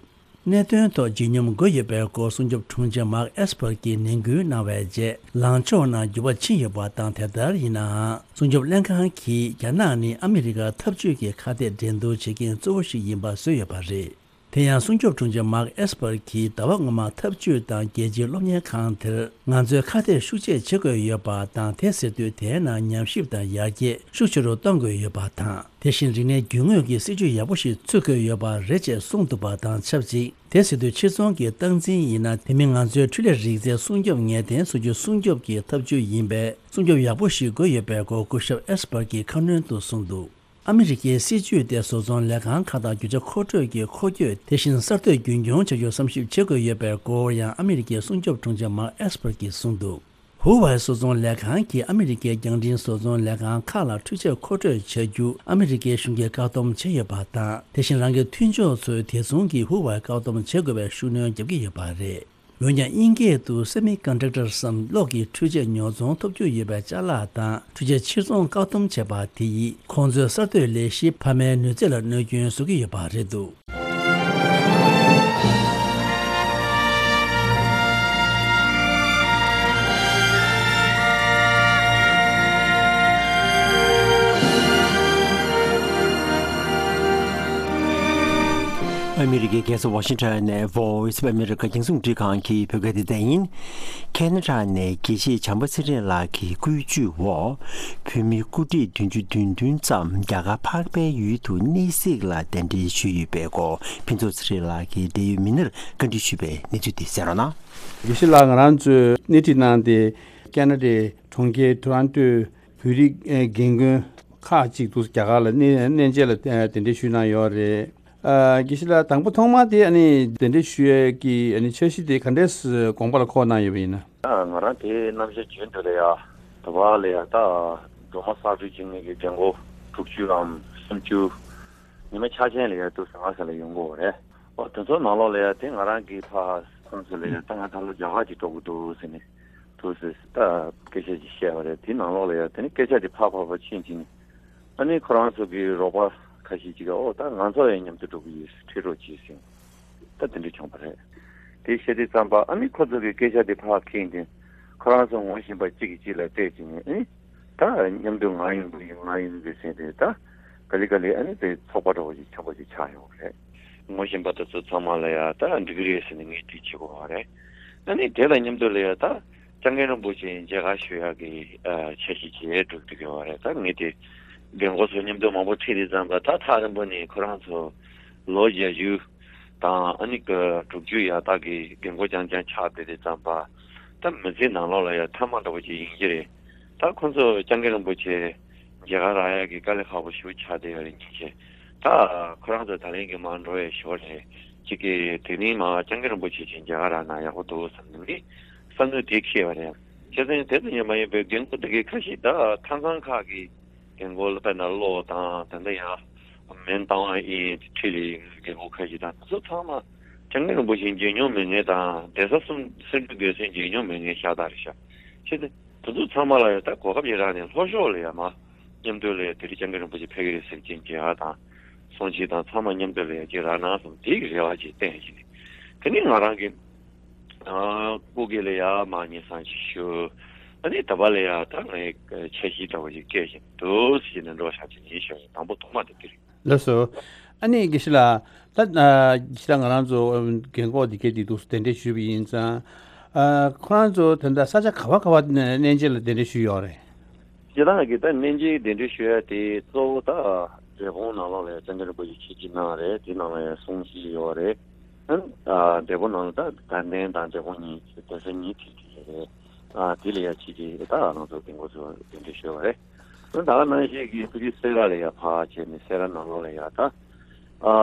གནད་དོན་ཐོག་ལྗིད་སྙོམས་དགོས་ཡོད་པའི་སྐོར་སྲུང་སྐྱོབ་དྲུང་ཆེ་མཱག་ཨེས་པར་གྱིས་ནན་སྐུལ་གནང་བའི་རྗེས་ལངས་ཕྱོགས་ནང་འགྱུར་བ་ཕྱིན་ཡོད་པ་དང་། དེ་ལྟར་ཡིན་ནའང་སྲུང་སྐྱོབ་ལྷན་ཁང་གིས་རྒྱ་ནག་ནི་ཨ་མི་རི་ཀར་འཐབ་ཇུས་ཀྱི་ཁ་གཏད་འགྲན་བསྡུར་བྱེད་མཁན་གཙོ་བོ་ཞིག་ཡིན་པ་བཟོས་ཡོད་པ་རེད། དེ་ཡང་སྲུང་སྐྱོབ་དྲུང་ཆེ་མཱག་ཨེས་པར་གྱིས་ཟླ་བ་སྔོན་མ་འཐབ་ཇུས་དང་རྒྱལ་སྤྱིའི་སློབ་གཉེར་ཁང་དེར་ང་ཚོས་ཁ་གཏད་ཤུགས་ཆེ་བྱེད་དགོས་ཡོད་པ་དང་། དེ་ཟེར་དུས་དེའི་ནང་ཉམས་ཞིབ་དང་ཡར་རྒྱས་ཤུགས་ཆེ་རུ་གཏོང་དགོས་ཡོད་པ་དང་། དེ་བཞིན་རིག་གནས་རྒྱུ་དངོས་ཀྱི་སྲིད་ཇུས་ཡག་པོ་ཞིག་འཚོལ་དགོས་ཡོད་པ་རེད་ཅེས་གསུངས་འདུག་པ་དང་ཆབས་ཅིག་དེ་ཟེར་དུས་ཕྱིར་ཚོང་གི་སྟངས་འཛིན་ཡིན་ན། དེ་མིན་ང་ཚོའི་འཕྲུལ་ལས་རིག་རྩལ་སྲུང་སྐྱོབ་ངེས་གཏན་བཟོ་རྒྱུ་སྲུང་སྐྱོབ་ཀྱི་ཐབས་ཇུས་ཡིན་པས། སྲུང་སྐྱོབ་ཡག་པོ་ཞིག་དགོས་ཡོད་པའི་སྐོར་སྐུ་ཞབས་ཨེས་པར་གྱིས་ཁ་སྣོན་དུ་གསུངས་འདུག་ཨ་མི་རི་ཀའི་སྲིད་ཇུས་དེ་བཟོ་ཚོང་ལས་ཁང་ཁག་དང་རྒྱུ་ཆ་མཁོ་སྤྲོད་ཀྱི་འཁོར་སྐྱོད་དེ་བཞིན་གསར་གཏོད་རྒྱུན་འཁྱོངས་བྱ་རྒྱུར་བསམ་ཞིབ་བྱེད་དགོས་ཡོད་པའི་སྐོར་ཡང་ཨ་མི་རི་ཀའི་སྲུང་སྐྱོབ་དྲུང་ཆེ་མཱག་ཨེས་པར་གྱིས་གསུངས་འདུག་ཧུ་ཝའེ་བཟོ་ཚོང་ལས་ཁང་གིས་ཨ་མི་རི་ཀའི་རྒྱང་འཕྲིན་བཟོ་ཚོང་ལས་ཁང་ཁག་ལ་འཕྲུལ་ཆས་མཁོ་སྤྲོད་བྱ་རྒྱུ་ཨ་མི་རི་ཀའི་གཞུང་གིས་བཀག་སྡོམ་བྱས་ཡོད་པ་དང་། དེ་བཞིན་རང་གི་མཐུན་ཕྱོགས་ཚོས་དེ་མཚུངས་ཀྱིས་ཧུ་ཝའེ་བཀག་སྡོམ་བྱེད་དགོས་པའི་ཤུགས་སྣོན་བརྒྱབ་ཀྱི་ཡོད་པ་རེད། འོན་ཀྱང་དབྱིན་སྐད་དུ་སེ་མི་ཀོན་ཌག་ཊར་སམ་གློག་གི་འཕྲུལ་ཆས་ཉོ་ཚོང་ཐོབ་རྒྱུ་ཡོད་པའི་ཅ་ལག་དང་འཕྲུལ་ཆས་ཕྱིར་ཚོང་བཀག་སྡོམ་བྱས་པ་དེ་ཡིས་ཁོང་ཚོའི་གསར་གཏོད་ལས་གཞི་འཕར་མའི་ནུས་རྩལ་ལ་གནོད་སྐྱོན་བཟོ་གི་ཡོད་པ་རེད་འདུག་ཨ་མི་རི་ཀའི་རྒྱལ་ས་ཝ་ཤིང་ཊོན་ནས་Voice of America རྒྱང་སྲིང་རླུང་འཕྲིན་ཁང་གི་བོད་སྐད་སྡེ་ཚན་ཡིན། ཁེ་ན་ཌ་ནས་དགེ་བཤེས་བྱམས་པ་ཚེ་རིང་ལགས་ཀྱི་སྐུ་བཅུག་འོག་བོད་མི་སྐུ་བགྲེས་བདུན་ཅུ་དོན་བདུན་ཙམ་རྒྱ་གར་འཕགས་པའི་ཡུལ་དུ་གནས་གཟིགས་ལ་གདན་འདྲེན་ཞུས་ཡོད་པའི་སྐོར་ཕུན་ཚོགས་ཚེ་རིང་ལགས་ཀྱིས་འབྲེལ་ཡོད་མི་སྣར་བཀའ་འདྲི་ཞུས་པའི་གནས་ཚུལ་དེ་གསན་རོགས་གནང་། དགེ་བཤེས་ལགས། ང་རང་ཚོས་སྣེ་ཁྲིད་གནང་སྟེ་ཁེ་ན་ཌའི་གྲོང་ཁྱེར་ཊོ་རོན་ཊོའི་བོད་རིགས་རྒན་རྒོན་ཁག་ཅིག་ཏུ་རྒྱ་གར་ལ་གནས་གནས་མཇལ་ལ་གདན་འདྲེན་ཞུས་གནང་ཡོད་རེད། ཨ། དགེ་བཤེས་ལགས། དང་པོ་ཐོག་མ་དེ་ཨ་ནི་གདན་འདྲེན་ཞུ་ཡས་ཀྱི་ཨ་ནི་འཆར་གཞི་དེ་ག་འདྲས་དགོངས་པ་ལ་འཁོར་གནང་ཡོད་པ་ཡིན་ན། ཨ། ང་རང་དེའི་རྣམ་གཞག་རྒྱུན་དུ་ལ་ཡ་ད་བར་ལ་ཡ་ད་སྒྲོལ་མ་གསར་སྒྲུབ་བྱེད་མཁན་གྱི་རྒན་གོག་དྲུག་ཅུ་འམ་སུམ་ཅུ་ཉི་མ་ཆ་ཆེན་ལ་ཡ་དུ་ཟ་ང་ས་ལ་ཡོང་གི་ཡོད་རེད། ཨོ། དེ་ཚོ་ནང་ལོགས་ལ་ཡ་དེ་ང་རང་གི་ཕ་ཁོང་ཚོ་ལ་ཡ་ད་ང་ད་ལོ་རྒྱ་གར་གྱི་འགྲོ་གི་འདུག་ཟེར་ནས་དུ་ཟེར་ད་སྐད་ཆ་ཅིག་བཤད་པ་རེད། དེ་ནང་ལོགས་ལ་ཡ་དེ་ནི་སྐད་ཆ་དེ་ཕར་ཕར་ཕར་ཕྱིན་ཕྱིན། ཨ་ནི་ཁོ་རང་ཚོ་གི་རོགས་པ་ཁ་ཤས་ཅིག་གིས་ཨོ་ད་ང་ཚོ་ཡང་མཉམ་དུ་འགྲོ་གི་ཡོད་ཁྲིད་རོགས་གྱིས་ཟེར། ད་དེ་འདྲ་བྱུང་བ་རེད། དེ་བཤད་དུས་ཙམ་པ་ཨ་ནི་ཁོ་ཚོ་གི་སྐད་ཆ་དེ་ཕར་འཁྱེར་ཏེ་ཁོ་རང་ཚོ་ངོ་ཤེས་པ་གཅིག་གིས་གཅིག་ལ་བལྟས་བྱས་ནས་ཨ་ནི་ད་མཉམ་དུ་ང་ཡོང་གི་ཡིན་ང་ཡོང་གི་ཟེར་ཏེ་ད་ག་ལེ་ག་ལེ་ཨ་ནི་དེ་ཚོགས་པ་འདྲ་བོ་ཞིག་ཆགས་པ་ཞིག་ཆགས་ཡོང་བ་རེད། ངོ་ཤེས་པ་དེ་ཚོ་ཚང་མ་ལ་ཡ་ད་འགྲིག་གི་རེད་ཟེར་ནས་ངས་དེ་བྱེད་དགོས་པ་རེད། ཨ་ནི་དེ་ལ་མཉམ་དུ་ལ་ཡ་ད། སྐྱབས་མགོན་རིན་པོ་ཆེ་མཇལ་ཁ་ཞུ་ཡག་གི་ཨ་འཆར་གཞི་བྱས་འགྲོ་གི་ཡོད་རེད། ད་ངས་དེ་རྒན་གོག་ཚོ་མཉམ་དུ་མང་པོ་ཁྲིད་དུས་ཙམ་པ་ད་ཐག་རིང་པོ་ནས་ཁོ་རང་ཚོ་ལོ་བརྒྱད་ཅུ་དང་ཨ་ནི་དྲུག་ཅུ་ཡར་ལྟག་གི་རྒན་གོག་རྐྱང་རྐྱང་ཆགས་བསྡད་དུས་ཙམ་པ་ད་མི་ཚེ་ནང་ལོགས་ལ་ཡ་མཐའ་མ་འདྲ་བོ་ཅིག་ཡིན་གྱི་རེད། ད་ཁོ་ཚོ་སྐྱབས་མགོན་རིན་པོ་ཆེ་མཇལ་ཁ་རག་ཡག་གི་དཀའ་ལས་ཁག་པོ་ཞེ་པོ་ཆགས་བསྡད་ཡོད་རེད། ཉིན་བྱེད་ད་ཁོ་རང་ཚོ་ད་ལན་གྱི་མར་འགྲོ་ཡས་ཞོར་ལས་གཅིག་གི་དེ་རིང་མར་སྐྱབས་མགོན་རིན་པོ་ཆེ་ཅིག་མཇལ་ཁ་རག་ན་ཡག་པོ་འདུག་བསམ་ནས་ནི་བསམ་ཚུལ་དེ་འཁྱེར་བ་རེད། བྱས་ཙང་དེ་ཙམ་ཡང་མ་ཡིན་པའི་རྒན་གོག་དེ་གའི་ཁ་ཤས་ད་མཐའ་མཚམས་ཁག་གི་རྒན་གོག་དཔེར་ན་བློ་དང་ད་ལྟ་ཡང་མེན་ཏང་ཨིན་ཁྲི་ལི་རྒན་གོག་ཁ་ཤས་དང་དེ་ཚོ་ཚང་མ་སྐྱབས་མགོན་རིན་པོ་ཆེ་མཇལ་མྱོང་མེད་མཁན་དང་གདན་ས་གསུམ་སེ་འབྲུ་དགེ་གསུམ་མཇལ་མྱོང་མེད་མཁན་ཤ་སྟག་རེད་ཤག་བྱས་ཙང་དེ་ཚོ་ཚང་མ་ལ་ཡང་ད་གོ་སྐབས་ཅིག་རག་ནས་ལྷོ་ཕྱོགས་ལ་ཡང་མར་མཉམ་དུ་ལ་ཡང་དེ་རིང་སྐྱབས་མགོན་རིན་པོ་ཆེ་ཕེབས་ཀྱི་རེད་ཟེར་གྱིན་མཇལ་ཁ་དང་། གཏོང་ཆེད་དང་ཚང་མ་མཉམ་དུ་ལ་ཡ་ཅིག་རག་ན་བསམ་དེའི་རེ་བ་ཅིག་བསྟན་ཞིག་ནས། དེ་ནས་ང་རང་གི་ཨ་སྐུ་སྒེར་ལ་ཡ་མ་ཉེ་སང་ཅིག་ཞུ། ཨ་ནི་ད་བར་ལ་ཡ་ད་ངའི་འཆར་གཞི་འདྲ་བོ་ཞིག་སྐད་ཞིག་འདུག་ཟེར་ནས་འགྲོ་བཞག་ཅིག་ཡིན་ཞུ་ཡིན། དང་པོ་ཐོག་མ་དེ་དེ་རེད། ལགས་སོ། ཨ་ནི་དགེ་བཤེས་ལགས། ད་ཨ་དགེ་བཤེས་ལགས་ང་རང་ཚོ་ཨམ་རྒན་གོག་འདི་གའི་འདི་འདུག་གདན་འདྲེན་ཞུས་པ་ཡིན་ཙང་། ཨ་ཁོ་རང་ཚོ་ད་ལྟ་ས་ཆ་ག་བ་ག་བ་ནས་གནས་མཇལ་ལ་གདན་འདྲེན་ཞུས་ཡོད་རེད། སྤྱིར་བཏང་གི་ད་གནས་མཇལ་གདན་འདྲེན་ཞུ་ཡ་དེ་གཙོ་བོ་ད་འབྲས་སྤུངས་ནང་ལོགས་ལ་ཡ་སྐྱབས་མགོན་རིན་པོ་ཆེ་ཆིབས་བསྒྱུར་གནང་རེད། དེ་ནང་ལ་ཡ་གསུང་བཤད་ཡོད་རེད། ཨ་འབྲས་སྤུངས་ནང་ལ་ད་དགའ་ལྡན་དང་འབྲས་སྤུངས་གཉིས་གདན་ས་གཉིས་ཁྲིད་ཀྱི་རེད། ཨ་དེ་ལ་ཡ་ཕྱི་རྒྱལ་ད་ང་ཚོ་རྒན་གོག་ཚོ་གདན་འདྲེན་ཞུས་པ་རེད། ད་ག་ནང་བཞིན་གྱི་ཕ་གི་སེ་ར་ལ་ཡ་ཕར་བྱས་ནས་སེ་ར་ནང་ལོགས་ལ་ཡ་ད་ཨ་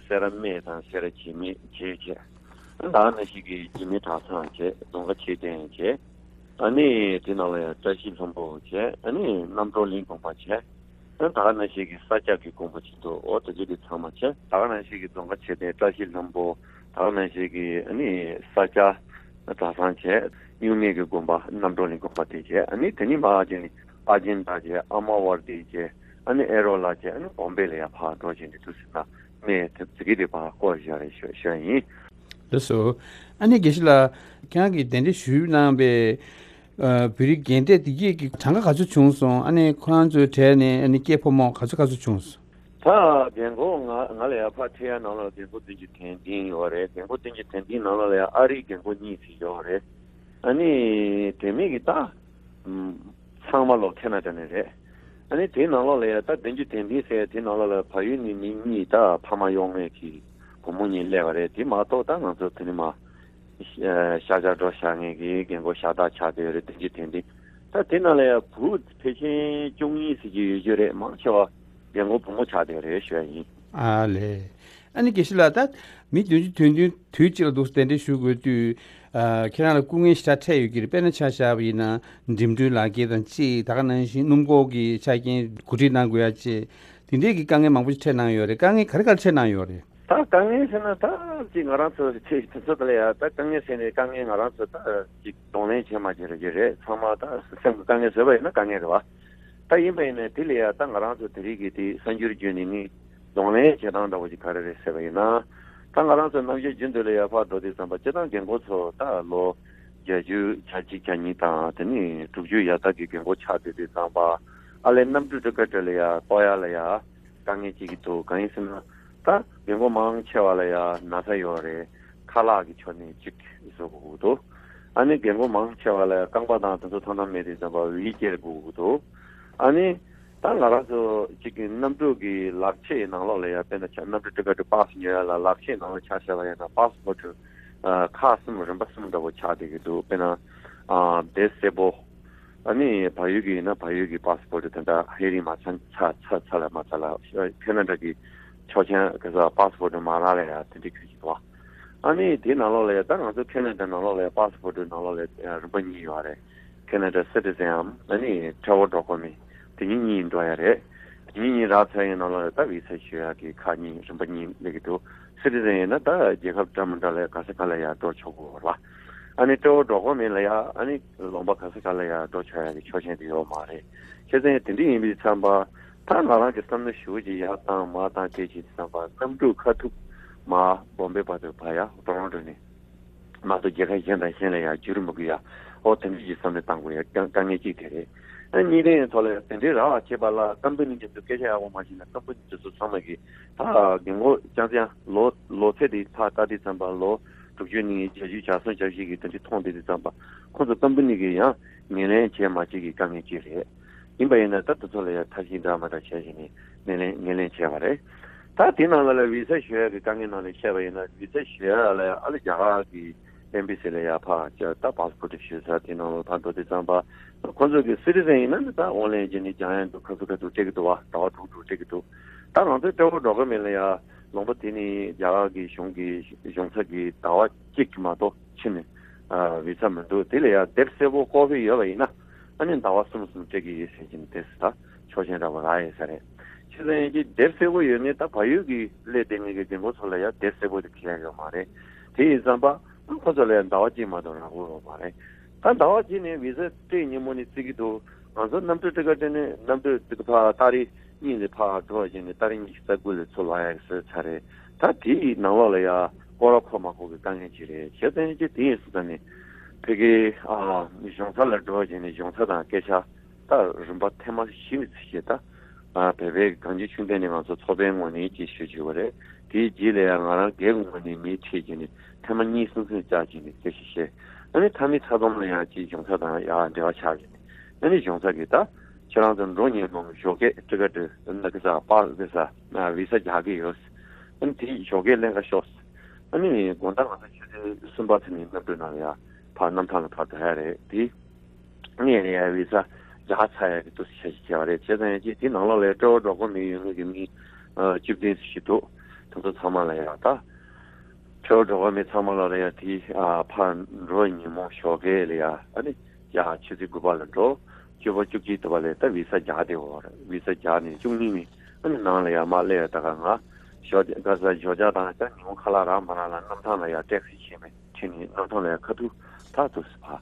སེ་ར་སྨད་དང་སེ་ར་བྱེས་སྨད་བྱས་བྱས། ད་ག་ནང་བཞིན་གྱི་བྱེས་སྨད་གྲྭ་ཚང་བྱས། རྫོང་དཀར་མཆོད་རྟེན་བྱས། ཨ་ནི་དེ་ནང་ལ་ཡ་བཀྲ་ཤིས་ལྷུན་པོ་བྱས། ཨ་ནི་རྣམ་གྲོལ་གླིང་དགོན་པ་བྱས། ད་ག་ནང་བཞིན་གྱི་ས་སྐྱ་གི་དགོན་པ་ཅིག་འདུག་འོ་དེ་ཚོ་དེ་ཚང་མ་བྱས། ད་ག་ནང་བཞིན་གྱི་རྫོང་དཀར་མཆོད་རྟེན་བཀྲ་ཤིས་ལྷུན་པོ། ད་ག་ནང་བཞིན་གྱི་ཨ་ནི་ས་སྐྱ་གྲྭ་ཚང་བྱས། གཡུལ་ངེས་ཀྱི་དགོན་པ་རྣམ་གྲོལ་གླིང་དགོན་པ་དེ་བྱས། ཨ་ནི་དེ་ནི་མ་ཨ་ཅེ་ནི་ཨ་ཅེན་ད་བྱས། ཨ་མ་ཝར་དི་བྱས། ཨ་ནི་ཨེ་རོ་ལ་བྱས། ཨ་ནི་བོམ་བེ་ལ་ཡ་ཕར་འགྲོ་བྱས་ནས་དུས་སུ་ན་གནས་དེ་ཚོ་གི་དེ་ཕར་སྐོར་བཞག་རེད་ཞུ་ཞུ་ཡ་ཡིན། ལགས་སོ། ཨ་ནི་དགེ་བཤེས་ལགས་ཁྱེད་རང་གིས་གདན་འདྲེན་ཞུས་གནང་བའི་ཨ་བོད་རིགས་རྒན་གྲས་དེ་གས་ཀྱི་གྲངས་ཀ་ག་ཚོད་བྱུང་སོང་། ཨ་ནི་ཁོ་རང་ཚོའི་གྲས་ནས་ཨ་ནི་སྐྱེས་ཕོ་མོ་ག་ཚོད་ག་ཚོད་བྱུང་སོང་། ད་རྒན་གོག་ང་ང་ལ་ཡ་ཕར་ཁྲིད་ཡ་ནང་ལ་རྒན་གོག་བདུན་ཅུ་དོན་བདུན་ཡོད་རེད། རྒན་གོག་བདུན་ཅུ་དོན་བདུན་ནང་ལ་ལ་ཡ་ཨ་རིའི་རྒན་གོག་གཉིས་ཙམ་ཡོད་རེད། ཨ་ནི་དེ་མིན་གྱི་ད་ཚང་མ་ལོ་ཁེ་ན་ཌ་ནས་རེད། ཨ་ནི་དེའི་ནང་ལོགས་ལ་ཡ་ད་བདུན་ཅུ་དོན་བདུན་ཟེར་དེའི་ནང་ལོགས་ལ་བལ་ཡུལ་ནས་མི་གཉིས། ད་ཕ་མ་གཡོག་མེད་ཀྱི་བུ་མོ་གཉིས་སླེབས་པ་རེད། དེ་མ་གཏོགས་ད་ང་ཚོ་དེ་ནི་མ། ཤ་ཤ་འགྲོ་བཞག་མཁན་གྱི་རྒན་གོག་ཤ་སྟག་ཆགས་བསྡད་ཡོད་རེད། བདུན་ཅུ་དོན་བདུན། ད་དེ་ནང་ལ་ཡང་བུ་ཕལ་ཆེར་བཅུ་གཉིས་ཙམ་ཅིག་ཡོད་རྒྱུ་རེད། མང་ཆེ་བ་རྒན་གོག་བུ་མོ་ཆགས་བསྡད་ཡོད་རེད་ཞུ་ཡ་ཡིན། ཨ་ལས། ཨ་ནི་དགེ་བཤེས་ལགས། ད་མི་བདུན་ཅུ་དོན་བདུན་དུས་གཅིག་ལ་འདུག་གདན་འདྲེན་ཞུ་དགོས་དུས། ཨ་ཁྱེད་རང་ལ་སྐུ་ངལ་ཞེ་དྲག་འཕྲད་ཡོད་ཀྱི་རེད། དཔེར་ན་ཆ་བཞག་པ་ཡིན་ན་འགྲིམ་འགྲུལ་ལག་འཁྱེར་དང་གཅིག་ད་ག་ནང་བཞིན་སྣུམ་འཁོར་གྱི་ཆ་རྐྱེན་གོ་སྒྲིག་གནང་དགོས་ཡ་བཅས། དེ་འདྲས་ཀྱི་དཀའ་ངལ་མང་པོ་ཞིག་འཕྲད་གནང་ཡོད་རེད། དཀའ་ངལ་ག་རེ་ག་རེ་འཕྲད་གནང་ཡོད་རེད། ད་དཀའ་ངལ་ཟེར་ན་ད་ཅིག་ང་རང་ཚོ་ཆེ་དེ་ཚོ་དེ་ལ་ཡ་ད་དཀའ་ངལ་ཟེར་ནས་དཀའ་ངལ་ང་རང་ཚོ་ད་ཅིག་གདོང་ལེན་བྱེད་མ་བྱེད་རེ་བྱེད་རེད། ཚང་མ་ད་སེམས་ཀྱི་དཀའ་ངལ་བཟོས་པ་ཡིན་ན་དཀའ་ངལ་རེད་བ། ད་ཡིན་པ་ཡིན་ནའི་དེ་ལ་ཡ་ད་ང་རང་ཚོ་དེ་རིགས་ཀྱི་དེ་གསར་འགྱུར་བརྒྱུད་ནས་ནི་གདོང་ལེན་བྱེད་སྟངས་འདྲ་བོ་ཅིག་ག་རེ་རེད་ཟེར་བ་ཡིན་ན། ད་ང་རང་ཚོ་རྣམ་རྒྱལ་རྒྱུན་དུ་ལ་ཡ་ཕར་འགྲོ་དུས་ཙམ་པ་སྤྱིར་བཏང་རྒན་གོག་ཚོ་ད་ལོ་བརྒྱད་ཅུ་གྱ་གཅིག་གྱ་གཉིས་དང་དེ་ནས་དྲུག་ཅུ་ཡར་ལྟག་གི་རྒན་གོག་ཆགས་བསྡད་དུས་ཙམ་པ་ཨ་ལས་གནམ་གྲུ་ཊི་ཀེ་ཊི་ལ་ཡ་གཏོང་ཡ་ལ་ཡ། དཀའ་ངལ་ཅིག་གི་འདུག་གང་ཡིན་ཟེར་ན། ད་རྒན་གོག་མང་ཆེ་བ་ལ་ཡ་ན་ཚ་ཡོད་རེད། ཁ་ལག་གི་ཕྱོགས་ནས་ཅིག་བཟོ་དགོས་ཀྱི་འདུག་ཨ་ནི་རྒན་གོག་མང་ཆེ་བ་ལ་ཡ་རྐང་པ་དང་དེ་ཚོ་ཐང་ཐང་མེད་དུས་ཙམ་པ་ཝིལ་ཅེར་དགོས་ཀྱི་འདུག་ཨ་ནི་ད་ང་རང་ཚོ་ཅིག་གི་གནམ་གྲུ་གི་ལག་ཆས་ནང་ལོགས་ལ་ཡ་དཔེར་ན་ཆ་གནམ་གྲུ་ཊི་ཀེ་ཊི་པཱ་སི་ཉོ་ཡ་ལ་ལག་ཆས་ནང་ལ་ཆ་བཞག་པ་ཡིན་ན་པཱ་སི་པོར་ཊི་ཁག་གསུམ་རིམ་པ་གསུམ་འདྲ་བོ་ཆགས་བསྡད་ཀྱི་འདུག་དཔེར་ན་ཨ་དེབ་གསལ་པོ། ཨ་ནི་བལ་ཡུལ་གྱི་ཡིན་ན་བལ་ཡུལ་གྱི་པཱ་སི་པོར་ཊི་དེ་འདྲ་ཧེ་རིང་མ་ཚར་ཚར་ཚར་ཚར་ལ་མ་ཚར་ལ་ཁེ་ན་ཌ་གི་ཆོག་མཆན་ག་ས་པཱ་སི་པོར་ཊི་མ་རག་ལ་ཡ་དེ་འདྲ་ཁྱོད་ཀྱི་འདུག་ཨ་ནི་དེའི་ནང་ལོགས་ལ་ཡ་ད་ང་ཚོ་ཁེ་ན་ཌ་ནང་ལོགས་ལ་ཡ་པཱ་སི་པོར་ཊི་ནང་ལོགས་ལ་ཡ་རིམ་པ་གཉིས་ཡོད་རེད། ཁེ་ན་ཌ་སི་ཊི་ཟན་འམ་ཨ་ནི་ཊེ་ར་ཝལ་ཌོ་ཀུ་མེན་ཊི་དེ་གཉིས་གཉིས་འགྲོ་ཡ་རེད། དེ་གཉིས་གཉིས་རག་ཚར་ཡིན་ནང་ལོགས་ལ་ད་བི་ས་ཞུ་ཡ་གི་ཁག་གཉིས་རིམ་པ་གཉིས་སླེབས་ཀྱི་འདུག་སི་ཊི་ཟན་ཡིན་ན་ད་རྒྱལ་ཁབ་འདྲ་མི་འདྲ་ལ་ག་ས་ག་ལ་ཡ་འགྲོ་ཆོག་གི་ཡོད་རེད་བ། ཨ་ནི་ཊེ་ར་ཝལ་ཌོ་ཀུ་མེན་ཊི་ལ་ཡ་ཨ་ནི་ལུང་པ་ག་ས་ག་ལ་ཡ་འགྲོ་ཆོག་ཡ་གི་ཆོག་མཆན་དེ་ཡོད་མ་རེད། བྱས་ཙང་དེ་འདྲ་ཡིན་པའི་ཙམ་པ། ད་ང་རང་གི་བསམ་བློ་ཞུ་ཅིག་ཡར་བཏང་མར་བཏང་བྱས་ཅིག་བསམ་པ་གནམ་གྲུ་ཁ་ཐུག་མར་བོམ་བེ་བར་དུ་ཕར་ཡ་ཊོ་རོན་ཊོ་ནས་མ་གཏོགས་རྒྱལ་ཁབ་གཞན་དང་གཞན་ལ་ཡ་འགྱུར་མི་དགོས་ཡ། ཨོ་དེ་འདྲ་ཅིག་བསམ་བློ་བཏང་དགོས་ཡ་དཀའ་དཀའ་ངལ་གཅིག་དེ་རེད། ཨ་གཉིས་ལྡན་ཐོག་ལ་དེ་འདྲའི་རག་བྱས་པ་ལ་ཀམ་པ་ནི་འདི་ཚོ་སྐད་ཆ་ཡག་པོ་མ་བཤད་ན་ཀམ་པ་ནི་འདི་ཚོ་ཚང་མ་གིས་ད་རྒན་གོག་རྐྱང་རྐྱང་ལོ་ལོ་ཚད་དེ་ཕར་ལྟ་དུས་ཙམ་པ་ལོ་དྲུག་ཅུ་ནས་བརྒྱད་ཅུ་གྱ་གསུམ་གྱ་བཞི་གི་དེ་འདྲ་མཐོང་བསྡད་དུས་ཙམ་པ་ཁོང་ཚོ་ཀམ་པ་ནི་གིས་ཡང་ངོས་ལེན་བྱས་མ་བྱས་ཀྱི་དཀའ་ངལ་གཅིག་རེད། ཡིན་པ་ཡིན་ན་ད་དེ་ཚོ་ལ་ཡང་ཐབས་ཤེས་འདྲ་མི་འདྲ་བྱས་བྱས་ནས་ངོས་ལེན་ངོས་ལེན་བྱས་པ་རེད། ད་དེ་ནང་ལ་ལ་བི་ས་ཞུ་ཡ་གི་དཀའ་ངལ་ནང་ལ་བཤད་པ་ཡིན་ན་བི་ས་ཞུ་ཡ་ལ་ཡང་ཨ་ལི་རྒྱ་གར་གི་ཨེམ་བྷེ་སི་ལ་ཡ་ཕར་ཅིག་ད་པཱ་སི་པོར་ཊི་ཞུ་ས་དེ་ནང་ལ་ཕར་འགྲོ་དུས་ཙམ་པ་ཁོ་ཚོ་གི་སི་ཊི་ཟན་ཡིན་ན་ནི་ད་ཨོན་ལན་བྱས་ནས་རྒྱག་ཡ་འདུག་ཁ་ཐུག་ཁ་ཐུག་སྤྲད་ཀྱི་འདུག་བ། ཟླ་བ་དྲུག་དྲུག་སྤྲད་ཀྱི་འདུག་ད་ང་ཚོའི་ཊེ་ར་ཝལ་ཌོ་ཀུ་མེན་ཊི་ལ་ཡ་ལུང་པ་དེ་ནི་རྒྱ་གར་གི་གཞུང་གི་གཞུང་ཚབ་ཀྱི་ཟླ་བ་གཅིག་གི་མ་གཏོགས་ཕྱིན་ནས་ཨ་བི་ས་མི་འདུག་དེ་ལ་ཡ་དེབ་གསལ་པོ་ཀོ་པི་ཡོད་པ་ཡིན་ན་ཨ་ནི་ཟླ་བ་གསུམ་གསུམ་སྤྲད་ཀྱི་ཡོད་ཟེར་གྱི་ནི་དེ་སུ་ད་ཆོག་མཆན་འདྲ་པོ་རག་ཡོད་ས་རེད། ཕྱི་ལ་ཡིན་གྱི་དེབ་གསལ་པོ་ཡོད་ནི་ད་བལ་ཡུལ་གྱི་སླེབས་བསྡད་མཁན་གྱི་རྒན་གོག་ཚོ་ལ་ཡ་དེབ་གསལ་པོ་དེ་ཁྱེར་ཡོད་མ་རེད། དེ་ཡིན་ཙམ་པ་ཁོ་ཚོ་ལ་ཡ་ཟླ་བ་གཅིག་མ་གཏོགས་རག་གི་ཡོད་མ་རེད། ད་ཟླ་བ་གཅིག་ནས་བི་ས་སྤྲད་ཉིན་མོ་ནས་བརྩི་གི་འདུག་ང་ཚོ་གནམ་གྲུ་ཊི་ཀེ་ཊི་ནས་གནམ་གྲུ་ཊི་ཀེ་ཊི་ཕར་ཏ་རིག་ གཉིས་ནས་ཕར་འགྲོ་བྱས་ནས་ཏ་རིག་ཉི་ཤུ་རྩ་དགུ་ལ་ཚུར་ལོག་ཡག་གི་ཟེར་ཚར་རེད། ད་དེའི་ནང་ལོགས་ལ་ཡ་སྐོར་ར་འཁོར་མ་འཁོར་གི་དཀའ་ངལ་ཅིག་རེད། བྱས་ཙང་ཅིག་དེ་ཡིན་སྲིད་ད་ནི་ཕ་གི་ཨ་གཞུང་ཚབ་ལ་འགྲོ་བྱས་ནས་གཞུང་ཚབ་དང་སྐད་ཆ་ད་རིམ་པ་ཐེངས་མ་བཞི་ནས་ཚིག་བྱས། ད་ཨ་བོད་པའི་གངས་ཅན་ཆོས་ལྡན་ནས་ང་ཚོ་ཚོགས་པའི་ངོས་ནས་ཅིག་ཞུ་བྱས་པ་རེད། དེའི་རྗེས་ལ་ཡང་ང་རང་སྒེར་གྱི་ངོས་ནས་མིའི་ཁྲིད་བྱས་ནས་ཐེངས་མ་གཉིས་གསུམ་ཙམ་བཅར་བྱས་ནས་སྐད་ཆ་བཤད། ཨ་ནི་མཐའ་མའི་མཐའ་སྡོམ་ལ་ཡང་ཅིག་གཞུང་ཚབ་དང་ཡང་འབྲེལ་བ་ཆགས་བྱས་ནས། ཨ་ནི་གཞུང་ཚབ་ཀྱིས་ད་ཁྱེད་རང་ཚོ་འགྲོ་མཁན་ནོ་ཞོགས་ཀས་ཊི་ཀེ་ཊི་ན་གི་ས་པར་གི་ས་ན་བི་ས་རྒྱག་གི་ཡོད། ཨ་ནི་དེ་ཞོགས་ཀས་ལེན་ག་ཤོག། ཨ་ནི་དགོང་དག་ང་ཚོ་ཆུ་ཚོད་གསུམ་པ་ཙམ་ནས་གནམ་གྲུའི་ནང་ལ་ཡ་ཕར་གནམ་ཐང་ལ་ཕར་འགྲོ་ཡ་རེད་དེ། ངས་ཡ་བི་ས་རྒྱག་ཚར་ཡ་གི་འདུག་སེ་བྱས་བྱས་པ་རེད། བྱས་ཙང་ཡ་ཅིག་དེ་ནང་ལོགས་ལ་ཡ་སྤྲོ་བོ་འགྲོ་དགོས་མི་ཡོད་མཁན་གྱི་མི་ཨ་བཅུ་བདུན་ཙམ་ཞིག་འདུག། དེ་ཚོ་ཚང་མ་ལ་ཡ་ད་སྤྲོ་བོ་འགྲོ་དགོས་མི་ཚང་མ་ལ་ལ་ཡ་དེ་ཨ་ཕར་འགྲོ་ཉིན་མོ་ཞོགས་ཀས་ལ་ཡ་ཨ་ནི་ཡ་ཆུ་ཚོད་དགུ་པ་ལ་འགྲོ། བཅུ་པ་བཅུ་གཅིག་དུ་བ་ལས་ད་བི་ས་རྒྱག་དེ་འོ་ར་བི་ས་རྒྱག་ནས་བཅུ་གཉིས་ནས་ཨ་ནི་ནང་ལ་ཡ་མ་སླེབས་ཡ། ད་ག་ང་ཞོགས་ཀ་ས་ཞོགས་ཇ་དང་ད་ཉིན་མོ་ཁ་ལག་རག་མ་རག་ལ་གནམ་ཐང་ལ་ཡ་ཊེག་སི་ཕྱིན་པས་ཕྱིན་ནས་གནམ་ཐང་ལ་ཡ་ཁ་ཐུག་ད་དུ་སི་ཕ་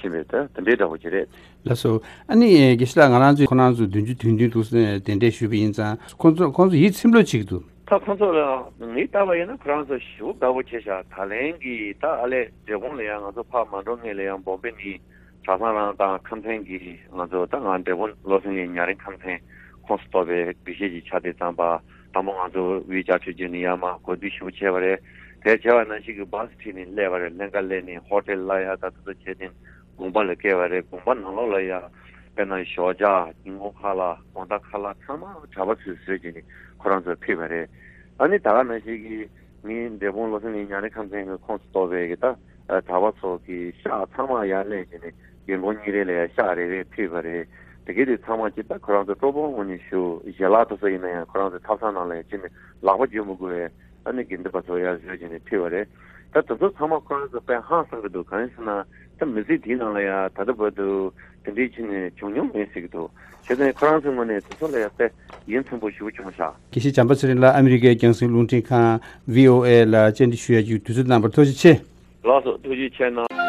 ཕྱིན་པས་ད་དེ་འདྲའི་འདྲ་པོ་ཅིག་རེད། ལགས་སོ། ཨ་ནི་དགེ་བཤེས་ལགས་ང་རང་ཚོས་ཁོ་རང་ཚོ་བདུན་ཅུ་དོན་བདུན་དུ་གདན་འདྲེན་ཞུས་པ་ཡིན་ཙང་ཁོང་ཚོ་ཁོང་ཚོ་ཡིད་ཚིམ་ལོས་བྱེད་ཀྱི་འདུག། ད་ཁོང་ཚོ་ལ་ངས་བལྟས་པ་ཡིན་ན་ཁོ་རང་ཚོ་ཞེ་པོ་དགའ་པོ་བྱས་ཤག། ད་ལན་གྱི་ད་ཨ་ལས་འབྲས་སྤུངས་ལ་ཡང་ང་ཚོ་ཕར་མ་འགྲོ་སྔོན་ལ་ཡང་བོམ་པེ་ནས་གྲྭ་ཚང་རང་དང་ཁམས་ཚན་གྱི་ང་ཚོ་ད་ང་འབྲས་སྤུངས་བློ་སེང་གི་ཉ་རིང་ཁམས་ཚན་ཁོངས་སུ་གཏོགས་པའི་དགེ་བཤེས་ཀྱི་ཆ་དེ་ཙམ་པ་དང་པོ་ང་ཚོ་དབུས་བཅའ་ཁྲིད་བརྒྱུད་ནས་ཡར་མར་གོ་བསྡུར་ཞུ་བྱས་པ་རེད། དེ་བྱས་པ་ནང་བཞིན་གྱི་བྷ་སི་ཁྲིད་ནས་སླེབས་པ་རེད། ལྷན་ཁ་སླེབས་ནས་ཧོ་ཊེལ་ལ་ཡ་ད་ད་ད་བྱས་ཏེ། དགོན་པ་ལ་བསྐྱལ་བ་རེད། དགོན་པ་ནང་ལོགས་ལ་ཡ་དཔེར་ན་ཞོགས་ཇ་ཉིན་གུང་ཁ་ལག་དགོང་དག་ཁ་ལག་ཚང་མ་གྲྭ་པ་ཚོས་བཟོས་བྱས་ནས་ཁོ་རང་ཚོར་ཕུལ་བ་རེད། ཨ་ནི་ད་ག་ནང་བཞིན་གྱི་ངའི་འབྲས་སྤུངས་བློ་སེང་གི་ཉ་རིང་ཁམས་ཚན་གྱི་ཁོངས་སུ་གཏོགས་པའི་གི་ད་གྲྭ་པ་ཚོ་གི་ཤག་ཚང་མ་ཡར་སླེབས་བྱས་ནས་རྒན་གོག་གཉིས་རེ་ལ་ཡ་ཤག་རེ་རེ་ཕུལ་བ་རེད། དེ་གི་དེ་ཚང་མ་ཅིག་ད་ཁོ་རང་ཚོ་སྤྲོ་པོའི་ངོས་ནས་ཞུ་ཞལ་ལག་དེ་ཚོ་ཡིན་ན་ཡང་ཁོ་རང་ཚོ་ཐབ་ཚང་ནང་ལ་ཡ་ཕྱིན་ནས་ལག་པ་འཇུ་མི་དགོས་པའི། ཨ་ནི་དགེ་འདུན་པ་ཚོ་ཡར་བཟོས་བྱས་ནས་ཕུལ་བ་རེད། ད་དེ་ཚོ་ཚང་མ་ཁོ་རང་ཚོ་དཔེ་ཧང་སང་གི་འདུག། གང་ཡིན་ཟེར་ན་ད་མི་ཚེ་འདིའི་ནང་ལ་ཡང་ད་ལྟ་བར་དུ་དེ་འདྲའི་ཕྱིན་ནས་བྱུང་མྱོང་མེད་ཟེར་གི་འདུག། བྱས་ཙང་ཁོ་རང་ཚོའི་ངོས་ནས་དེ་ཚོ་ལ་ཡང་དཔེ་ཡིད་ཚིམ་པོ་ཞེ་པོ་བྱུང་ཤག། དགེ་བཤེས་བྱམས་པ་ཚེ་རིང་ལགས་ཨ་མི་རི་ཀའི་རྒྱང་སྲིང་རླུང་འཕྲིན་ཁང་བྷི་ཨོ་ཨེ་ལ་བཅར་འདྲི་ཞུ་ཡ་གི་དུས་ཚོད་གནང་བར་ཐུགས་རྗེ་ཆེ། ལགས་སོ། ཐུགས་རྗེ་ཆེ་གནང་།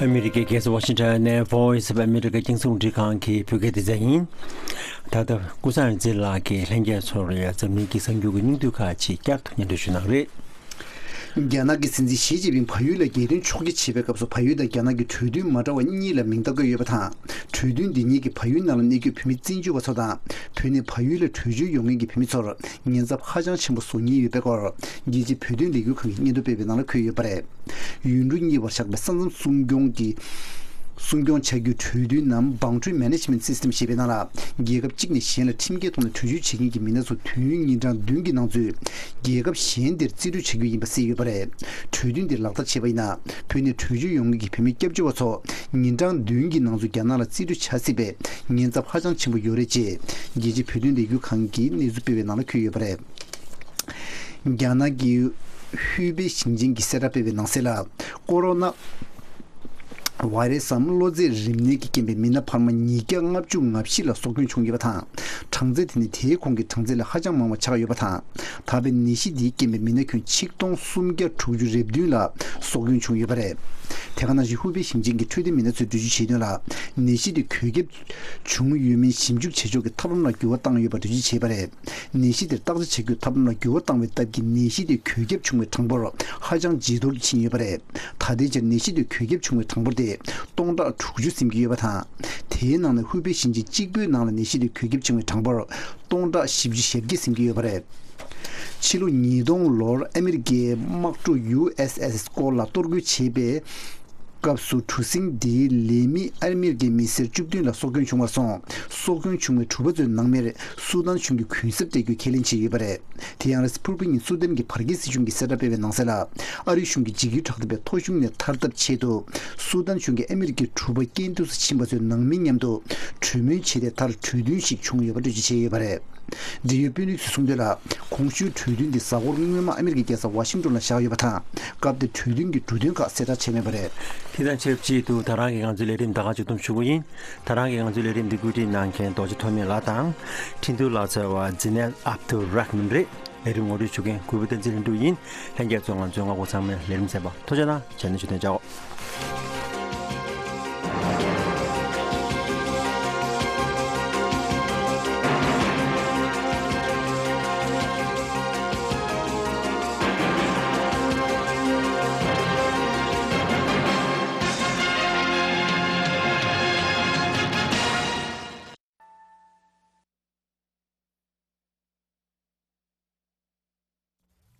ཨ་མི་རི་ཀའི་རྒྱལ་ས་ཝ་ཤིང་ཊོན་ནས་Voice of America་རྒྱང་སྲིང་རླུང་འཕྲིན་ཁང་གི་བོད་སྐད་སྡེ་ཚན་ཡིན། ད་ལྟ་ཀུན་བཟང་ཡོངས་འཛིན་ལགས་ཀྱིས་ལྷན་རྒྱས་ཚོར་ཡ་འཛམ་གླིང་གི་གསར་འགྱུར་གྱི་སྙིང་བསྡུས་ཁག་ཅིག་བསྐྱར་དུ་སྙན་སྒྲོན་ཞུ་གནང་རེད། རྒྱ་ནག་གི་སྲིད་འཛིན་ཞི་ཅིན་ཕིང་བལ་ཡུལ་ལ་རྒྱལ་དོན་ཕྱོགས་བསྐྱོད་བྱེད་པའི་སྐབས་སུ་བལ་ཡུལ་དང་རྒྱ་ནག་གི་གྲོས་མཐུན་མ་འདྲ་བ་གཉིས་ལ་མིང་བཏགས་ཀྱི་ཡོད་པ་དང་། གྲོས་མཐུན་འདི་ཉིད་ཀྱིས་བལ་ཡུལ་ནང་ལ་གནས་འཁོད་བོད་མི་བཙན་བྱོལ་བ་ཚོ་དང་། བོད་ནས་བལ་ཡུལ་ལ་བྲོས་བྱོལ་ཡོང་མཁན་གྱི་བོད་མི་ཚོར་ཉེན་ཚབས་ཧ་ཅང་ཆེན་པོ་བཟོ་ཉེན་ཡོད་པའི་སྐོར། རྒྱལ་སྤྱིའི་བོད་དོན་ལས་འགུལ་ཁང་གིས་སྙན་ཐོ་སྤེལ་བའི་ནང་ལ་འཁོད་ཡོད་པ་རེད། ཡུལ་གྲུ་གཉིས་བར་བཞག་པའི་ས་མཚམས་སྲུང་སྐྱོང་གི་སྲུང་སྐྱོང་བྱ་རྒྱུའི་གྲོས་མཐུན་ནམ་Boundary Management System་ཞེས་པའི་ནང་ལ། རྒྱལ་ཁབ་གཅིག་ནས་གཞན་ལ་ཁྲིམས་འགལ་ཐོག་ནས་བྲོས་བྱོལ་བྱེད་མཁན་གྱི་མི་སྣ་ཚོ་དུས་ཡུན་ཉིན་གྲངས་བདུན་གྱི་ནང་ཚུད། རྒྱལ་ཁབ་གཞན་དེར་རྩིས་སྤྲོད་བྱ་རྒྱུ་ཡིན་པ་གསལ་ཡོད་པ་རེད། གྲོས་མཐུན་དེ་ལག་བསྟར་བྱས་པ་ཡིན་ན། བོད་ནས་བྲོས་བྱོལ་ཡོང་མཁན་གྱི་བོད་མི་སྐྱབས་བཅོལ་བ་ཚོ་ཉིན་གྲངས་བདུན་གྱི་ནང་ཚུད་རྒྱ་ནག་ལ་རྩིས་སྤྲོད་བྱ་སྲིད་པའི་ཉེན་ཚབས་ཧ་ཅང་ཆེན་པོ་ཡོད་རེད་ཅེས། རྒྱལ་སྤྱིའི་བོད་དོན་ལས་འགུལ་ཁང་གིས་གནས་ཚུལ་སྤེལ་བའི་ནང་ལ་འཁོད་ཡོད་པ་རེད། རྒྱ་ནག་གི་ཧུའུ་པེ་ཞིང་ཆེན་གྱིས་གསལ་བསྒྲགས་སྤེལ་བའི་ནང་གསལ་ལ། ཀོ་རོ་ན་བྷ་ཡི་རེ་སམ་གློ་ཚད་རིམས་ནད་ཀྱི་རྐྱེན་པས་མི་སྣ་འཕར་མ་ཉིས་བརྒྱ་ལྔ་བཅུ་ང་བཞི་ལ་སྲོག་སྐྱོན་བྱུང་ཡོད་པ་དང་། གྲངས་ཚད་དེ་ནི་དེའི་གོང་གི་གྲངས་ཚད་ལས་ཧ་ཅང་མང་བ་ཆགས་ཡོད་པ་དང་། ད་བར་ནད་གཞི་འདིའི་རྐྱེན་པས་མི་སྣ་ཁྱོན་ཆིག་སྟོང་སུམ་བརྒྱ་དྲུག་ཅུ་རེ་བདུན་ལ་སྲོག་སྐྱོན་བྱུང་ཡོད་པ་རེད། དེ་ག་ནང་བཞིན་ཧུའུ་པེ་ཞིང་ཆེན་གྱི་འཕྲོད་བསྟེན་མི་སྣ་ཚོས་འགྲེལ་བརྗོད་བྱས་དོན་ལ། ནད་གཞི་དེ་འགོས་ཁྱབ་བྱུང་ཡོད་མིན་ཞིབ་འཇུག་བྱེད་ཕྱོགས་ཀྱི་ཐབས་ལམ་ལ་འགྱུར་བ་བཏང་ཡོད་པ་འགྲེལ་བརྗོད་བྱས་པ་རེད། ནད་གཞི་དེར་བརྟག་དཔྱད་བྱ་རྒྱུའི་ཐབས་ལམ་ལ་འགྱུར་བ་བཏང་བའི་སྟབས་ཀྱིས་ནད་གཞི་དེ་འགོས་ཁྱབ་བྱུང་བའི་གྲངས་འབོར་ཧ་ཅང་ཇེ་མཐོར་ཕྱིན་ཡོད་པ་རེད། ད་ལྟའི་ཆར་ནད་གཞི་དེ་འགོས་ཁྱབ་བྱུང་བའི་གྲངས་འབོར་དེ་སྟོང་ཕྲག་དྲུག་ཅུ་ཟིན་གྱི་ཡོད་པ་དང་། དེའི་ནང་ནས་ཧུའུ་པེ་ཞིང་ཆེན་གཅིག་པུའི་ནང་ལ་ནད་གཞི་དེ་འགོས་ཁྱབ་བྱུང་བའི་གྲངས་འབོར་སྟོང་ཕྲག་བཞི་བཅུ་ཞེ་བརྒྱད་ཟིན་གྱི་ཡོད་པ་རེད། ཕྱི་ལོ་ཉིས་སྟོང་ལོར་ཨ་མི་རི་ཀའི་དམག་གྲུ་ཡུ་ཨེས་ཨེས་ཨེས་སྐོར་ལ་གཏོར་རྒོལ་བྱས་པའི་སྐབས་སུ་གྲུ་གཟིངས་འདིའི་ལས་མི་ཨ་མི་རི་ཀའི་མི་སེར་བཅུ་བདུན་ལ་སྲོག་སྐྱོན་བྱུང་བར་སོང་། སྲོག་སྐྱོན་བྱུང་བའི་གྲུ་པ་ཚོའི་ནང་མིར་སུ་དཱན་གཞུང་གིས་གུན་གསབ་སྤྲད་རྒྱུ་ཁས་ལེན་བྱས་ཡོད་པ་རེད། དེ་ཡང་རེས་ཕུར་བུ་ཉིན་སུ་དཱན་གྱི་བར་བརྒལ་སྲིད་གཞུང་གིས་གསལ་བསྒྲགས་སྤེལ་བའི་ནང་གསལ་ལ། ཨ་རིའི་གཞུང་གིས་འཇིགས་སྐུལ་དྲག་འཐབ་པའི་ཐོ་གཞུང་ནས་ཐར་ཐབས་ཆེད་དུ། སུ་དཱན་གཞུང་གིས་ཨ་མི་རི་ཀའི་གྲུ་པ་རྐྱེན་འདས་སུ་ཕྱིན་པ་ཚོའི་ནང་མི་མཉམ་དུ་གྲོས་མོལ་བྱས་ཏེ་མཐར་གྲོས་མཐུན་ཞིག་བྱུང་ཡོད་པ་འགྲེལ་བརྗོད་བྱས་ཡོད་པ་རེད། འབྲེལ་ཡོད་དཔོན་རིགས་ཚོས་གསུངས་དོན་ལ། གོང་ཞུས་གྲོས་མཐུན་དེ་གཟའ་འཁོར་སྔོན་མ་ཨ་མི་རི་ཀའི་རྒྱལ་ས་ཝ་ཤིང་ཏོན་ལ་བཞག་ཡོད་པ་དང་། སྐབས་དེར་གྲོས་མཐུན་གྱི་འབྲུ་དོན་ཁག་གསལ་བསྒྲགས་བྱས་མེད་པ་རེད། དེ་དང་ཆབས་ཅིག་ཏུ་ད་རང་གི་ང་ཚོའི་ལས་རིམ་ད་ག་མཇུག་བསྡོམས་ཞུ་གི་ཡིན། ད་རང་གི་ང་ཚོའི་ལས་རིམ་འདི་བཀོད་སྒྲིག་གནང་མཁན་རྡོ་རྗེ་ཐོགས་མེད་ལགས་དང་། འཕྲིན་གཏོང་ལག་རྩལ་བ་ཛི་ནལ་ཨབ་དུ་ར་ཧ་མན་རེད། ལས་རིམ་ངོ་སྤྲོད་ཞུ་མཁན་གུས་པ་བསྟན་འཛིན་ལྷུན་གྲུབ་ཡིན། ལྷན་རྒྱས་ཚོ་ང་ཚོའི་རྔ་སྒོ་ཚང་མའི་ལས་རིམ་གསན་པར་ཐུགས་རྗེ་གནང་། བྱས་ན་བཞུགས་གདན་འཇགས།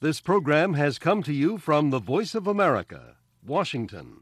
This program has come to you from the Voice of America, Washington.